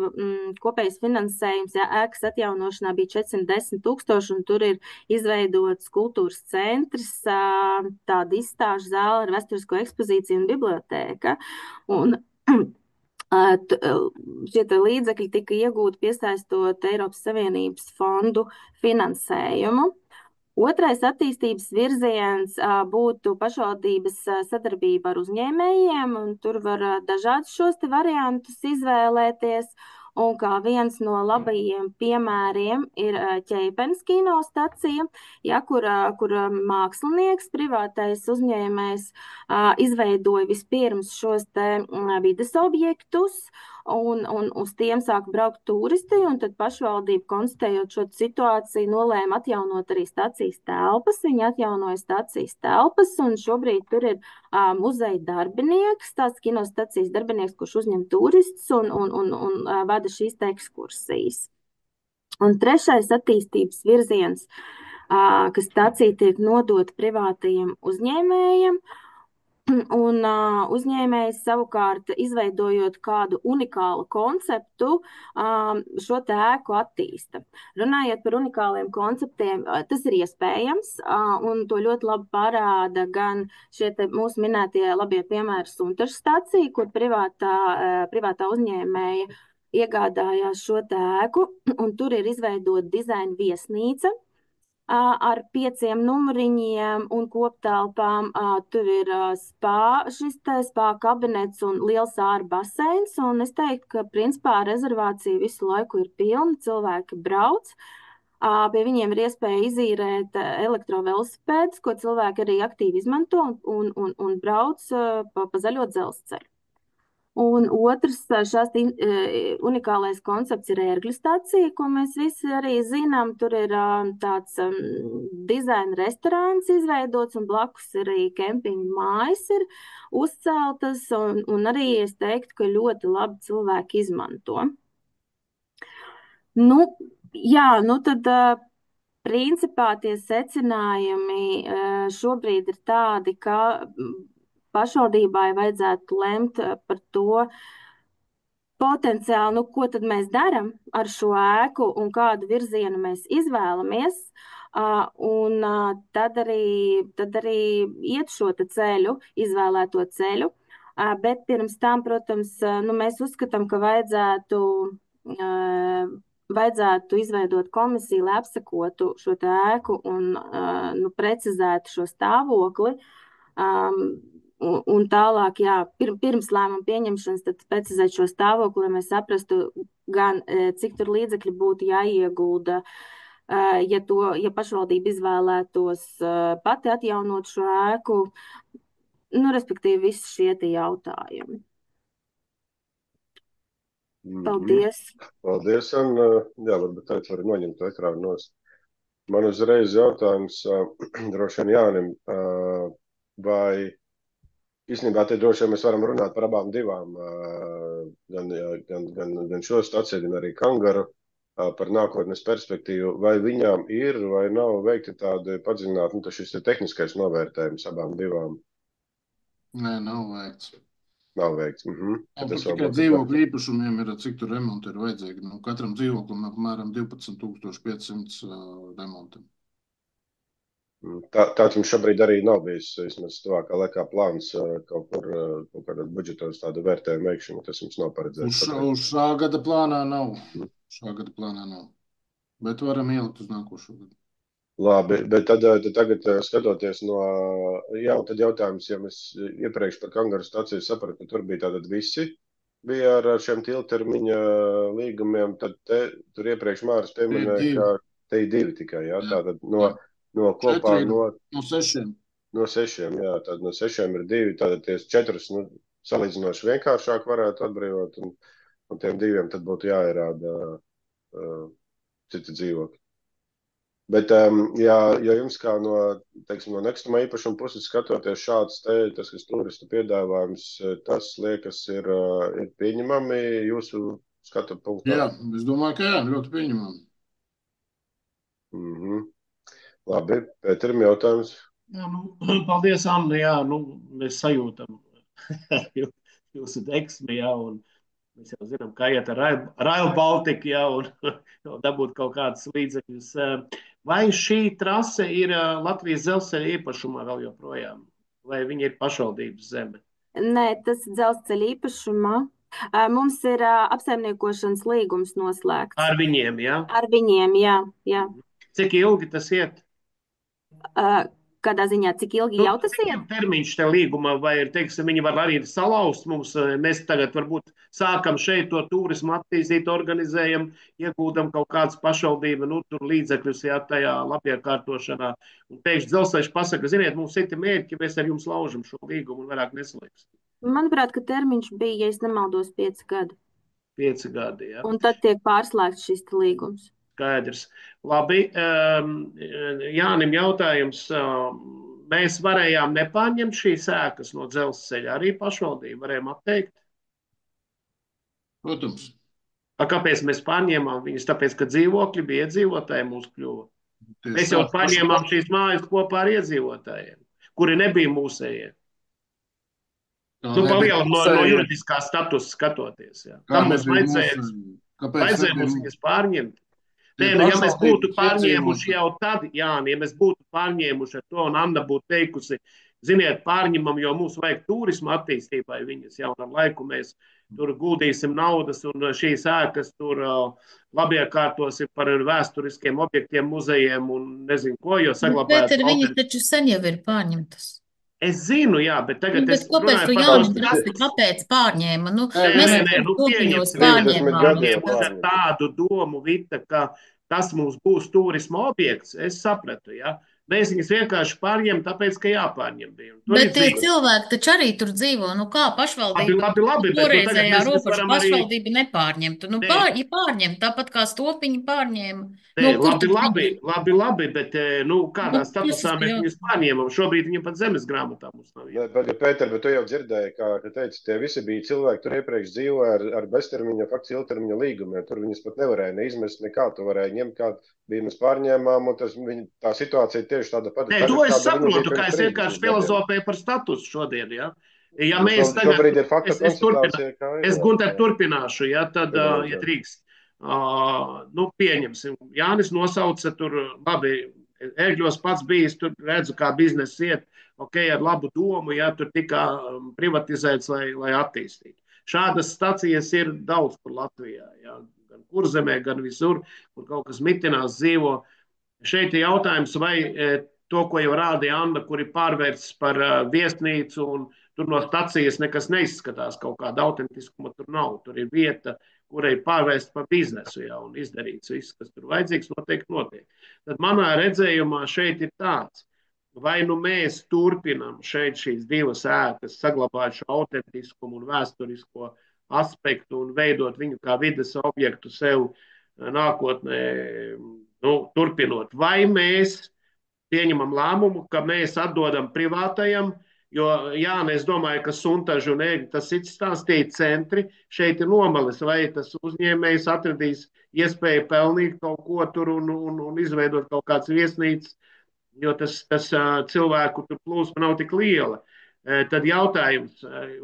Speaker 3: kopējais finansējums ēkas atjaunošanā bija 410 000, un tur ir izveidots kultūras centrs, tāda izstāžu zāle ar vēsturisko ekspozīciju un bibliotēka. Un šie līdzekļi tika iegūti piesaistot Eiropas Savienības fondu finansējumu. Otrais attīstības virziens būtu pašvaldības sadarbība ar uzņēmējiem, un tur var dažādus šos te variantus izvēlēties. Un kā viens no labajiem piemēriem ir Ķeipenes kino stacija, kur mākslinieks, privātais uzņēmējs izveidoja vispirms šos te vides objektus, un uz tiem sāk braukt turisti, un tad pašvaldība, konstatējot šo situāciju, nolēma atjaunot arī stacijas telpas. Viņi atjaunoja stacijas telpas, un šobrīd tur ir muzeja darbinieks, tāds kinostacijas darbinieks, kurš uzņem turistus un vada šīs te ekskursijas. Un trešais attīstības virziens, ka stacija tiek nodota privātajiem uzņēmējiem, Un uzņēmējs savukārt, izveidojot kādu unikālu konceptu, šo te ēku attīsta. Runājot par unikāliem konceptiem, tas ir iespējams, un to ļoti labi parāda gan šie te mūsu minētie labie piemēri Suntažu stacija, kur privātā uzņēmēja iegādājās šo te ēku, un tur ir izveidota dizaina viesnīca, ar 5 numuriņiem un koptelpām. Tur ir šis te spā kabinets un liels āra baseins, un es teiktu, ka principā rezervācija visu laiku ir pilna, cilvēki brauc. Pie viņiem ir iespēja izīrēt elektrovelosipēdus, ko cilvēki arī aktīvi izmanto un brauc pa zaļo dzelzceļu. Un otrs šās unikālais koncepts ir ērgļu stacija, ko mēs visi arī zinām. Tur ir tāds dizaina restorāns izveidots, un blakus arī kempinga mājas ir uzceltas, un arī es teiktu, ka ļoti labi cilvēki izmanto. Nu, jā, nu tad principā tie secinājumi šobrīd ir tādi, ka pašvaldībai vajadzētu lemt par to potenciāli, ko tad mēs daram ar šo ēku un kādu virzienu mēs izvēlamies, un tad arī iet šo ceļu, izvēlēto ceļu. Bet pirms tam, protams, mēs uzskatām, ka vajadzētu izveidot komisiju, lai apsekotu šo ēku un precizētu šo stāvokli. Un tālāk, jā, pirms lēmuma pieņemšanas, tad precizēt šo stāvokli, lai mēs saprastu gan, cik tur līdzekļi būtu jāiegulda, ja pašvaldība izvēlētos pati atjaunot šo ēku, respektīvi visi šie tie jautājumi. Paldies!
Speaker 1: Paldies, un jā, varbūt tagad var noņemt to ekrānu nost. Man uzreiz jautājums droši vien Jānim, vai īstenībā te droši vien mēs varam runāt par abām divām, gan šo staciju, gan arī Kangaru, par nākotnes perspektīvu. Vai viņām ir vai nav veikti tādi padziļināti, šis ir tehniskais novērtējums abām divām?
Speaker 14: Nē, nav veikts.
Speaker 1: Nav veikts.
Speaker 14: Tikai dzīvokļu īpašumiem ir, cik tur remonti ir vajadzīgi. Katram dzīvoklim apmēram 12,500 remontiem.
Speaker 1: Tāds mums šobrīd arī nav bijis, vismaz tuvākā laikā plāns kaut kādā budžetos tādu vērtējumu veikšanu, tas mums nav paredzēts.
Speaker 14: Uz šā gada plānā nav. Bet varam ielikt uz nākošo gadu.
Speaker 1: Labi, bet tad tagad skatoties tad jautājums, ja mēs iepriekš par Kangaru staciju sapratu, ka tur bija tātad visi bija ar šiem ilgtermiņa līgumiem, tad tur iepriekš Māris pieminēja, ka te ir 2 tikai, jā, tātad no kopā
Speaker 14: no 6.
Speaker 1: No 6, jā, tad no 6 ir 2, tātad ties 4, salīdzinoši vienkāršāk varētu atbrīvot, un tiem 2 tad būtu jāierāda citi dzīvokļi. Bet, ja jums kā no nekustamā īpašuma puses skatoties šāds tas, kas turistu piedāvājums, tas liekas ir pieņemami jūsu skatu punktā?
Speaker 14: Jā, es domāju, ka jā, ļoti pieņemami.
Speaker 1: Labi, Pēterim jautājums.
Speaker 10: Jā, paldies, Anna, jā, mēs sajūtam jūsu deksmi, jā, un mēs jau zinām, kā iet ar Rail Baltica, jā, un dabūt kaut kādas līdzekļus. Vai šī trase ir Latvijas dzelzceļa īpašumā vēl joprojām? Vai viņa ir pašvaldības zeme?
Speaker 3: Nē, tas ir dzelzceļa īpašumā. Mums ir apsaimniekošanas līgums noslēgts.
Speaker 10: Ar viņiem, jā?
Speaker 3: Ar viņiem, jā.
Speaker 10: Cik ilgi tas iet?
Speaker 3: Kādā ziņā, cik ilgi jau tas iet?
Speaker 10: Termiņš te līgumā, vai ir, viņi var arī salauzt mums, mēs tagad varbūt sākam šeit to turismu attīstīt, organizējam, iegūdam kaut kādas pašvaldība, tur līdzekļus, jā, tajā labiekārtošanā. Un pēkšņi dzelzceļš pasaka, ziniet, mums citi mērķi, mēs ar jums laužam šo līgumu un vairāk neslēgsim.
Speaker 3: Manuprāt, ka termiņš bija, ja es nemaldos, 5 gadi.
Speaker 10: 5 gadi, jā.
Speaker 3: Un tad tiek pārslēgts šis līgums.
Speaker 10: Skaidrs. Labi, Jānim jautājums. Mēs varējām nepārņemt šīs ēkas no dzelzceļa, arī pašvaldību varējām atteikt?
Speaker 14: Protams.
Speaker 10: Kāpēc mēs pārņēmām viņus? Tāpēc, ka dzīvokļi bija iedzīvotāji mūs kļuva. Mēs jau pārņēmām šīs mājas kopā ar iedzīvotājiem, kuri nebija mūsējie. Nu, pa lielam no juridiskā statusa skatoties. Jā. Tam mums vajadzēja mums viņas pārņemt. Nē, nu, ja mēs būtu pārņēmuši jau tad, Jāni, ja mēs būtu pārņēmuši ar to, un Anna būtu teikusi, ziniet, pārņemam, jo mums vajag turisma attīstībai viņas jau ar laiku mēs tur guldīsim naudas, un šīs ēkas tur labiekārtosim par vēsturiskiem objektiem, muzejiem un nezinu ko, jo saglabājot.
Speaker 4: Bet viņas taču sen jau ir pārņemtas.
Speaker 10: Es zinu, jā, bet tagad es
Speaker 4: runāju par Jānis prasti, kāpēc pārņēma? Nu, mēs topiņos pārņēmām.
Speaker 10: Ar tādu domu, Vita, ka tas mums būs turisma objekts, es sapratu, jā. Mēs viņus vienkārši pārņem, tāpēc, ka jāpārņem bija.
Speaker 4: Bet tie cilvēki taču arī tur dzīvo. Nu kā pašvaldība?
Speaker 10: Labi,
Speaker 4: toreizējā robeža pašvaldība nepārņemtu. Nu, ja pārņem, tāpat kā Stopiņi pārņēma.
Speaker 1: Labi, bet kādā statusā mēs viņus pārņēmam? Šobrīd viņam pat zemes grāmatā mums nav. Pēter, bet tu jau dzirdēji, ka teici, tie visi bija cilvēki, tur iepriekš dzīvoja ar beztermiņa, faktiski ilgtermiņa līgumiem. Tur viņus pat nevarēja neizmest nekā, tu varēja ņemt, kā bija mēs pārņēmām, un tā situācija tieši tāda pati.
Speaker 10: Nē, to es saprotu, kā es vienkārši filozofēju par statusu šodien, jā. Ja mēs tagad, es Gunter turpināšu, ja, tad, ja drīkst, pieņemsim, Jānis nosauca tur, labi, Ērgļos pats bijis, tur redzu, kā bizness iet, ar labu domu, ja, tur tika privatizēts, lai attīstītu. Šādas stacijas ir daudz kur Latvijā, ja, gan Kurzemē, gan visur, kur kaut kas mitinās dzīvo. Šeit ir jautājums, vai to, ko jau rādīja Anna, kur ir pārvērsts par viesnīcu, un tur no stacijas nekas neizskatās, kaut kāda autentiskuma tur nav. Tur ir vieta, kurai ir pārvērsta par biznesu, ja, un izdarīts viss, kas tur vajadzīgs, noteikti notiek. Tad manā redzējumā šeit ir tāds, vai nu mēs turpinām šeit šīs divas ēkas, saglabāt šo autentiskumu un vēsturisko aspektu un veidot viņu kā vides objektu sev nākotnē, turpinot. Vai mēs pieņemam lēmumu, ka mēs atdodam privātajam, jo, jā, es domāju, ka Suntažu un Ēgļu tas cits stāstīja centri, šeit ir nomalis, vai tas uzņēmējs atradīs iespēju pelnīt kaut ko tur un izveidot kaut kāds viesnīcas, jo tas cilvēku tur plūsma nav tik liela. Tad jautājums,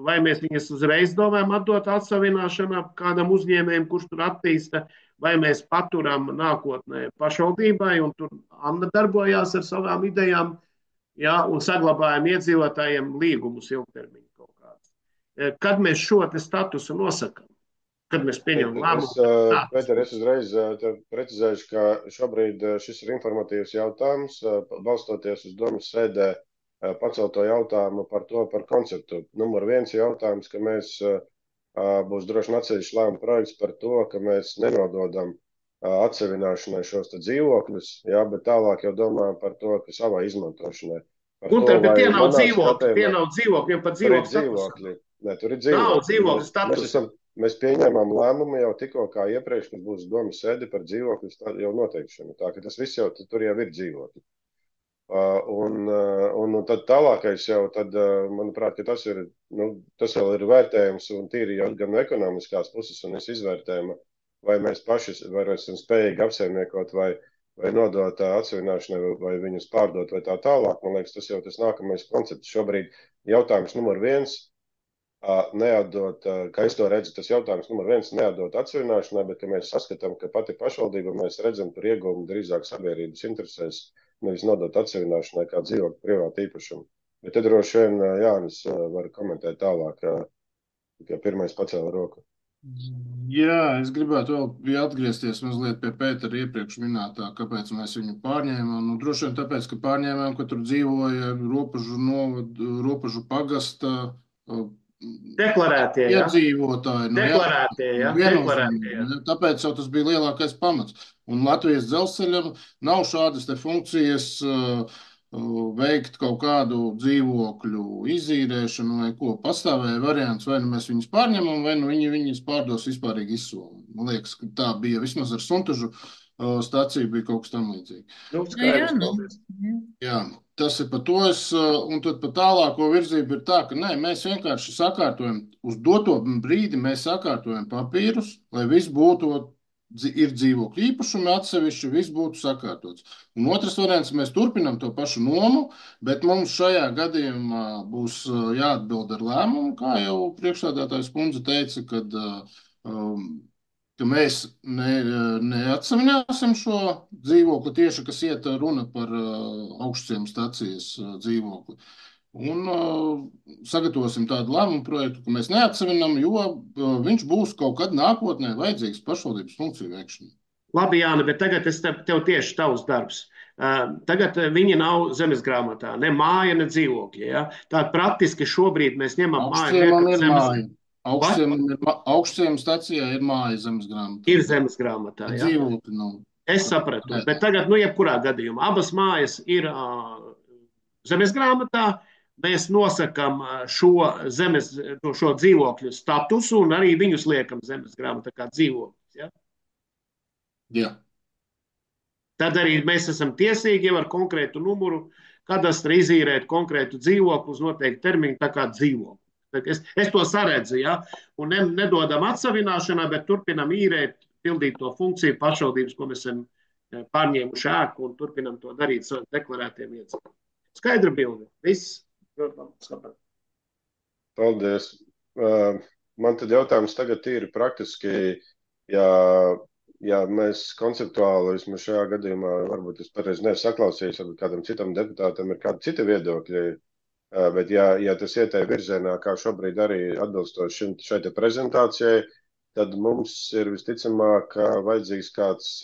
Speaker 10: vai mēs viņas uzreiz domājam atdot atsavināšanā kādam uzņēmējiem, kurš tur attīsta, vai mēs paturam nākotnē pašvaldībai, un tur Anna darbojās ar savām idejām, ja, un saglabājam iedzīvotājiem līgumus ilgtermiņu kaut kādus. Kad mēs šo te statusu nosakam? Kad mēs pieņemam lēmumu?
Speaker 1: Pēter, es uzreiz precizēšu, ka šobrīd šis ir informatīvs jautājums, balstoties uz domas sēdē pacelto jautājumu par to, par konceptu. Numur 1 jautājums, ka mēs būs droši atsevišķi lēmuma projekts par to, ka mēs nenododam atsevināšanai šos te dzīvokļus, jā, bet tālāk jau domājam par to, ka savā izmantošanai.
Speaker 10: Gunter, bet tie nav dzīvokļi, jau pat dzīvokļu
Speaker 1: status. Nē, tur ir dzīvokļi.
Speaker 10: Nav dzīvokļu status.
Speaker 1: Mēs pieņēmām lēmumu jau tikko kā iepriekš, kad būs domas sēde par dzīvokļu jau noteikšanu. Tā ka tas viss jau tur jau ir dzīvokļi. Un tad tālākais jau, tad, manuprāt, ka tas vēl ir vērtējums un tīri jau gan no ekonomiskās puses un es izvērtējumu, vai mēs paši esam spējīgi apsaimniekot vai nodot atsevināšanai vai viņus pārdot vai tā tālāk. Man liekas, tas jau tas nākamais koncepts. Šobrīd jautājums numur 1. Neatdot, kā es to redzu, tas jautājums numur 1 neatdot atsevināšanai, bet ka mēs saskatām, ka pati pašvaldība mēs redzam tur ieguvumu drīzāk sabiedrības interesēs, nevis nodot atsevināšanai kā dzīvokļu privātu īpašumu. Bet te droši vien Jānis var komentēt tālāk, ka pirmais pacēla roku.
Speaker 14: Jā, es gribētu vēl atgriezties mazliet pie Pētera iepriekš minētā, kāpēc mēs viņu pārņēmām. Nu, droši vien tāpēc, ka pārņēmām, ka tur dzīvoja robežu pagasta
Speaker 10: deklarētie,
Speaker 14: iedzīvotāji.
Speaker 10: Deklarētie, jā.
Speaker 14: Tāpēc jau tas bija lielākais pamats. Un Latvijas dzelzceļam nav šādas te funkcijas veikt kaut kādu dzīvokļu izīrēšanu vai ko. Pastāvēja variants, vai nu mēs viņus pārņemam, vai nu viņus pārdos vispārīgi izsoli. Man liekas, ka tā bija vismaz ar Suntažu staciju bija kaut kas tam līdzīgi. Jā. Tas ir par to, un tad par tālāko virzību ir tā, ka nē, mēs vienkārši sakārtojam, uz doto brīdi mēs sakārtojam papīrus, lai viss būtu ir dzīvokļu īpašumi atsevišķi, viss būtu sakārtots. Un otrs variants, mēs turpinām to pašu nomu, bet mums šajā gadījumā būs jāatbild ar lēmumu, kā jau priekšsēdētājs kundze teica, ka mēs neatsavināsim šo dzīvokli tieši, kas iet runa par augšciem stacijas dzīvokli. Un sagatavosim tādu lēmumu projektu, ka mēs neatsavinām, jo viņš būs kaut kad nākotnē vajadzīgs pašvaldības funkciju veikšanai.
Speaker 10: Labi, Jāni, bet tagad tev tieši tavs darbs. Tagad viņi nav zemes grāmatā, ne māja, ne dzīvokļi. Ja? Tātad praktiski šobrīd mēs ņemam māju.
Speaker 14: Augšciema stacijā ir māja zemes grāmatā.
Speaker 10: Ir zemes grāmatā, jā.
Speaker 14: Dzīvokļi nav.
Speaker 10: Es sapratu, bet tagad, jebkurā gadījumā, abas mājas ir zemes grāmatā. Mēs nosakām šo dzīvokļu statusu un arī viņus liekam zemes grāmatā kā dzīvokļus. Ja?
Speaker 14: Jā.
Speaker 10: Tad arī mēs esam tiesīgi ar konkrētu numuru kadastra izīrēt konkrētu dzīvokli uz noteiktu termiņu, tā kā dzīvokli. Es to saredzu, ja? Un nedodam atsavināšanā, bet turpinam īrēt, pildīt to funkciju pašvaldības, ko mēs esam pārņēmuši ēku un turpinam to darīt saviem deklarētiem iedzīvotājiem. Skaidra bilde. Viss.
Speaker 1: Paldies. Man tad jautājums tagad ir praktiski, ja mēs konceptuāli, vismaz šajā gadījumā, varbūt es pareizi nesaklausījos, varbūt kādam citam deputātam ir kādi citi viedokļi, bet ja tas iet virzienā, kā šobrīd arī atbilstoši šai te prezentācijai, tad mums ir visticamāk vajadzīgs kāds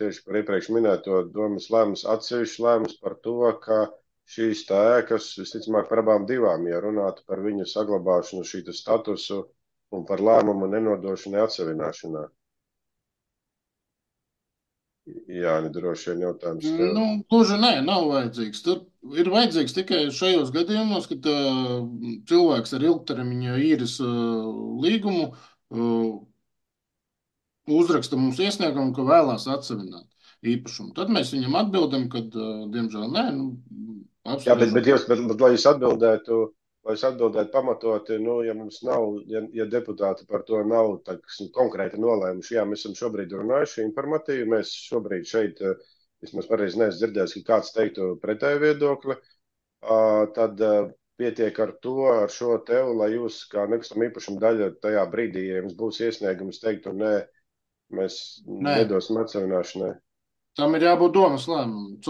Speaker 1: tieši par iepriekš minēto domas lēmums, atsevišķs lēmums par to, ka šīs ēkas, visticamāk, par abām divām, ja runātu par viņu saglabāšanu, šī statusu un par lēmumu nenodošanu atsavināšanā. Jā, nedroši vien jautājums tev.
Speaker 14: Gluži nē, nav vajadzīgs. Tur ir vajadzīgs tikai šajos gadījumos, kad cilvēks ar ilgtermiņa īres līgumu uzraksta mums iesniegumu, ka vēlās atsavināt īpašumu. Tad mēs viņam atbildam, ka, diemžēl, nē,
Speaker 1: Jā, bet lai jūs atbildētu pamatoti, ja mums nav, ja deputāti par to nav konkrēti nolēmuši, jā, mēs esam šobrīd runājuši informatīvi, mēs šobrīd šeit, vismaz pareizi neesmu dzirdējis, ka kāds teiktu pretēju viedokli, tad pietiek ar šo tevu, lai jūs kā nekustamā īpašuma daļa tajā brīdī, ja jums būs iesniegums teiktu, nē, mēs nedosim atsavināšanai.
Speaker 14: Tam ir jābūt domas lēmumam.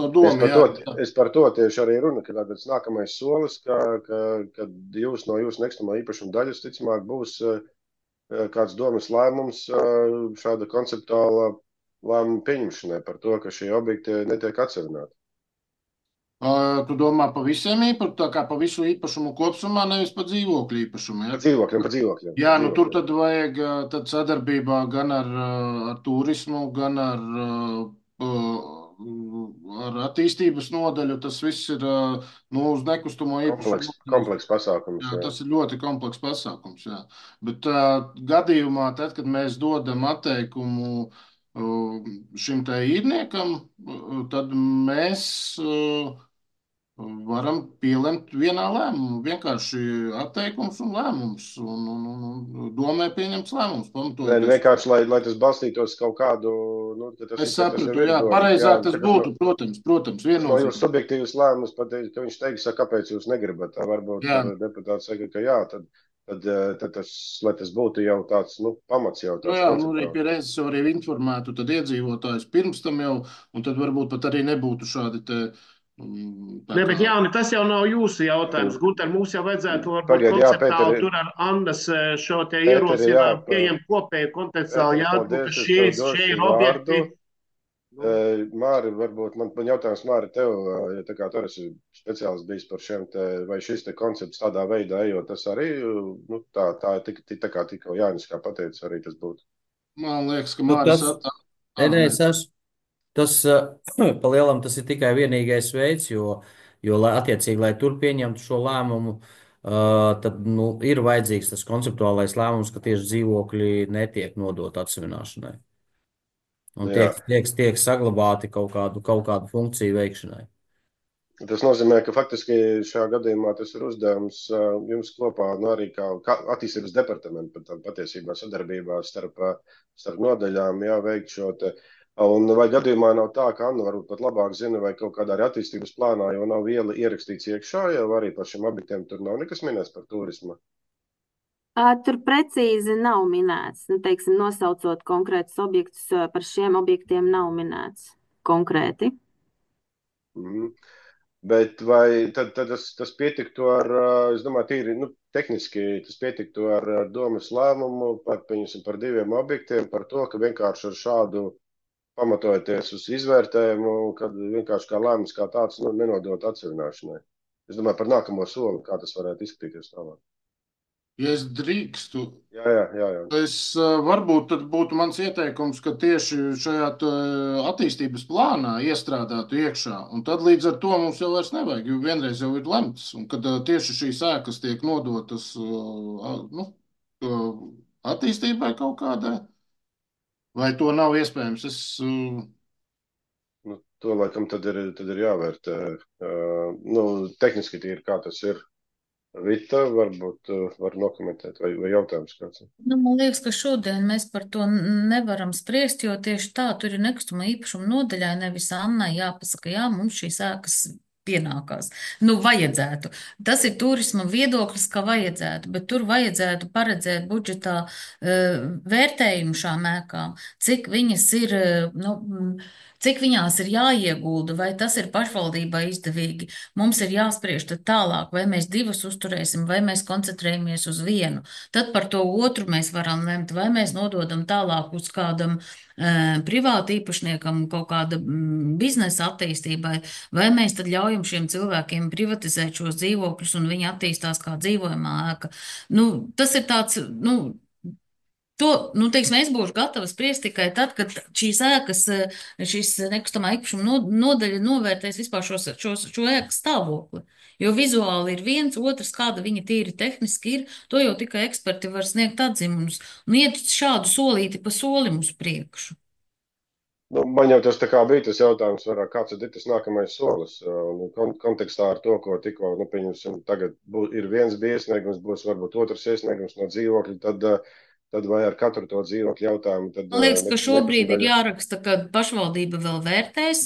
Speaker 1: Es par to tieši arī runu, ka tāds nākamais solis, kad no jūsu nekustamā īpašuma daļas, ticamāk, būs kāds domas lēmums šāda konceptuāla lēmuma pieņemšanai par to, ka šie objekti netiek atsavināti.
Speaker 14: Tu domā pa visiem īpašumiem, tā kā pa visu īpašumu kopsumā, nevis pa dzīvokļu īpašumu? Ja?
Speaker 1: Pa dzīvokļiem.
Speaker 14: Jā, tur tad vajag sadarbībā gan ar turismu, gan ar attīstības nodaļu. Tas viss ir uz nekustamo īpašumu.
Speaker 1: Komplekss pasākums.
Speaker 14: Jā, tas ir ļoti komplekss pasākums. Jā. Bet gadījumā, tad, kad mēs dodam atteikumu šim te īrniekam, tad mēs varam pielemt vienā lēmumā. Vienkārši atteikums un lēmums. Un domē pieņemts lēmums.
Speaker 1: Vienkārši, lai tas balstītos kaut kādu...
Speaker 14: Es sapratu, jā, pareizāk tas būtu, protams, viennozīmīgi.
Speaker 1: No jūs subjektīvas lēmums pateikt, ka viņš teiks, kāpēc jūs negribat. Varbūt deputāts saka, ka jā, tad tas, lai tas būtu jau tāds, pamats jau tāds.
Speaker 14: Jā, arī pie reizes jau arī informētu tad iedzīvotājus pirms tam jau, un tad varbūt pat arī nebūtu šādi te...
Speaker 10: Ne, bet Jāni, tas jau nav jūsu jautājums. Gunter, mums jau vajadzētu varbūt konceptuāli tur ar Andas šo te ierosinājumu pieņemt kopēju kontekstuāli jāatbūt, ka šie ir objekti.
Speaker 1: Māri, varbūt man jautājums, Māri, tev, ja tā kā tu esi speciālists bijis par šiem te, vai šis te koncepts tādā veidā ejot, tas arī, tā kā tikko Jānis kā pateica, arī tas būtu.
Speaker 14: Man liekas, ka Māris
Speaker 15: Tas, pa lielam, tas ir tikai vienīgais veids, jo attiecīgi, lai tur pieņemtu šo lēmumu, tad ir vajadzīgs tas konceptuālais lēmums, ka tieši dzīvokļi netiek nodot atsavināšanai. Un tiek saglabāti kaut kādu funkciju veikšanai.
Speaker 1: Tas nozīmē, ka faktiski šajā gadījumā tas ir uzdevums jums kopā, arī kā attīstības departamentu, patiesībā sadarbībā starp nodaļām jāveikt šo te. Un vai gadījumā nav tā, ka Anna varbūt pat labāk zina, vai kaut kādā arī attīstības plānā jau nav viela ierakstīts iekšā, jau arī par šiem objektiem tur nav nekas minēts par turismu?
Speaker 3: Tur precīzi nav minēts, teiksim, nosaucot konkrētus objektus, par šiem objektiem nav minēts konkrēti.
Speaker 1: Bet vai tad tas pietiktu ar, es domāju, tīri tehniski tas pietiktu ar domas lēmumu par 2 objektiem, par to, ka vienkārši ar šādu pamatojoties uz izvērtējumu, kad vienkārši kā lēmums kā tāds nenodot atsevināšanai. Es domāju par nākamo soli, kā tas varētu izskatīties tālāk.
Speaker 14: Ja es drīkstu,
Speaker 1: Jā.
Speaker 14: es varbūt tad būtu mans ieteikums, ka tieši šajā attīstības plānā iestrādātu iekšā, un tad līdz ar to mums jau vairs nevajag, jo vienreiz jau ir lemts, un kad tieši šīs ēkas tiek nodotas attīstībai kaut kādai, vai to nav iespējams?
Speaker 1: To laikam tad ir jāvērtē. Tehniski tīri kā tas ir. Vita, varbūt var nokomentēt, vai jautājums kāds?
Speaker 4: Man liekas, ka šodien mēs par to nevaram spriest, jo tieši tā, tur ir nekustamā īpašuma nodaļā, nevis Annai jāpasaka, jā, mums šīs ēkas pienākās. Vajadzētu. Tas ir turisma viedoklis, ka vajadzētu, bet tur vajadzētu paredzēt budžetā vērtējumu šām ēkām, cik viņas ir, cik viņās ir jāiegulda, vai tas ir pašvaldībai izdevīgi. Mums ir jāspriež tad tālāk, vai mēs 2 uzturēsim, vai mēs koncentrējamies uz 1. Tad par to otru mēs varam lemt, vai mēs nododam tālāk uz kādam privāti īpašniekam, kaut kāda biznesa attīstībai, vai mēs tad ļaujam šiem cilvēkiem privatizēt šos dzīvokļus un viņi attīstās kā dzīvojamā ēka. Tas ir tāds, teiksim, es būšu gatava spriest tikai tad, kad šīs ēkas, šīs nekustamā īpašuma nodaļa novērtēs vispār šo ēku stāvokli. Jo vizuāli ir viens, otrs, kāda viņa tīri tehniski ir, to jau tikai eksperti var sniegt atzimumus un iet šādu solīti pa solim uz priekšu.
Speaker 1: Man jau tas tā kā bija tas jautājums, kāds ir tas nākamais solis. Kontekstā ar to, ko tikko, pieņemsim, tagad ir viens bija iesniegums, būs varbūt otrs iesniegums no dzīvokļa, tad vai ar katru to dzīvokļu jautājumu?
Speaker 4: Man liekas, ka šobrīd ir jāraksta, ka pašvaldība vēl vērtēs,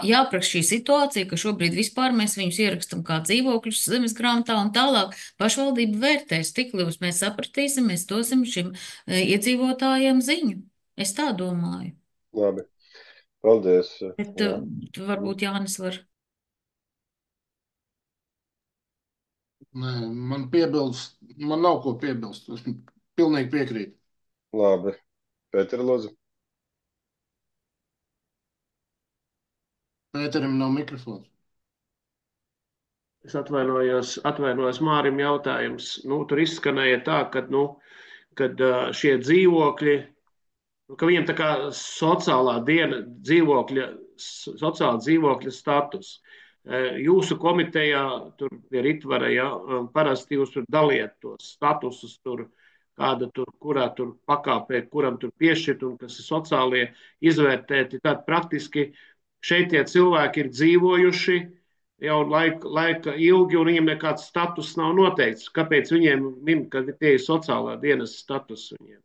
Speaker 4: jāapraksta šī situācija, ka šobrīd vispār mēs viņus ierakstam kā dzīvokļus zemes grāmatā un tālāk pašvaldība vērtēs, tik līdz mēs sapratīsim, mēs dosim šim iedzīvotājiem ziņu. Es tā domāju.
Speaker 1: Labi. Paldies.
Speaker 4: Bet varbūt Jānis var.
Speaker 14: Nē, man nav ko piebilst. Es pilnīgi piekrītu.
Speaker 1: Labi. Pēter, lūdzu.
Speaker 14: Pēterim nav mikrofons.
Speaker 10: Es atvainojos Mārim jautājums. Tur izskanēja tā, kad šie dzīvokļi, ka viņiem tā kā sociālā dzīvokļa status. Jūsu komitejā, tur pie Ritvara, parasti jūs tur daliet tos statusus, kāda tur, kurā tur pakāpē, kuram tur piešķirt un kas ir sociālie izvērtēti. Tad praktiski šeit tie cilvēki ir dzīvojuši jau laika ilgi un viņiem nekāds status nav noteikts. Kāpēc viņiem min, ka tie ir sociālā dienas status viņiem?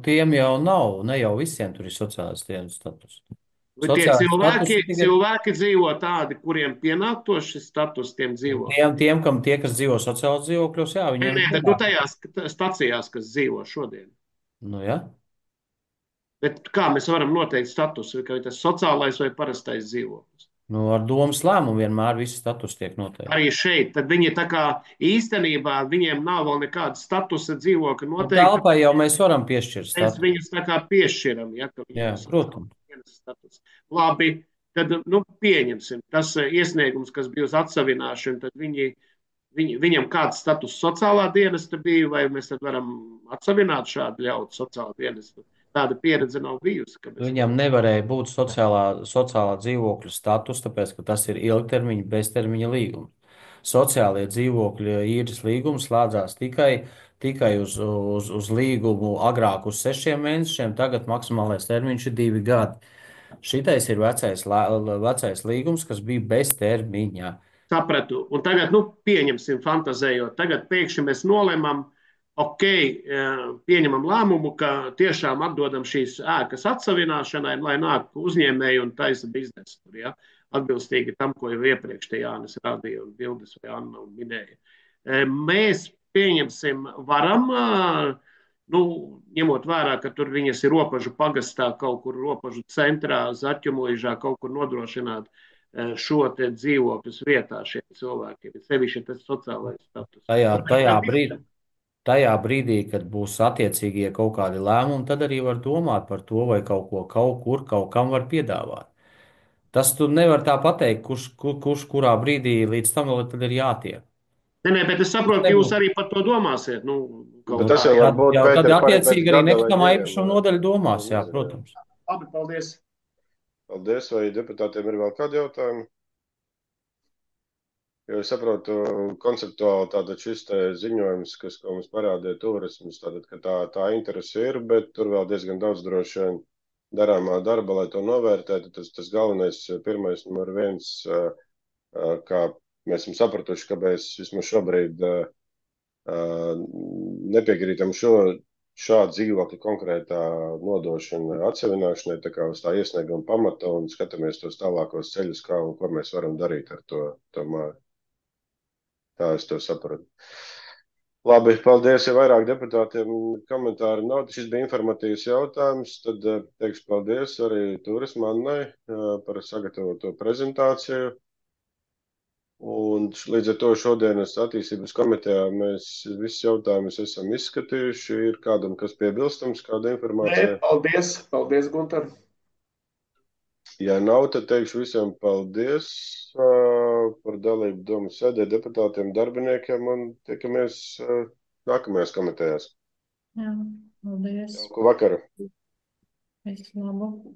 Speaker 15: Tiem jau nav, ne jau visiem tur ir sociālās dienas status.
Speaker 10: Tie cilvēki dzīvo tādi, kuriem pienāktos šis status, tiem dzīvo.
Speaker 15: Tie, kas dzīvo sociālos dzīvokļos, jā, viņiem
Speaker 10: ir. Nē, tajās stacijās, kas dzīvo šodien.
Speaker 15: Jā.
Speaker 10: Bet kā mēs varam noteikt statusu, vai tas sociālais vai parastais dzīvoklis?
Speaker 15: Ar domas lēmumu vienmēr visi status tiek noteikti.
Speaker 10: Arī šeit, tad viņi tā kā īstenībā viņiem nav vēl nekāda statusa dzīvokļa noteikta.
Speaker 15: Telpai jau mēs varam piešķirt statusu.
Speaker 10: Mēs viņus tā kā piešķiram, ja?
Speaker 15: Jā, protams.
Speaker 10: Labi, tad pieņemsim. Tas iesniegums, kas bija uz atsavināšanu, tad viņam kāds status sociālā dienesta bija, vai mēs tad varam atsavināt šādu ļautu sociālā dienestu? Tāda pieredze nav bijusi.
Speaker 15: Viņam nevarēja būt sociālā dzīvokļa status, tāpēc, ka tas ir ilgtermiņa, beztermiņa līgums. Sociālie dzīvokļa īres līgums slēdzās tikai uz līgumu agrāk uz 6 mēnešiem, tagad maksimālais termiņš ir 2 gadi. Šitais ir vecais līgums, kas bija bez termiņa.
Speaker 10: Sapratu. Un tagad, pieņemsim, fantazējot, tagad pēkšņi mēs nolemam, ok, pieņemam lēmumu, ka tiešām atdodam šīs ēkas atsavināšanai, lai nāk uzņēmēji un taisa biznesu tur, ja? Atbilstīgi tam, ko jau iepriekš te Jānis rādīja un Bildes vai Anna minēja. Mēs pieņemsim, varam, ņemot vērā, ka tur viņas ir Ropažu pagastā, kaut kur Ropažu centrā, Zaķumuižā, kaut kur nodrošināt šo te dzīvokļus vietā šiem cilvēkiem, sevišķi tas sociālais status.
Speaker 15: Tajā brīdī, kad būs attiecīgie kaut kādi lēmumi, tad arī var domāt par to, vai kaut ko kaut kur, kaut kam var piedāvāt. Tas tu nevar tā pateikt, kurš kurā brīdī līdz tam vēl tad ir jātiek.
Speaker 10: Nē, bet es saprotu, ka jūs arī par to domāsiet.
Speaker 1: Tas jau var būt,
Speaker 15: Tad attiecīgi arī nekustamā īpašuma nodaļa domās, jā, protams.
Speaker 10: Labi, paldies.
Speaker 1: Paldies, vai deputātiem ir vēl kādi jautājumi? Jo es saprotu, konceptuāli tātad šis te ziņojums, ko mums parādīja turisms, tātad, ka tā interese ir, bet tur vēl diezgan daudz droši vien darāmā darba, lai to novērtētu. Tas galvenais, pirmais, numur viens, kā mēs esam sapratuši, kāpēc vismaz šobrīd nepiekrītam šādu dzīvokļu konkrētā nodošana atsevināšanai, tā kā uz tā iesnieguma pamata un skatāmies tos tālākos ceļus, kā un ko mēs varam darīt ar to māju. Tā es to sapratu. Labi, paldies, ja vairāk deputātiem komentāri nav. Šis bija informatīvs jautājums, tad teikšu paldies arī Turisma Annai par sagatavoto prezentāciju. Un līdz ar to šodienas attīstības komitejā mēs visus jautājumus esam izskatījuši. Ir kādam, kas piebilstams, kāda informācija?
Speaker 10: Nē, paldies, Gunter.
Speaker 1: Ja nav, tad teikšu visiem paldies par dalību domu sēdē, deputātiem, darbiniekiem un tiekamies nākamajās komitejās.
Speaker 2: Jā, paldies.
Speaker 1: Jauku vakaru.
Speaker 2: Visu labu.